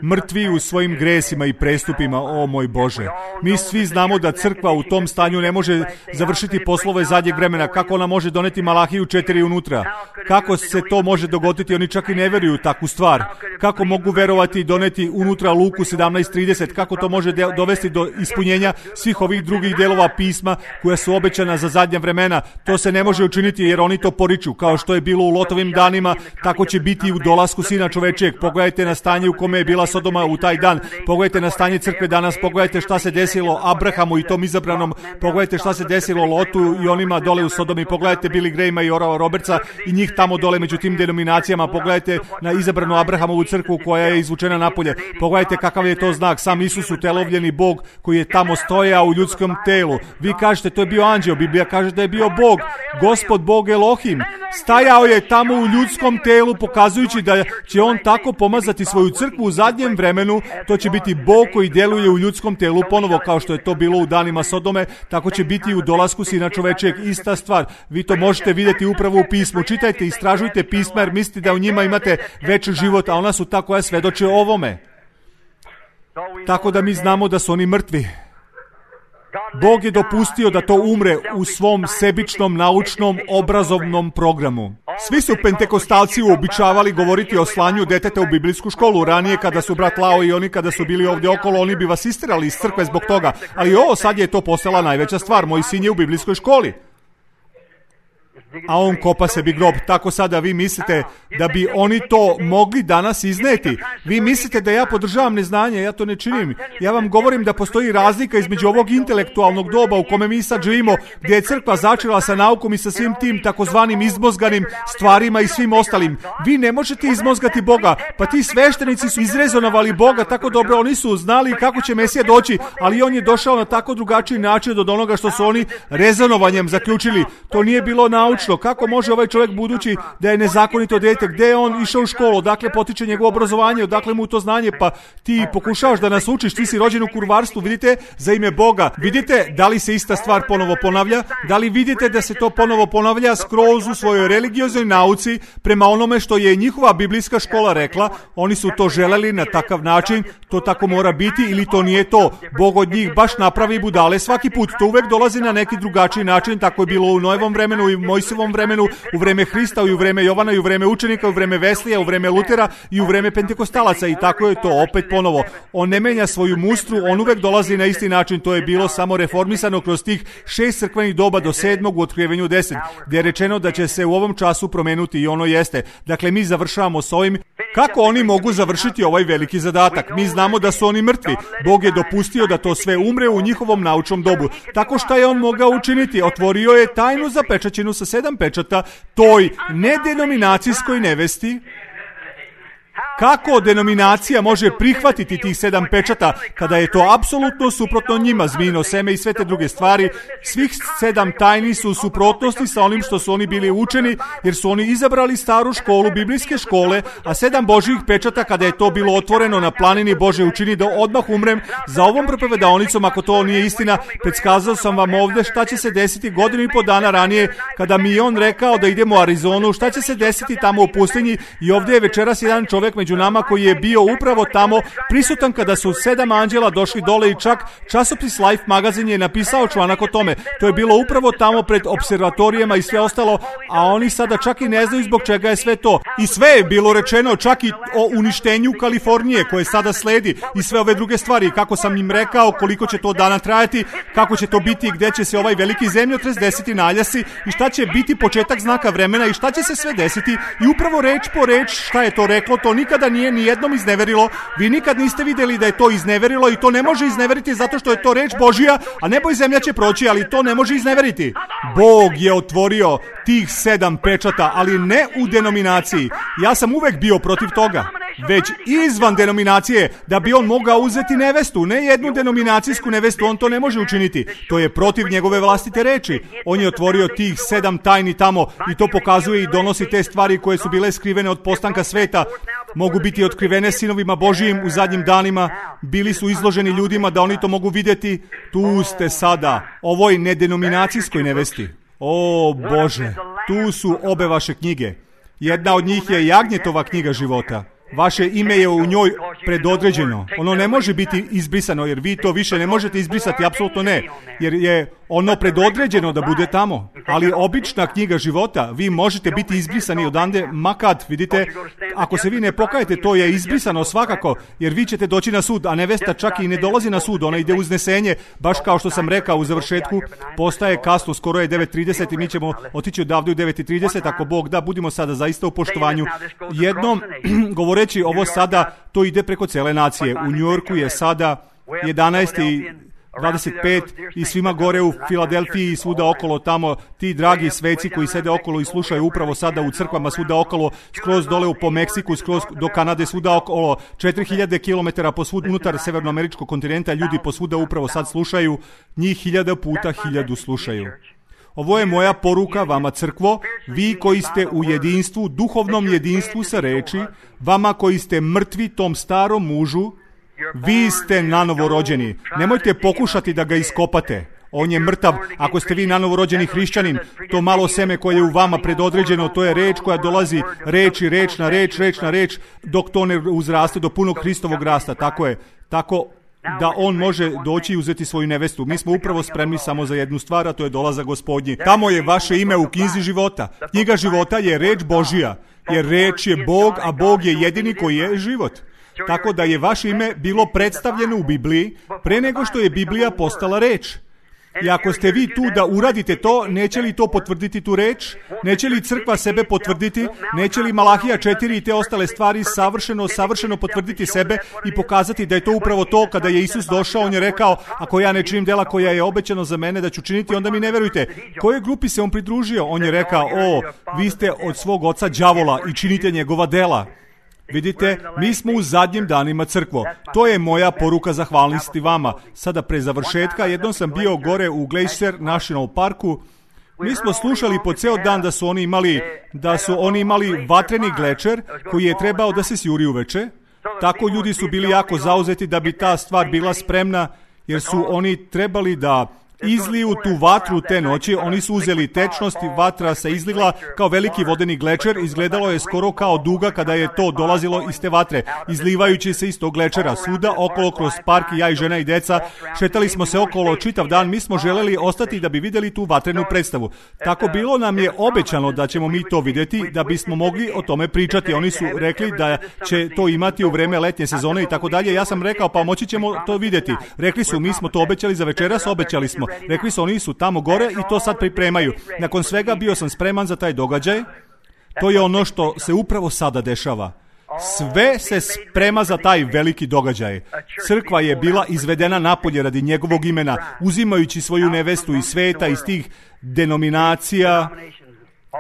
Mrtvi u svojim gresima i prestupima, moj Bože. Mi svi znamo da crkva u tom stanju ne može završiti poslove zadnjeg vremena. Kako ona može doneti Malahiju 4 unutra? Kako se to može dogoditi? Oni čak i ne vjeruju takvu stvar. Kako mogu verovati i doneti unutra Luku 17:30? Kako to može dovesti do ispunjenja svih ovih drugih delova pisma koja su obećana za zadnja vremena? To se ne može učiniti jer oni to poriču. Kao što je bilo u Lotovim danima, tako će biti i u dolasku Sina čovečijeg. Pogledajte na stanje u kome je bila Sodoma u taj dan. Pogledajte na stanje crkve danas, pogledajte šta se desilo Abrahamu i tom izabranom, pogledajte šta se desilo Lotu i onima dole u Sodomi, pogledajte Billy Grahama i Orava Robertsa i njih tamo dole među tim denominacijama, pogledajte na izabranu Abrahamovu crkvu koja je izvučena napolje, pogledajte kakav je to znak, sam Isus utelovljeni Bog koji je tamo stojao u ljudskom telu. Vi kažete to je bio anđeo, Biblija kaže da je bio Bog, Gospod Bog Elohim, stajao je tamo u ljudskom telu pokazujući da će on tako pomazati svoju crkvu u zadnjem vremenu. To će biti Bog koji djeluje u ljudskom telu ponovo kao što je to bilo u danima Sodome, tako će biti i u dolasku Sina čovečijeg. Ista stvar. Vi to možete vidjeti upravo u pismu. Čitajte, istražujte pisma jer mislite da u njima imate veći život, a ona su ta koja svedoče o ovome. Tako da mi znamo da su oni mrtvi. Bog je dopustio da to umre u svom sebičnom, naučnom, obrazovnom programu. Svi su pentekostalci uobičavali govoriti o slanju deteta u biblijsku školu. Ranije kada su brat Lao i oni kada su bili ovdje okolo, oni bi vas istirali iz crkve zbog toga. Ali sad je to postala najveća stvar. Moj sin je u biblijskoj školi. A on kopa sebi grob. Tako sada vi mislite da bi oni to mogli danas izneti. Vi mislite da ja podržavam neznanje, ja to ne činim. Ja vam govorim da postoji razlika između ovog intelektualnog doba u kome mi sad živimo, gdje je crkva začela sa naukom i sa svim tim takozvanim izmozganim stvarima i svim ostalim. Vi ne možete izmozgati Boga, pa ti sveštenici su izrezonovali Boga tako dobro, oni su znali kako će Mesija doći, ali on je došao na tako drugačiji način od onoga što su oni rezonovanjem zaključili. To nije bilo naučno. Kako može ovaj čovjek, budući da je nezakonito dijete, gdje je on išao u školu, odakle potiče njegovo obrazovanje, odakle mu to znanje, pa ti pokušavaš da nas učiš, ti si rođen u kurvarstvu, vidite, za ime Boga. Vidite da li se ista stvar ponovo ponavlja? Da li vidite da se to ponovo ponavlja skroz u svojoj religioznoj nauci prema onome što je njihova biblijska škola rekla? Oni su to želeli na takav način, to tako mora biti ili to nije to. Bog od njih baš napravi budale svaki put. To uvek dolazi na neki drugačiji način, tako je bilo u Noevom vremenu i Mojsijevom vremenu, u vreme Hrista i u vreme Jovana i u vreme učenika, u vreme Veslija, u vreme Lutera i u vreme pentekostalaca i tako je to opet ponovo. On ne menja svoju mustru, on uvek dolazi na isti način. To je bilo samo reformisano kroz tih 6 crkvenih doba do 7. u Otkrivenju 10, gdje je rečeno da će se u ovom času promenuti i ono jeste. Dakle, mi završavamo s ovim. Kako oni mogu završiti ovaj veliki zadatak? Mi znamo da su oni mrtvi. Bog je dopustio da to sve umre u njihovom naučnom dobu. Tako šta je on mogao učiniti? Otvorio je tajnu zapečaćenu sa 7 pečata toj nedenominacijskoj nevesti. Kako denominacija može prihvatiti tih 7 pečata kada je to apsolutno suprotno njima, zmijino seme i sve te druge stvari? Svih 7 tajni su u suprotnosti sa onim što su oni bili učeni, jer su oni izabrali staru školu, biblijske škole, a 7 Božjih pečata, kada je to bilo otvoreno na planini, Bože učini da odmah umrem za ovom propovedaonicom, ako to nije istina. Predskazao sam vam ovdje šta će se desiti 1.5 godina ranije, kada mi je on rekao da idemo u Arizonu, šta će se desiti tamo u pustinji, i ovdje je večeras jedan čovjek među nama koji je bio upravo tamo prisutan kada su 7 anđela došli dole, i čak časopis Life magazin je napisao članak o tome. To je bilo upravo tamo pred observatorijama i sve ostalo, a oni sada čak i ne znaju zbog čega je sve to. I sve je bilo rečeno, čak i o uništenju Kalifornije koje sada sledi i sve ove druge stvari. Kako sam im rekao koliko će to dana trajati, kako će to biti, gdje će se ovaj veliki zemljotres desiti, naljasi, i šta će biti početak znaka vremena i šta će se sve desiti. I upravo reč po reč šta je to reklo, to nikada nije ni jednom izneverilo. Vi nikad niste vidjeli da je to izneverilo, i to ne može izneveriti zato što je to reč Božja, a nebo i zemlja će proći, ali to ne može izneveriti. Bog je otvorio tih 7 pečata, ali ne u denominaciji. Ja sam uvek bio protiv toga, već izvan denominacije, da bi on mogao uzeti nevestu, ne jednu denominacijsku nevestu. On to ne može učiniti. To je protiv njegove vlastite reči. On je otvorio tih 7 tajni tamo, i to pokazuje i donosi te stvari koje su bile skrivene od postanka sveta. Mogu biti otkrivene sinovima Božijim u zadnjim danima. Bili su izloženi ljudima da oni to mogu vidjeti. Tu ste sada, ovoj nedenominacijskoj nevesti. O Bože, tu su obe vaše knjige. Jedna od njih je Jagnjetova knjiga života. Vaše ime je u njoj predodređeno. Ono ne može biti izbrisano, jer vi to više ne možete izbrisati, apsolutno ne. Jer je ono predodređeno da bude tamo. Ali obična knjiga života, vi možete biti izbrisani odande, makad, vidite, ako se vi ne pokajete, to je izbrisano svakako, jer vi ćete doći na sud, a nevesta čak i ne dolazi na sud, ona ide u uznesenje, baš kao što sam rekao u završetku. Postaje kasno, skoro je 9:30 i mi ćemo otići odavde u 9:30, ako Bog da, budimo sada zaista u poštovanju. Jednom, govoreći ovo sada, to ide preko cele nacije. U Njujorku je sada 11:25 i svima gore u Filadelfiji i svuda okolo tamo, ti dragi sveci koji sede okolo i slušaju upravo sada u crkvama svuda okolo, skroz dole po Meksiku, skroz do Kanade, svuda okolo, 4000 km posvud unutar severnoameričkog kontinenta, ljudi posvuda upravo sad slušaju, njih 1000 puta 1000 slušaju. Ovo je moja poruka vama, crkvo, vi koji ste u jedinstvu, duhovnom jedinstvu sa reči, vama koji ste mrtvi tom starom mužu, vi ste nanovo rođeni. Nemojte pokušati da ga iskopate. On je mrtav. Ako ste vi nanovo rođeni hrišćanin, to malo seme koje je u vama predodređeno, to je reč koja dolazi reč na reč, dok to ne uzraste do punog Hristovog rasta. Tako je. Tako da on može doći i uzeti svoju nevestu. Mi smo upravo spremni samo za jednu stvar, a to je dolazak Gospodnji. Tamo je vaše ime u knjizi života. Knjiga života je reč Božija, jer reč je Bog, a Bog je jedini koji je život. Tako da je vaše ime bilo predstavljeno u Bibliji pre nego što je Biblija postala reč. I ako ste vi tu da uradite to, neće li to potvrditi tu reč? Neće li crkva sebe potvrditi? Neće li Malahija 4 i te ostale stvari savršeno potvrditi sebe i pokazati da je to upravo to? Kada je Isus došao, on je rekao, ako ja ne činim dela koja je obećano za mene da ću činiti, onda mi ne verujte. Kojoj grupi se on pridružio? On je rekao, vi ste od svog oca đavola i činite njegova dela. Vidite, mi smo u zadnjim danima, crkvo. To je moja poruka zahvalnosti vama. Sada pre završetka, jednom sam bio gore u Glacier National Parku. Mi smo slušali po ceo dan da su oni imali vatreni glečer koji je trebao da se sjuri uveče. Tako ljudi su bili jako zauzeti da bi ta stvar bila spremna, jer su oni trebali da izliju tu vatru te noći. Oni su uzeli tečnost i vatra se izlila kao veliki vodeni glečer. Izgledalo je skoro kao duga kada je to dolazilo iz te vatre, izlivajući se iz tog glečera svuda okolo kroz park. Ja i žena i deca šetali smo se okolo čitav dan. Mi smo želeli ostati da bi vidjeli tu vatrenu predstavu. Tako bilo nam je obećano da ćemo mi to vidjeti, da bismo mogli o tome pričati. Oni su rekli da će to imati u vreme letnje sezone i tako dalje. Ja sam rekao, pa moći ćemo to vidjeti. Rekli su, mi smo to obećali za večeras, obećali smo. Rekli su, oni su tamo gore i to sad pripremaju. Nakon svega bio sam spreman za taj događaj. To je ono što se upravo sada dešava. Sve se sprema za taj veliki događaj. Crkva je bila izvedena napolje radi njegovog imena, uzimajući svoju nevestu iz sveta, iz tih denominacija,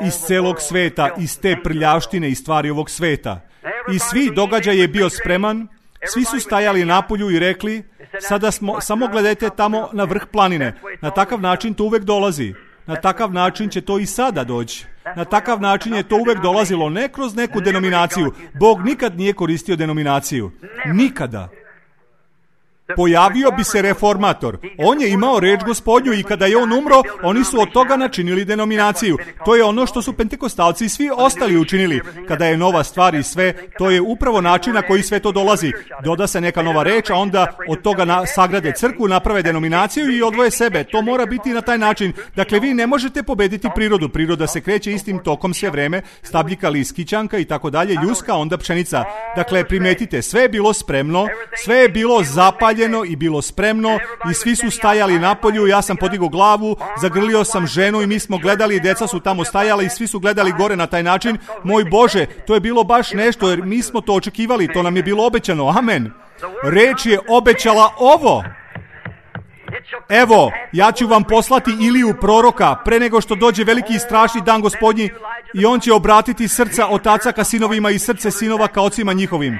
iz celog sveta, iz te prljavštine i stvari ovog sveta. I svi događaj je bio spreman, svi su stajali napolju i rekli, sada samo gledajte tamo na vrh planine. Na takav način to uvek dolazi. Na takav način će to i sada doći. Na takav način je to uvek dolazilo, ne kroz neku denominaciju. Bog nikad nije koristio denominaciju. Nikada. Pojavio bi se reformator. On je imao reč Gospodnju i kada je on umro, oni su od toga načinili denominaciju. To je ono što su pentekostalci i svi ostali učinili. Kada je nova stvar i sve, to je upravo način na koji sve to dolazi. Doda se neka nova reč, a onda od toga sagrade crkvu, naprave denominaciju i odvoje sebe. To mora biti na taj način. Dakle, vi ne možete pobediti prirodu. Priroda se kreće istim tokom sve vreme. Stabljika, list, kićanka i tako dalje, ljuska, onda pšenica. Dakle, primetite, sve je bilo spremno, sve je bilo zapaljeno i bilo spremno i svi su stajali napolju. Ja sam podigao glavu, zagrlio sam ženu i mi smo gledali, deca su tamo stajala i svi su gledali gore na taj način. Moj Bože, to je bilo baš nešto jer mi smo to očekivali, to nam je bilo obećano. Amen. Reč je obećala ovo. Evo, ja ću vam poslati Iliju proroka pre nego što dođe veliki i strašni dan Gospodnji i on će obratiti srca otaca ka sinovima i srce sinova ka ocima njihovim.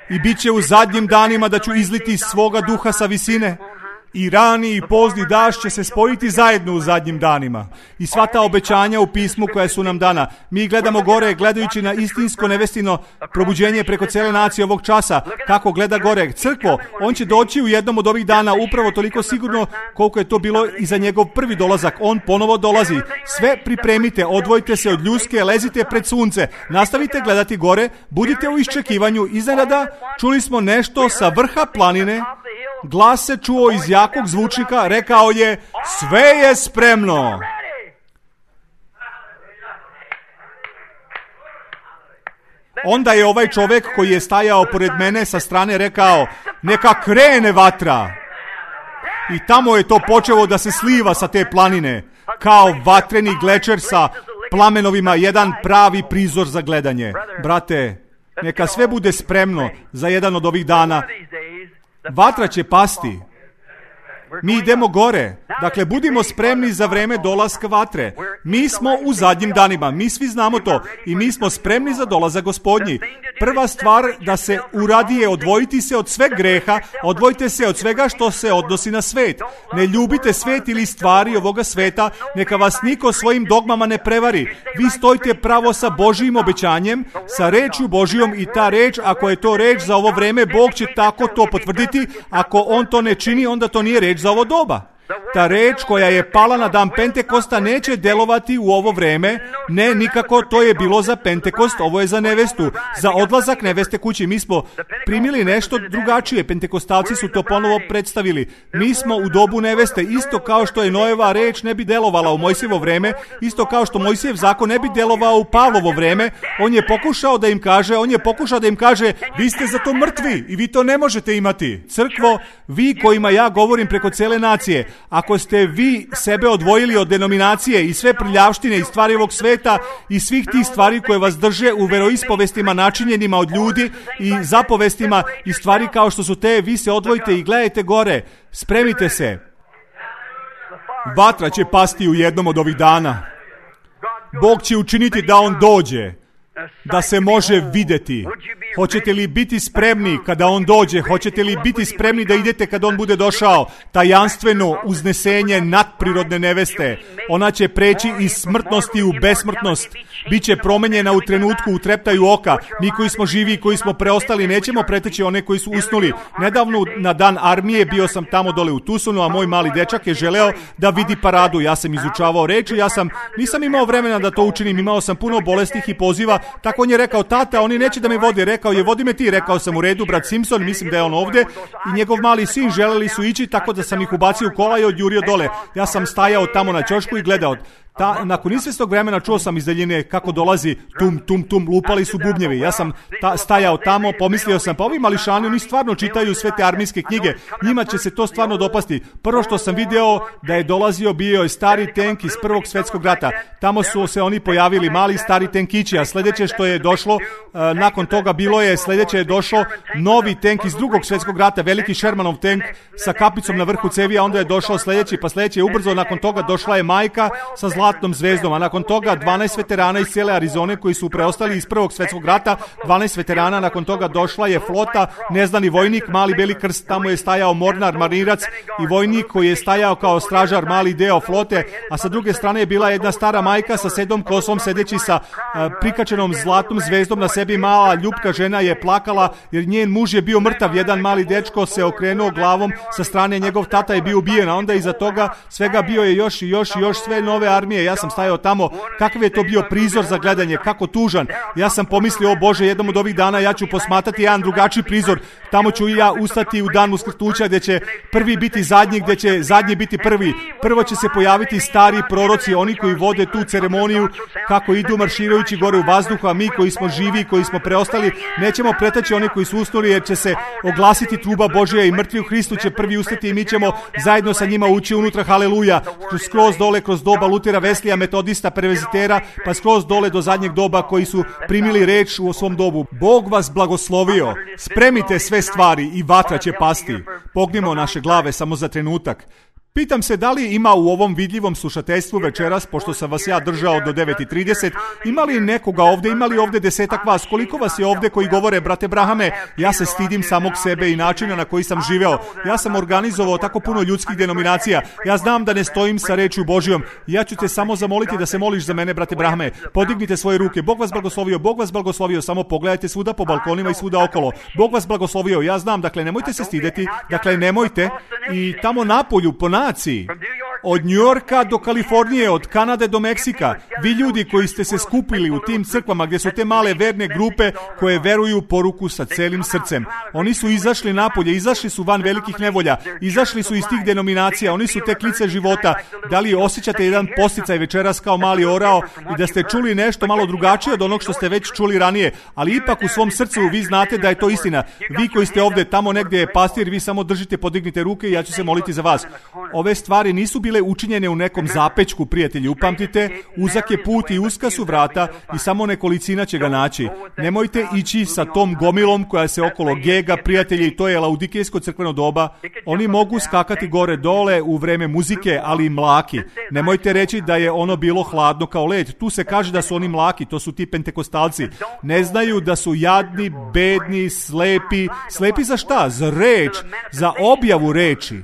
I bit će u zadnjim danima da ću izliti svoga duha sa visine. I rani i pozni dašt će se spojiti zajedno u zadnjim danima. I sva ta obećanja u pismu koja su nam dana. Mi gledamo gore, gledajući na istinsko nevestino probuđenje preko cele nacije ovog časa. Kako gleda gore crkvo, on će doći u jednom od ovih dana upravo toliko sigurno koliko je to bilo i za njegov prvi dolazak. On ponovo dolazi. Sve pripremite, odvojite se od ljuske, lezite pred sunce. Nastavite gledati gore, budite u iščekivanju. Iznenada čuli smo nešto sa vrha planine. Glas se čuo iz jakog zvučnika, rekao je, sve je spremno. Onda je ovaj čovjek koji je stajao pored mene sa strane rekao, neka krene vatra. I tamo je to počelo da se sliva sa te planine, kao vatreni glečer sa plamenovima, jedan pravi prizor za gledanje. Brate, neka sve bude spremno za jedan od ovih dana. Vatra će pasti. Mi idemo gore. Dakle, budimo spremni za vreme dolaska vatre. Mi smo u zadnjim danima. Mi svi znamo to. I mi smo spremni za dolazak Gospodnji. Prva stvar da se uradi je odvojiti se od sveg greha, odvojite se od svega što se odnosi na svet. Ne ljubite svet ili stvari ovoga sveta, neka vas niko svojim dogmama ne prevari. Vi stojite pravo sa Božijim obećanjem, sa rečju Božijom i ta reč, ako je to reč za ovo vreme, Bog će tako to potvrditi. Ako on to ne čini, onda to nije reč za ovo doba. Ta reč koja je pala na dan Pentekosta neće delovati u ovo vreme. Ne, nikako, to je bilo za Pentekost, ovo je za nevestu, za odlazak neveste kući. Mi smo primili nešto drugačije, Pentekostalci su to ponovo predstavili. Mi smo u dobu neveste, isto kao što je Noeva reč ne bi delovala u Mojsijevo vreme, isto kao što Mojsijev zakon ne bi delovao u Pavlovo vreme. On je pokušao da im kaže, vi ste za to mrtvi i vi to ne možete imati. Crkvo, vi kojima ja govorim preko cele nacije, ako ste vi sebe odvojili od denominacije i sve prljavštine i stvari ovog sveta i svih tih stvari koje vas drže u veroispovestima načinjenima od ljudi i zapovestima i stvari kao što su te, vi se odvojite i gledajte gore. Spremite se. Vatra će pasti u jednom od ovih dana. Bog će učiniti da on dođe, da se može vidjeti. Hoćete li biti spremni kada on dođe? Hoćete li biti spremni da idete kad on bude došao? Tajanstveno uznesenje nadprirodne neveste. Ona će preći iz smrtnosti u besmrtnost. Biće promenjena u trenutku, u treptaju oka. Mi koji smo živi i koji smo preostali nećemo preteći one koji su usnuli. Nedavno na dan armije bio sam tamo dole u Tusonu, a moj mali dečak je želeo da vidi paradu. Ja sam izučavao reči, nisam imao vremena da to učinim, imao sam puno bolestih i poziva. Tako on je rekao, tata, oni neće da me vode. Rekao je, vodi me ti. Rekao sam, u redu, brat Simpson, mislim da je on ovdje. I njegov mali sin želeli su ići, tako da sam ih ubacio u kola i odjurio dole. Ja sam stajao tamo na ćošku i gledao. Nakon izvjesnog vremena čuo sam iz daljine kako dolazi tum, tum, tum, lupali su bubnjevi. Ja sam stajao tamo, pomislio sam, pa ovi mališani, oni stvarno čitaju sve te armijske knjige, njima će se to stvarno dopasti. Prvo što sam video da je dolazio, bio je stari tenk iz Prvog svjetskog rata. Tamo su se oni pojavili, mali stari tenkići, a sljedeće što je došlo, nakon toga sljedeće je došlo novi tenk iz Drugog svjetskog rata, veliki Shermanov tenk sa kapicom na vrhu cevi, a onda je došao sljedeći, pa sljedeći je ubrzo, nakon toga došla je majka sa zlatnom zvezdom, a nakon toga 12 veterana iz cijele Arizone koji su preostali iz Prvog svjetskog rata, 12 veterana, nakon toga došla je flota, neznani vojnik, mali beli krst, tamo je stajao mornar, marirac i vojnik koji je stajao kao stražar, mali deo flote, a sa druge strane je bila jedna stara majka sa sedom kosom, sedeći sa prikačenom zlatnom zvezdom na sebi, mala ljubka žena je plakala jer njen muž je bio mrtav, jedan mali dečko se okrenuo glavom sa strane, njegov tata je bio ubijen, a onda iza toga svega bio je još sve nove armije. Ja sam stajao tamo, kakav je to bio prizor za gledanje, kako tužan. Ja sam pomislio, o Bože, jednom od ovih dana ja ću posmatrati jedan drugačiji prizor, tamo ću i ja ustati u dan uskrtuća gdje će prvi biti zadnji, gdje će zadnji biti prvi. Prvo će se pojaviti stari proroci, oni koji vode tu ceremoniju, kako idu marširajući gore u vazduhu, a mi koji smo živi, koji smo preostali, nećemo pretaći oni koji su usnuli, jer će se oglasiti truba Božja i mrtvi u Hristu će prvi ustati i mi ćemo zajedno sa njima ući unutra, haleluja, skroz dole kroz doba Lutera, Veslija, Metodista, Previzitera, pa skroz dole do zadnjeg doba koji su primili reč u svom dobu. Bog vas blagoslovio, spremite sve stvari i vatra će pasti. Pognimo naše glave samo za trenutak. Pitam se da li ima u ovom vidljivom slušateljstvu večeras, pošto sam vas ja držao do 9:30, ima li nekoga ovdje, ima li ovdje 10 vas, koliko vas je ovdje koji govore, brate Brahame, ja se stidim samog sebe i načina na koji sam živeo. Ja sam organizovao tako puno ljudskih denominacija, ja znam da ne stojim sa rečju Božjom, ja ću te samo zamoliti da se moliš za mene, brate Brahame, podignite svoje ruke, Bog vas blagoslovio, samo pogledajte svuda po balkonima i svuda okolo, Bog vas blagoslovio, ja znam, dakle nemojte se stideti, dakle nemojte, i tamo napolju, po naciji, od New Yorka do Kalifornije, od Kanade do Meksika, vi ljudi koji ste se skupili u tim crkvama gdje su te male verne grupe koje veruju poruku sa celim srcem. Oni su izašli napolje, izašli su van velikih nevolja, izašli su iz tih denominacija, oni su te klice života. Da li osjećate jedan posticaj večeras kao mali orao i da ste čuli nešto malo drugačije od onog što ste već čuli ranije, ali ipak u svom srcu vi znate da je to istina. Vi koji ste ovdje, tamo negdje je pastir, vi samo držite, podignite ruke i ja ću se moliti za vas. Ove stvari nisu bile učinjene u nekom zapečku, prijatelji, upamtite, uzak je put i uska su vrata i samo nekolicina će ga naći. Nemojte ići sa tom gomilom koja se okolo gega, prijatelji, to je laudikejsko crkveno doba. Oni mogu skakati gore dole u vreme muzike, ali i mlaki. Nemojte reći da je ono bilo hladno kao led. Tu se kaže da su oni mlaki, to su ti pentekostalci. Ne znaju da su jadni, bedni, slepi. Slepi za šta? Za reč, za objavu reči.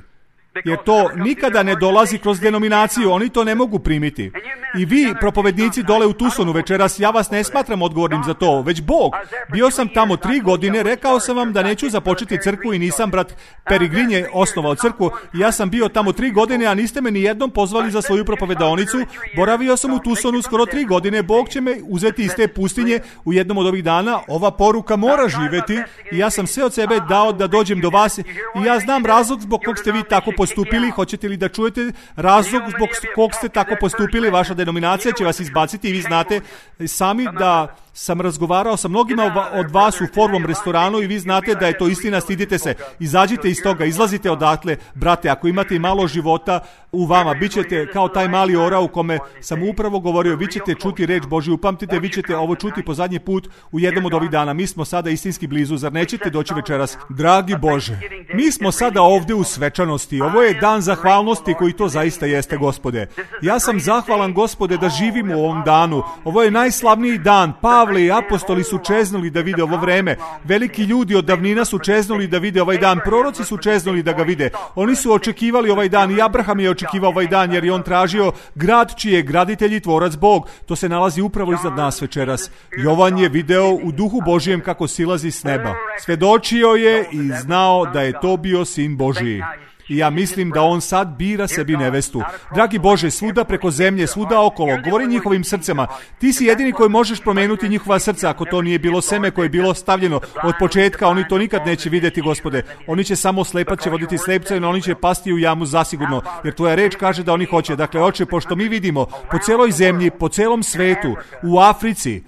Jer to nikada ne dolazi kroz denominaciju, oni to ne mogu primiti. I vi, propovednici dole u Tucsonu večeras, ja vas ne smatram odgovornim za to, već Bog. Bio sam tamo 3 godine, rekao sam vam da neću započeti crkvu i nisam, brat Perigrinje, osnovao crkvu. Ja sam bio tamo 3 godine, a niste me ni jednom pozvali za svoju propovedaonicu. Boravio sam u Tucsonu skoro 3 godine, Bog će me uzeti iz te pustinje u jednom od ovih dana. Ova poruka mora živjeti i ja sam sve od sebe dao da dođem do vas i ja znam razlog zbog kog ste vi tako postupili. Hoćete li da čujete razlog zbog kog ste tako postupili? Vaša denominacija će vas izbaciti i vi znate sami da sam razgovarao sa mnogima od vas u Forvom restoranu i vi znate da je to istina, stidite se. Izađite iz toga, izlazite odatle, brate, ako imate i malo života u vama, bit ćete kao taj mali orao u kome sam upravo govorio, vi ćete čuti reč Božju, upamtite, vi ćete ovo čuti po zadnji put u jednom od ovih dana. Mi smo sada istinski blizu, zar nećete doći večeras? Dragi Bože, mi smo sada ovdje u svečanosti, ovo je dan zahvalnosti koji to zaista jeste, Gospode. Ja sam zahvalan, Gospode, da živimo u ovom danu. Ovo je najslavniji dan. Pavle i apostoli su čeznuli da vide ovo vreme. Veliki ljudi od davnina su čeznuli da vide ovaj dan. Proroci su čeznuli da ga vide. Oni su očekivali ovaj dan i Abraham je očekivao ovaj dan jer je on tražio grad čiji je graditelj i tvorac Bog. To se nalazi upravo iznad nas večeras. Jovan je video u duhu Božijem kako silazi s neba. Svedočio je i znao da je to bio sin Božiji. I ja mislim da on sad bira sebi nevestu. Dragi Bože, svuda preko zemlje, svuda okolo, govori njihovim srcema. Ti si jedini koji možeš promijeniti njihova srca. Ako to nije bilo seme koje je bilo stavljeno od početka, oni to nikad neće vidjeti, Gospode. Oni će samo slepat će voditi slepce, no oni će pasti u jamu zasigurno, jer tvoja reč kaže da oni hoće. Dakle, Oče, pošto mi vidimo po celoj zemlji, po celom svetu, u Africi,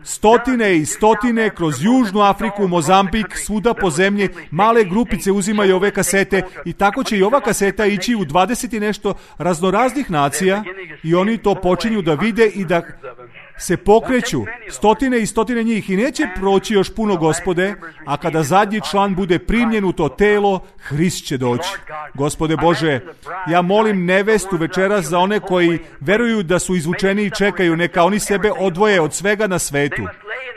stotine i stotine kroz Južnu Afriku, Mozambik, svuda po zemlji, male grupice uzimaju ove kasete i tako će i ova kaseta ići u 20 i nešto raznoraznih nacija i oni to počinju da vide i da se pokreću, stotine i stotine njih i neće proći još puno, Gospode, a kada zadnji član bude primljen u to telo, Hrist će doći. Gospode Bože, ja molim nevestu večeras za one koji veruju da su izvučeni i čekaju, neka oni sebe odvoje od svega na svetu.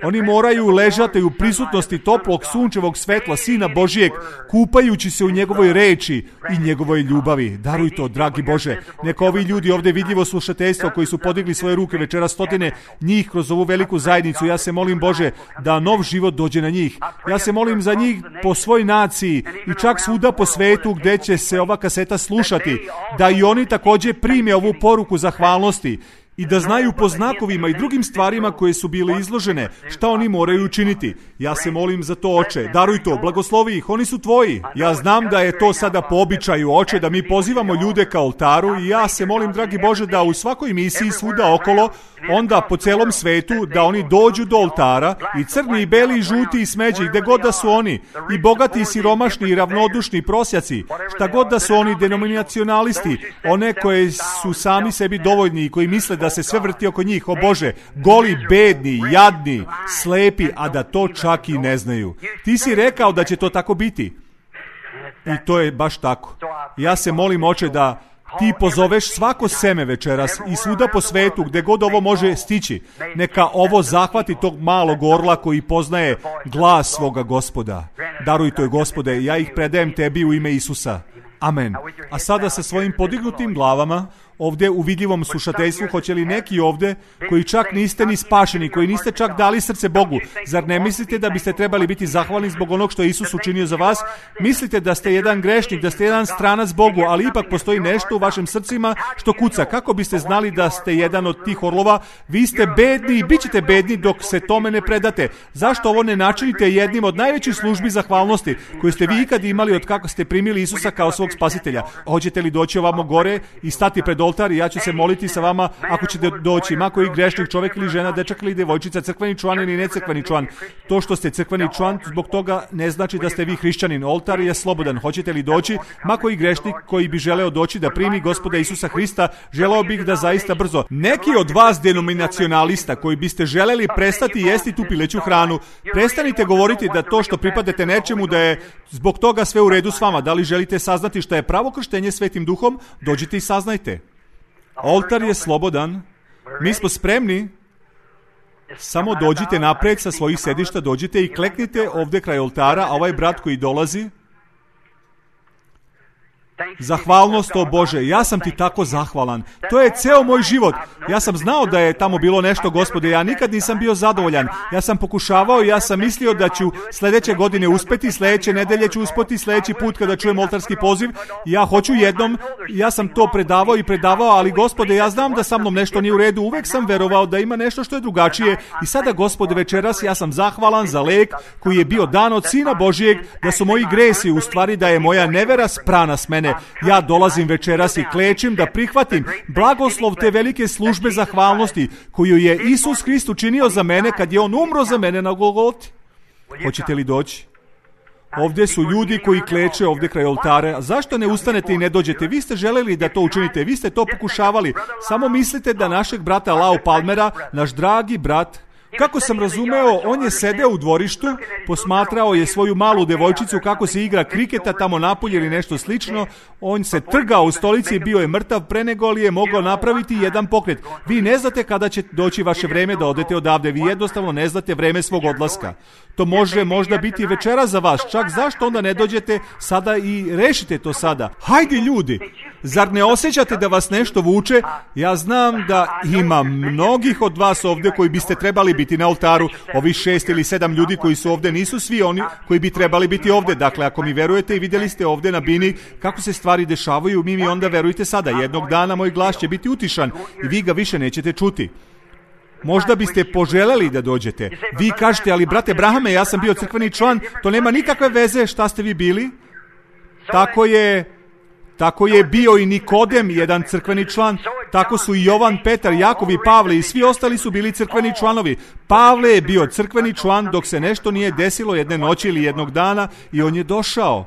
Oni moraju ležati u prisutnosti toplog sunčevog svetla Sina Božijeg, kupajući se u njegovoj reči i njegovoj ljubavi. Daruj to, dragi Bože. Neka ovi ljudi ovdje vidljivo slušateljstvo koji su podigli svoje ruke večera, stotine njih kroz ovu veliku zajednicu. Ja se molim, Bože, da nov život dođe na njih. Ja se molim za njih po svoj naciji i čak svuda po svetu gdje će se ova kaseta slušati, da i oni također prime ovu poruku zahvalnosti i da znaju po znakovima i drugim stvarima koje su bile izložene, šta oni moraju učiniti. Ja se molim za to, Oče, daruj to, blagoslovi ih, oni su tvoji. Ja znam da je to sada po običaju, Oče, da mi pozivamo ljude ka oltaru i ja se molim, dragi Bože, da u svakoj misiji svuda okolo, onda po celom svetu, da oni dođu do oltara i crni i beli i žuti i smeđi, gde god da su oni, i bogati i siromašni i ravnodušni prosjaci, šta god da su oni denominacionalisti, one koje su sami sebi dovoljni i koji misle da se sve vrti oko njih, o Bože, goli, bedni, jadni, slepi, a da to čak i ne znaju. Ti si rekao da će to tako biti. I to je baš tako. Ja se molim, Oče, da ti pozoveš svako seme večeras i svuda po svetu gdje god ovo može stići. Neka ovo zahvati tog malog orla koji poznaje glas svoga Gospoda. Daruj to, Gospode, ja ih predajem tebi u ime Isusa. Amen. A sada sa svojim podignutim glavama, ovdje u vidljivom slušateljstvu, hoće li neki ovdje koji čak niste ni spašeni, koji niste čak dali srce Bogu, zar ne mislite da biste trebali biti zahvalni zbog onog što je Isus učinio za vas? Mislite da ste jedan grešnik, da ste jedan stranac Bogu, ali ipak postoji nešto u vašim srcima što kuca. Kako biste znali da ste jedan od tih orlova? Vi ste bedni i bit ćete bedni dok se tome ne predate. Zašto ovo ne načinite jednim od najvećih službi zahvalnosti koju ste vi ikad imali od kako ste primili Isusa kao svog spasitelja? Hoćete li doći ovamo gore i stati pred oltar i ja ću se moliti sa vama ako ćete doći, ma koji grešnik, čovjek ili žena, dečak ili djevojčica, crkveni član ili necrkveni član. To što ste crkveni član, zbog toga ne znači da ste vi hrišćanin. Oltar je slobodan. Hoćete li doći, ma koji grešnik koji bi želeo doći da primi Gospoda Isusa Hrista, želeo bih da zaista brzo. Neki od vas denominacionalista koji biste želeli prestati jesti tu pileću hranu, prestanite govoriti da to što pripadate nečemu da je zbog toga sve u redu s vama. Da li želite saznati šta je pravo krštenje Svetim Duhom? Dođite i saznajte. Oltar je slobodan. Mi smo spremni. Samo dođite napred sa svojih sedišta, dođite i kleknite ovdje kraj oltara, a ovaj brat koji dolazi. Zahvalnost, o Bože, ja sam ti tako zahvalan. To je ceo moj život. Ja sam znao da je tamo bilo nešto, Gospode, ja nikad nisam bio zadovoljan. Ja sam pokušavao, ja sam mislio da ću sljedeće godine uspeti, sljedeće nedelje ću uspeti, sljedeći put kada čujem oltarski poziv, ja hoću jednom, ja sam to predavao, ali Gospode, ja znam da sa mnom nešto nije u redu, uvek sam verovao da ima nešto što je drugačije i sada, Gospode, večeras ja sam zahvalan za lek koji je bio dan od Sina Božijeg, da su moji gresi, u stvari da je moja nevera sprana s mene. Ja dolazim večeras i klečim da prihvatim blagoslov te velike službe zahvalnosti koju je Isus Hrist učinio za mene kad je on umro za mene na Golgoti. Hoćete li doći? Ovdje su ljudi koji kleče ovdje kraj oltara. Zašto ne ustanete i ne dođete? Vi ste želeli da to učinite, vi ste to pokušavali. Samo mislite da našeg brata Lau Palmera, naš dragi brat, kako sam razumeo, on je sedeo u dvorištu, posmatrao je svoju malu devojčicu kako se igra kriketa tamo napolje ili nešto slično, on se trgao u stolici i bio je mrtav pre nego li je mogao napraviti jedan pokret. Vi ne znate kada će doći vaše vreme da odete odavde, vi jednostavno ne znate vreme svog odlaska. To može možda biti večera za vas, čak zašto onda ne dođete sada i rešite to sada? Hajde ljudi, zar ne osjećate da vas nešto vuče? Ja znam da ima mnogih od vas ovdje koji biste trebali biti biti na oltaru. Ovi 6 ili 7 ljudi koji su ovdje nisu svi oni koji bi trebali biti ovdje. Dakle, ako mi verujete i vidjeli ste ovdje na bini kako se stvari dešavaju, mi onda verujte sada. Jednog dana moj glas će biti utišan i vi ga više nećete čuti. Možda biste poželjeli da dođete. Vi kažete, ali brate Brahame, ja sam bio crkveni član, to nema nikakve veze šta ste vi bili. Tako je bio i Nikodem, jedan crkveni član, tako su i Jovan, Petar, Jakov i Pavle i svi ostali su bili crkveni članovi. Pavle je bio crkveni član dok se nešto nije desilo jedne noći ili jednog dana i on je došao.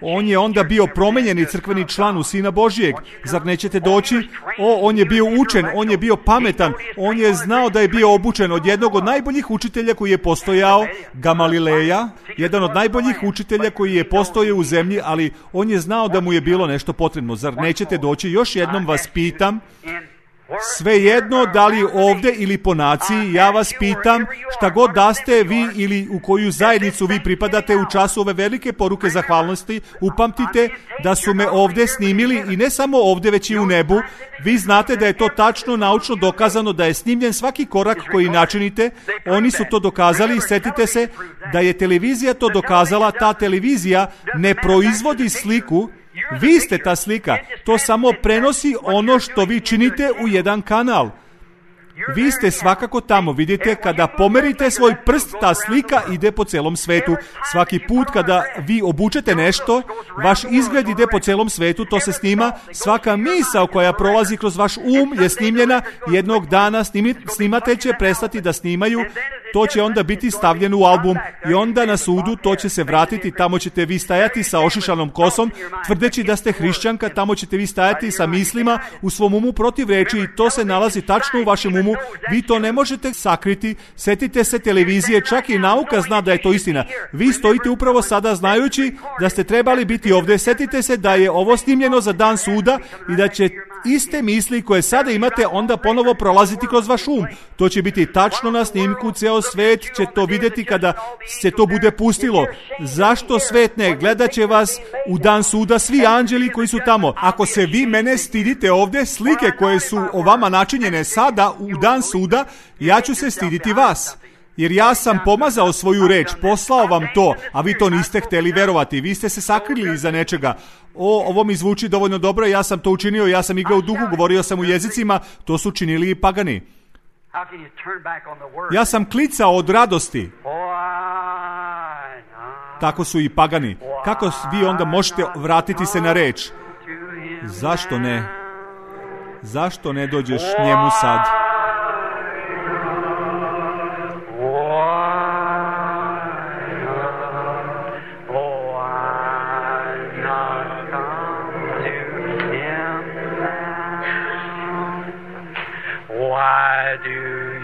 On je onda bio promenjeni crkveni član u Sina Božijeg. Zar nećete doći? On je bio učen, on je bio pametan, on je znao da je bio obučen od jednog od najboljih učitelja koji je postojao, Gamalileja, jedan od najboljih učitelja koji je postojao u zemlji, ali on je znao da mu je bilo nešto potrebno. Zar nećete doći? Još jednom vas pitam, svejedno da li ovdje ili po naciji, ja vas pitam, šta god da ste vi ili u koju zajednicu vi pripadate u času ove velike poruke zahvalnosti, upamtite da su me ovdje snimili i ne samo ovdje već i u nebu. Vi znate da je to tačno naučno dokazano, da je snimljen svaki korak koji načinite. Oni su to dokazali, setite se da je televizija to dokazala. Ta televizija ne proizvodi sliku, vi ste ta slika, to samo prenosi ono što vi činite u jedan kanal. Vi ste svakako tamo, vidite, kada pomerite svoj prst, ta slika ide po celom svetu. Svaki put kada vi obučete nešto, vaš izgled ide po celom svetu, to se snima. Svaka misao koja prolazi kroz vaš je snimljena. Jednog dana snimatelj će prestati da snimaju, to će onda biti stavljeno u album i onda na sudu to će se vratiti, tamo ćete vi stajati sa ošišanom kosom, tvrdeći da ste hrišćanka, tamo ćete vi stajati sa mislima u svom umu protiv reči i to se nalazi tačno u vašem umu. Vi to ne možete sakriti. Setite se televizije, čak i nauka zna da je to istina. Vi stojite upravo sada znajući da ste trebali biti ovdje. Setite se da je ovo snimljeno za dan suda i da će iste misli koje sada imate onda ponovo prolaziti kroz vaš To će biti tačno na snimku, ceo svet će to vidjeti kada se to bude pustilo. Zašto svet ne? Gledat će vas u dan suda svi anđeli koji su tamo. Ako se vi mene stidite ovdje, slike koje su o vama načinjene sada u dan suda, ja ću se stiditi vas. Jer ja sam pomazao svoju reč, poslao vam to, a vi to niste htjeli verovati. Vi ste se sakrili iza nečega. Ovo mi zvuči dovoljno dobro, ja sam to učinio, ja sam igrao u duhu, govorio sam u jezicima, to su činili i pagani. Ja sam klicao od radosti. Tako su i pagani. Kako vi onda možete vratiti se na reč? Zašto ne? Zašto ne dođeš njemu sad? Why do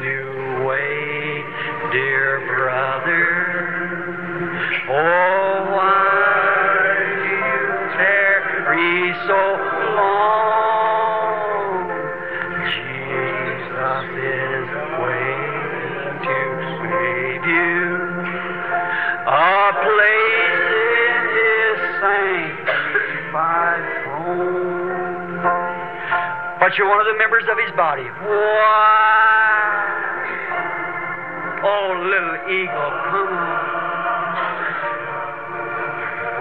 you wait, dear brother? Oh, why do you tarry so long? Jesus is waiting to save you a place in His sanctified throne. But you're one of the members of His body. Why? Oh, little eagle, come on.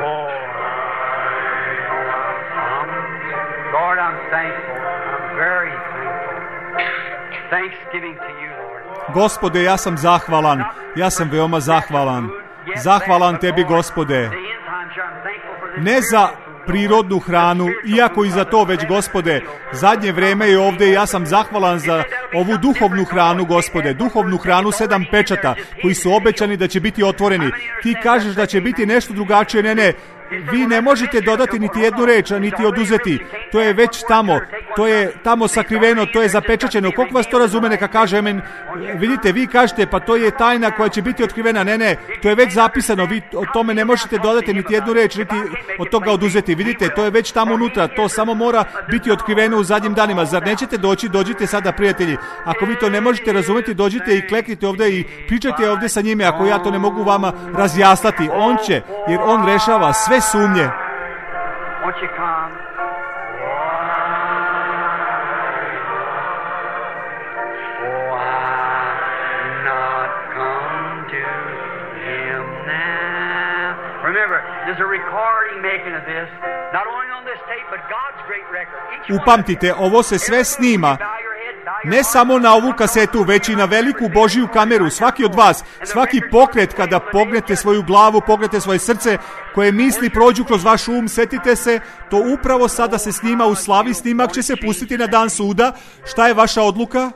Oh, Lord, I'm thankful. I'm very thankful. Thanksgiving to you, Lord. Gospode, ja sam zahvalan. Ja sam veoma zahvalan. Zahvalan Tebi, Gospode. Ne za prirodnu hranu, iako i za to već, Gospode, zadnje vreme je ovdje i ja sam zahvalan za ovu duhovnu hranu, Gospode, duhovnu hranu 7 pečata koji su obećani da će biti otvoreni. Ti kažeš da će biti nešto drugačije, ne, vi ne možete dodati niti jednu reč, niti oduzeti. To je već tamo, to je tamo sakriveno, to je zapečaćeno. Koliko vas to razume, neka kaže amen. Vidite, vi kažete, pa to je tajna koja će biti otkrivena. Ne, to je već zapisano, vi o tome ne možete dodati niti jednu reč, niti od toga oduzeti. Vidite, to je već tamo unutra, to samo mora biti otkriveno u zadnjim danima. Zar nećete doći? Dođite sada, prijatelji. Ako vi to ne možete razumjeti, dođite i kleknite ovdje i pričajte ovdje sa njime. Ako ja to ne mogu vama razjasniti, on će, jer on rešava sve sumnje. to Him now. Remember, there's a recording making of this, not only on this tape, but God's great record. Upamtite, ovo se sve snima. Ne samo na ovu kasetu, već i na veliku Božiju kameru. Svaki od vas, svaki pokret kada pognete svoju glavu, pognete svoje srce, koje misli prođu kroz vaš um, setite se, to upravo sada se snima u slavi, snimak će se pustiti na dan suda. Šta je vaša odluka?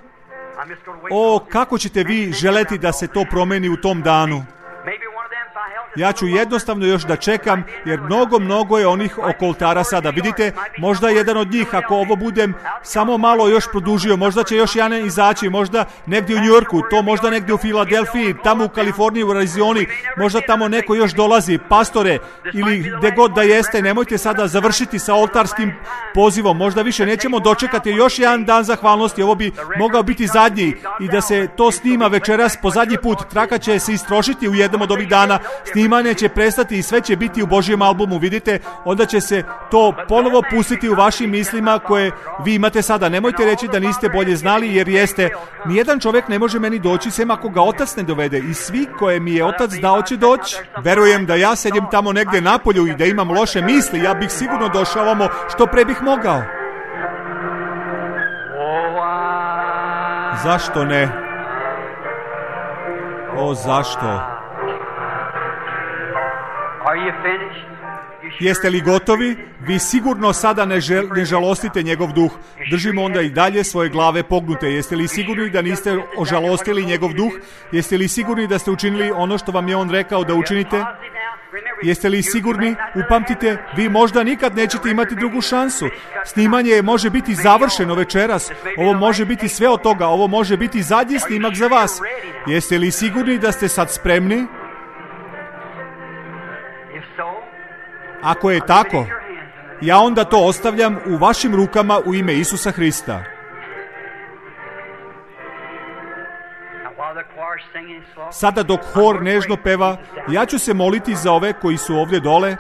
O, kako ćete vi želeti da se to promeni u tom danu? Ja ću jednostavno još da čekam, jer mnogo je onih oko oltara sada. Vidite, možda jedan od njih, ako ovo budem samo malo još produžio, možda će još jedan izaći, možda negdje u Njujorku, to možda negdje u Filadelfiji, tamo u Kaliforniji, u Arizoni, možda tamo neko još dolazi, pastore, ili gdje god da jeste, nemojte sada završiti sa oltarskim pozivom, možda više nećemo dočekati još jedan dan zahvalnosti, ovo bi mogao biti zadnji i da se to snima večeras po zadnji put, traka će se istrošiti u jednom od ovih dana, snimanje će prestati i sve će biti u Božjem albumu, vidite, onda će se to ponovo pustiti u vašim mislima koje vi imate sada. Nemojte reći da niste bolje znali, jer jeste. Nijedan čovjek ne može meni doći sem ako ga otac ne dovede, i svi koje mi je otac dao će doći. Verujem da ja sedim tamo negdje napolju i da imam loše misli, ja bih sigurno došao ovamo što pre bih mogao. Zašto ne? O, zašto? Jeste li gotovi? Vi sigurno sada ne žalostite njegov duh. Držimo onda i dalje svoje glave pognute. Jeste li sigurni da niste ožalostili njegov duh? Jeste li sigurni da ste učinili ono što vam je on rekao da učinite? Jeste li sigurni? Upamtite, vi možda nikad nećete imati drugu šansu. Snimanje može biti završeno večeras. Ovo može biti sve od toga. Ovo može biti zadnji snimak za vas. Jeste li sigurni da ste sad spremni? Ako je tako, ja onda to ostavljam u vašim rukama u ime Isusa Hrista. Sada dok hor nežno peva, ja ću se moliti za ove koji su ovdje dole.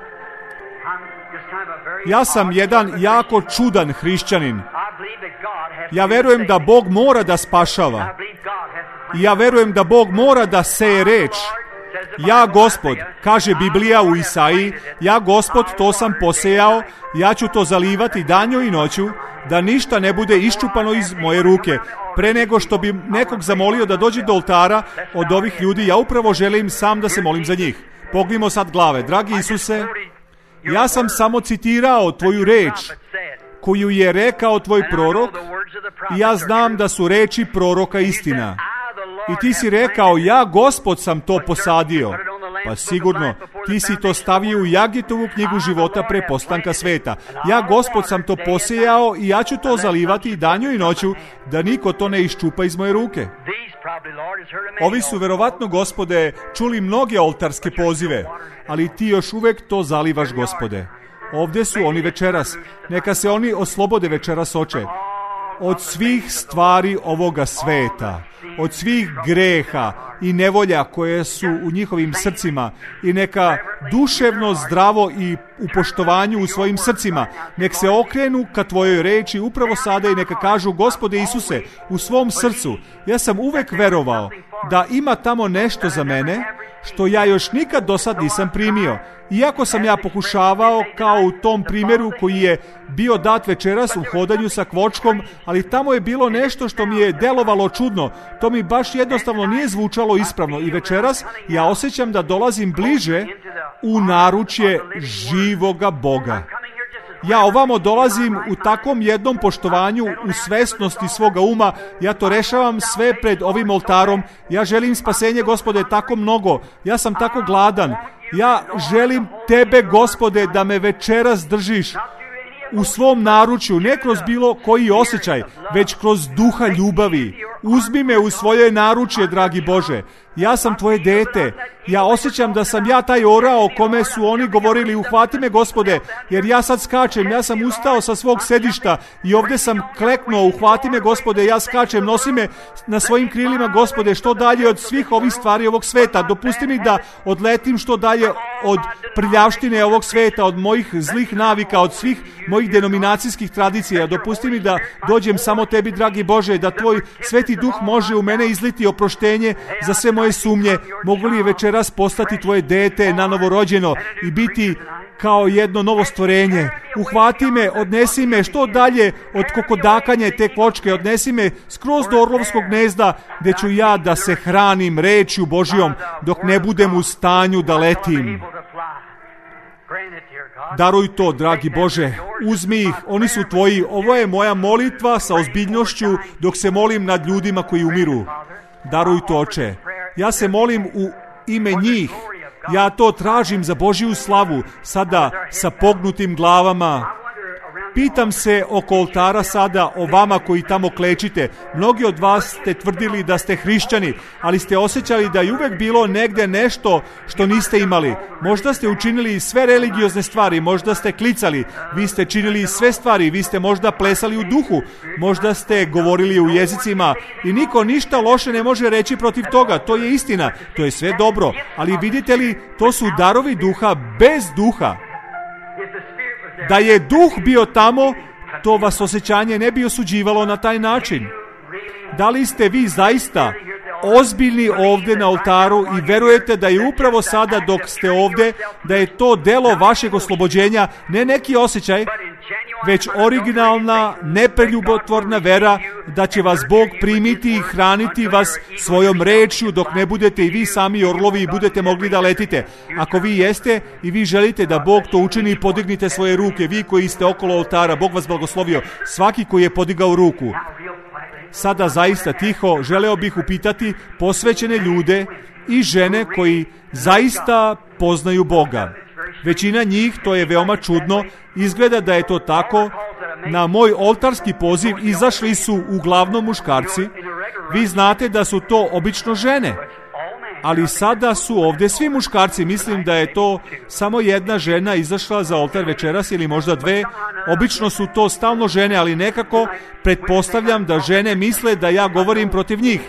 Ja sam jedan jako čudan hrišćanin. Ja verujem da Bog mora da spašava. Ja verujem da Bog mora da seje reč. Ja, Gospod, kaže Biblija u Isaiji, ja, Gospod, to sam posejao, ja ću to zalivati danju i noću, da ništa ne bude iščupano iz moje ruke. Pre nego što bi nekog zamolio da dođe do oltara od ovih ljudi, ja upravo želim sam da se molim za njih. Pognimo sad glave. Dragi Isuse, ja sam samo citirao tvoju reč, koju je rekao tvoj prorok, i ja znam da su reči proroka istina. I ti si rekao, ja, Gospod, sam to posadio. Pa sigurno, ti si to stavio u Jagitovu knjigu života pre postanka sveta. Ja, Gospod, sam to posejao i ja ću to zalivati i danju i noću, da niko to ne iščupa iz moje ruke. Ovi su verovatno, Gospode, čuli mnoge oltarske pozive, ali ti još uvek to zalivaš, Gospode. Ovdje su oni večeras. Neka se oni oslobode večeras, Oče. Od svih stvari ovoga sveta, od svih greha i nevolja koje su u njihovim srcima, i neka duševno zdravo i u poštovanju u svojim srcima, nek se okrenu ka tvojoj reči upravo sada i neka kažu, Gospode Isuse, u svom srcu, ja sam uvek verovao da ima tamo nešto za mene što ja još nikad do sad nisam primio. Iako sam ja pokušavao, kao u tom primjeru koji je bio dat večeras u hodanju sa kvočkom, ali tamo je bilo nešto što mi je delovalo čudno. To mi baš jednostavno nije zvučalo ispravno. I večeras ja osjećam da dolazim bliže u naručje živoga Boga. Ja ovamo dolazim u takvom jednom poštovanju, u svesnosti svoga uma. Ja to rešavam sve pred ovim oltarom. Ja želim spasenje, Gospode, tako mnogo. Ja sam tako gladan. Ja želim tebe, Gospode, da me večeras držiš u svom naručju, ne kroz bilo koji osjećaj, već kroz duha ljubavi. Uzmi me u svoje naručje, dragi Bože. Ja sam tvoje dete. Ja osjećam da sam ja taj orao o kome su oni govorili, uhvati me, Gospode, jer ja sad skačem. Ja sam ustao sa svog sedišta i ovdje sam kleknuo. Uhvati me, Gospode, ja skačem. Nosi me na svojim krilima, Gospode, što dalje od svih ovih stvari ovog sveta. Dopusti mi da odletim što dalje od prljavštine ovog sveta, od mojih zlih navika, od svih mojih denominacijskih tradicija. Dopusti mi da dođem samo tebi, dragi Bože, da tvoj sveti duh može u mene izliti oproštenje za sve moje sumnje. Mogu li večeras postati tvoje dete nanovo rođeno i biti kao jedno novo stvorenje? Uhvati me, odnesi me što dalje od kokodakanja te kvočke, odnesi me skroz do orlovskog gnezda, gdje ću ja da se hranim rečju Božjom dok ne budem u stanju da letim. Daruj to, dragi Bože, uzmi ih, oni su tvoji. Ovo je moja molitva sa ozbiljnošću dok se molim nad ljudima koji umiru. Daruj to, Oče. Ja se molim u ime njih. Ja to tražim za Božju slavu, sada sa pognutim glavama. Pitam se oko oltara sada o vama koji tamo klečite. Mnogi od vas ste tvrdili da ste hrišćani, ali ste osjećali da je uvek bilo negde nešto što niste imali. Možda ste učinili sve religiozne stvari, možda ste klicali, vi ste činili sve stvari, vi ste možda plesali u duhu, možda ste govorili u jezicima i niko ništa loše ne može reći protiv toga. To je istina, to je sve dobro, ali vidite li, to su darovi duha bez duha. Da je duh bio tamo, to vas osjećanje ne bi osuđivalo na taj način. Da li ste vi zaista ozbiljni ovdje na oltaru i verujete da je upravo sada dok ste ovdje, da je to delo vašeg oslobođenja, ne neki osjećaj, već originalna, nepreljubotvorna vera da će vas Bog primiti i hraniti vas svojom rečju dok ne budete i vi sami orlovi i budete mogli da letite. Ako vi jeste i vi želite da Bog to učini, podignite svoje ruke, vi koji ste okolo oltara, Bog vas blagoslovio, svaki koji je podigao ruku. Sada zaista tiho želeo bih upitati posvećene ljude i žene koji zaista poznaju Boga. Većina njih, to je veoma čudno, izgleda da je to tako. Na moj oltarski poziv izašli su uglavnom muškarci. Vi znate da su to obično žene, ali sada su ovdje svi muškarci. Mislim da je to samo jedna žena izašla za oltar večeras ili možda dve. Obično su to stalno žene, ali nekako pretpostavljam da žene misle da ja govorim protiv njih.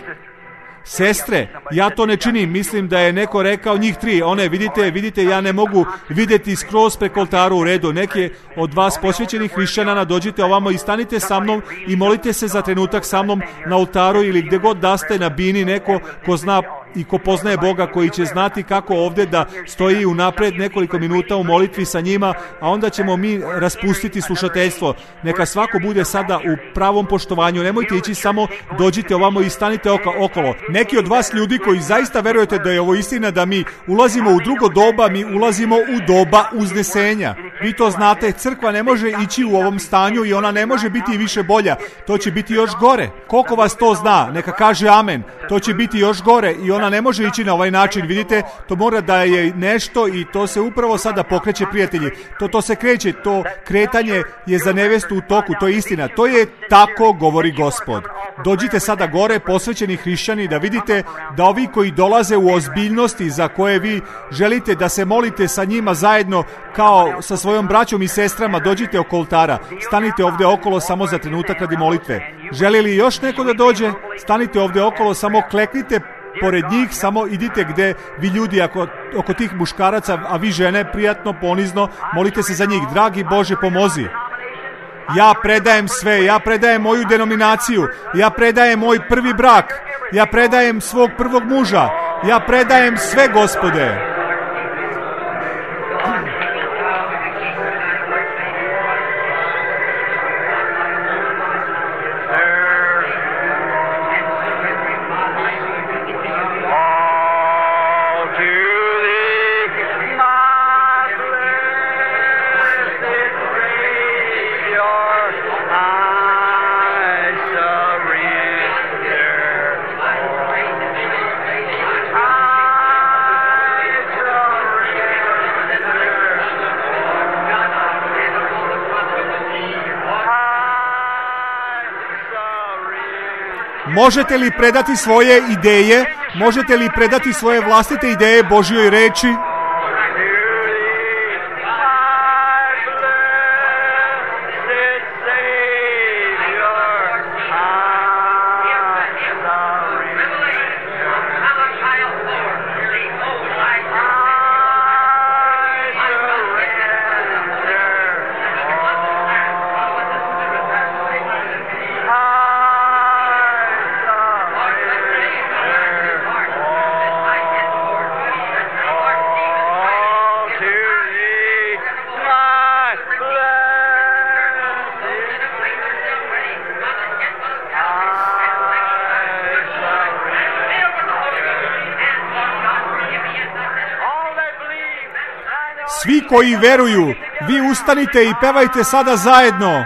Sestre, ja to ne činim, mislim da je neko rekao njih tri. One, vidite, ja ne mogu vidjeti skroz preko oltaru. U redu. Neki od vas posvećenih hrišćana dođite ovamo i stanite sa mnom i molite se za trenutak sa mnom na oltaru ili gdje god da ste na bini, neko ko zna i ko poznaje Boga, koji će znati kako ovdje da stoji unapred nekoliko minuta u molitvi sa njima, a onda ćemo mi raspustiti slušateljstvo. Neka svako bude sada u pravom poštovanju. Nemojte ići, samo dođite ovamo i stanite okolo. Neki od vas ljudi koji zaista verujete da je ovo istina, da mi ulazimo u drugo doba, mi ulazimo u doba uznesenja. Vi to znate, crkva ne može ići u ovom stanju i ona ne može biti više bolja. To će biti još gore. Koliko vas to zna, neka kaže amen. To će biti još gore i ona ne može ići na ovaj način. Vidite, to mora da je nešto i to se upravo sada pokreće, prijatelji. To se kreće, to kretanje je za nevestu u toku, to je istina. To je tako, govori Gospod. Dođite sada gore, posvećeni hrišćani, da vidite da ovi koji dolaze u ozbiljnosti za koje vi želite da se molite sa njima zajedno kao sa svojom braćom i sestrama, dođite oko oltara. Stanite ovdje okolo samo za trenutak radi molitve. Želi li još neko da dođe? Stanite ovdje okolo, samo kleknite pored njih, samo idite gdje vi ljudi oko tih muškaraca, a vi žene prijatno, ponizno, molite se za njih. Dragi Bože, pomozi. Ja predajem sve, ja predajem moju denominaciju, ja predajem moj prvi brak, ja predajem svog prvog muža, ja predajem sve, Gospode. Možete li predati svoje ideje? Možete li predati svoje vlastite ideje Božjoj reči? Svi koji veruju, vi ustanite i pevajte sada zajedno.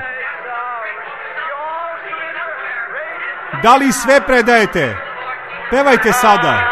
Da li sve predajete? Pevajte sada.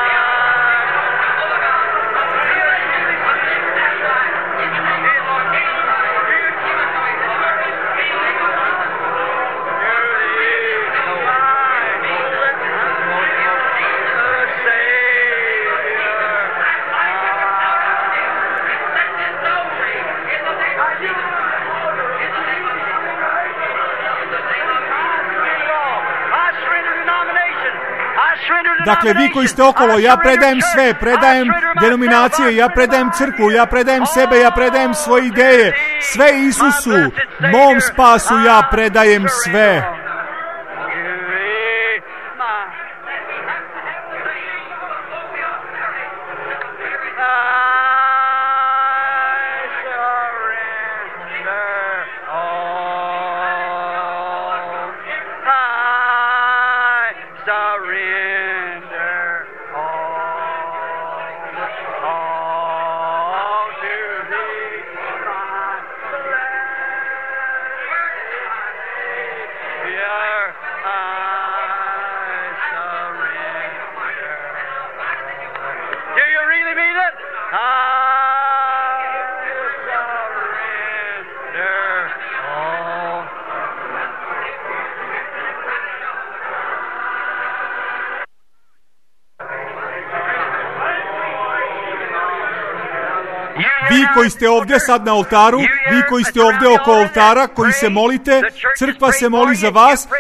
Dakle, vi koji ste okolo, ja predajem sve, predajem denominacije, ja predajem crkvu, ja predajem sebe, ja predajem svoje ideje, sve Isusu, mom spasu ja predajem sve. Vi koji ste ovdje sad na oltaru, vi koji ste ovdje oko oltara, koji se molite, crkva se moli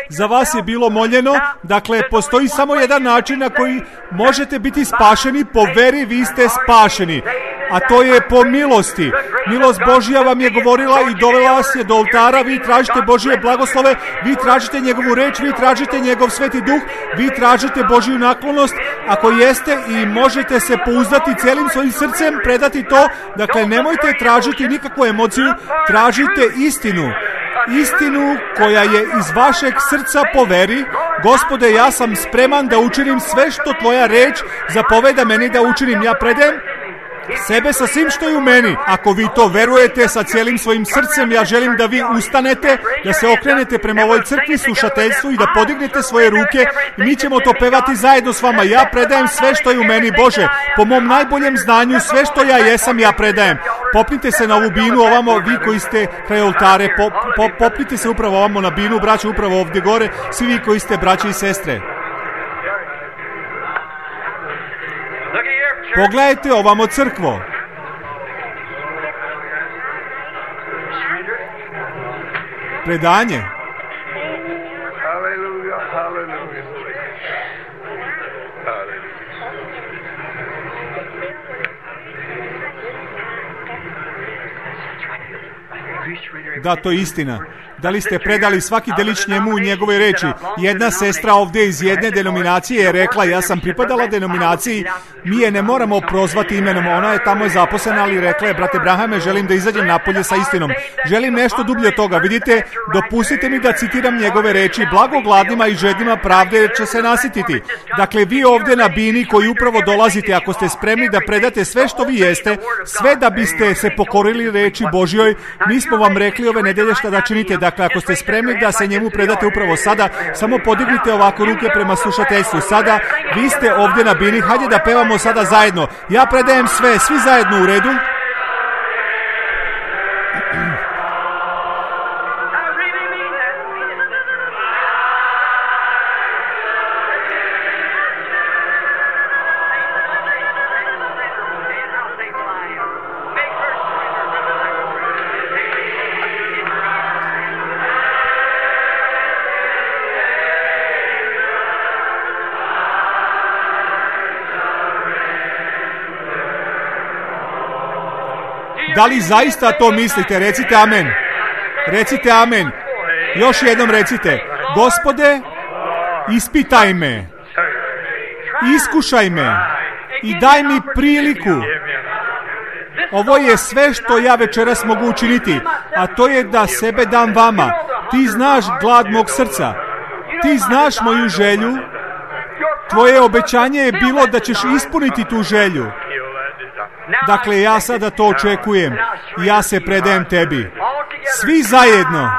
za vas je bilo moljeno. Dakle, postoji samo jedan način na koji možete biti spašeni, po veri vi ste spašeni. A to je po milosti. Milost Božja vam je govorila i dovela vas je do oltara, vi tražite Božje blagoslove, vi tražite njegovu reč, vi tražite njegov sveti duh, vi tražite Božju naklonost, ako jeste i možete se pouzdati cijelim svojim srcem, predati to, dakle nemojte tražiti nikakvu emociju, tražite istinu. Istinu koja je iz vašeg srca po veri. Gospode, ja sam spreman da učinim sve što tvoja reč zapoveda meni da učinim. Ja predajem sebe sa svim što je u meni. Ako vi to verujete sa cijelim svojim srcem, ja želim da vi ustanete, da se okrenete prema ovoj crkvi, slušateljstvu i da podignete svoje ruke i mi ćemo to pevati zajedno s vama. Ja predajem sve što je u meni, Bože, po mom najboljem znanju, sve što ja jesam, ja predajem. Popnite se na ovu binu ovamo, vi koji ste kraj oltare, popnite se upravo ovamo na binu, braće, upravo ovdje gore, svi vi koji ste braće i sestre. Pogledajte ovamo crkvo. Predanje. Da, to je istina. Da li ste predali svaki delić njemu u njegove reči? Jedna sestra ovdje iz jedne denominacije je rekla, ja sam pripadala denominaciji, mi je ne moramo prozvati imenom, ona je tamo zaposlena, ali rekla je, brate Brahame, želim da izađem napolje sa istinom. Želim nešto dublje od toga. Vidite, dopustite mi da citiram njegove reči, blago gladnima i žednima pravde će se nasititi. Dakle, vi ovdje na bini koji upravo dolazite, ako ste spremni da predate sve što vi jeste, sve da biste se pokorili reči Božjoj, mi smo vam rekli ove nedelje šta da činite. Dakle, ako ste spremni da se njemu predate upravo sada, samo podignite ovako ruke prema slušateljstvu. Sada, vi ste ovdje na bini, hajde da pevamo sada zajedno. Ja predajem sve, svi zajedno u redu. Da li zaista to mislite? Recite amen. Recite amen. Još jednom recite. Gospode, ispitaj me. Iskušaj me. I daj mi priliku. Ovo je sve što ja večeras mogu učiniti. A to je da sebe dam vama. Ti znaš glad mog srca. Ti znaš moju želju. Tvoje obećanje je bilo da ćeš ispuniti tu želju. Dakle, ja sada to očekujem. Ja se predajem tebi. Svi zajedno.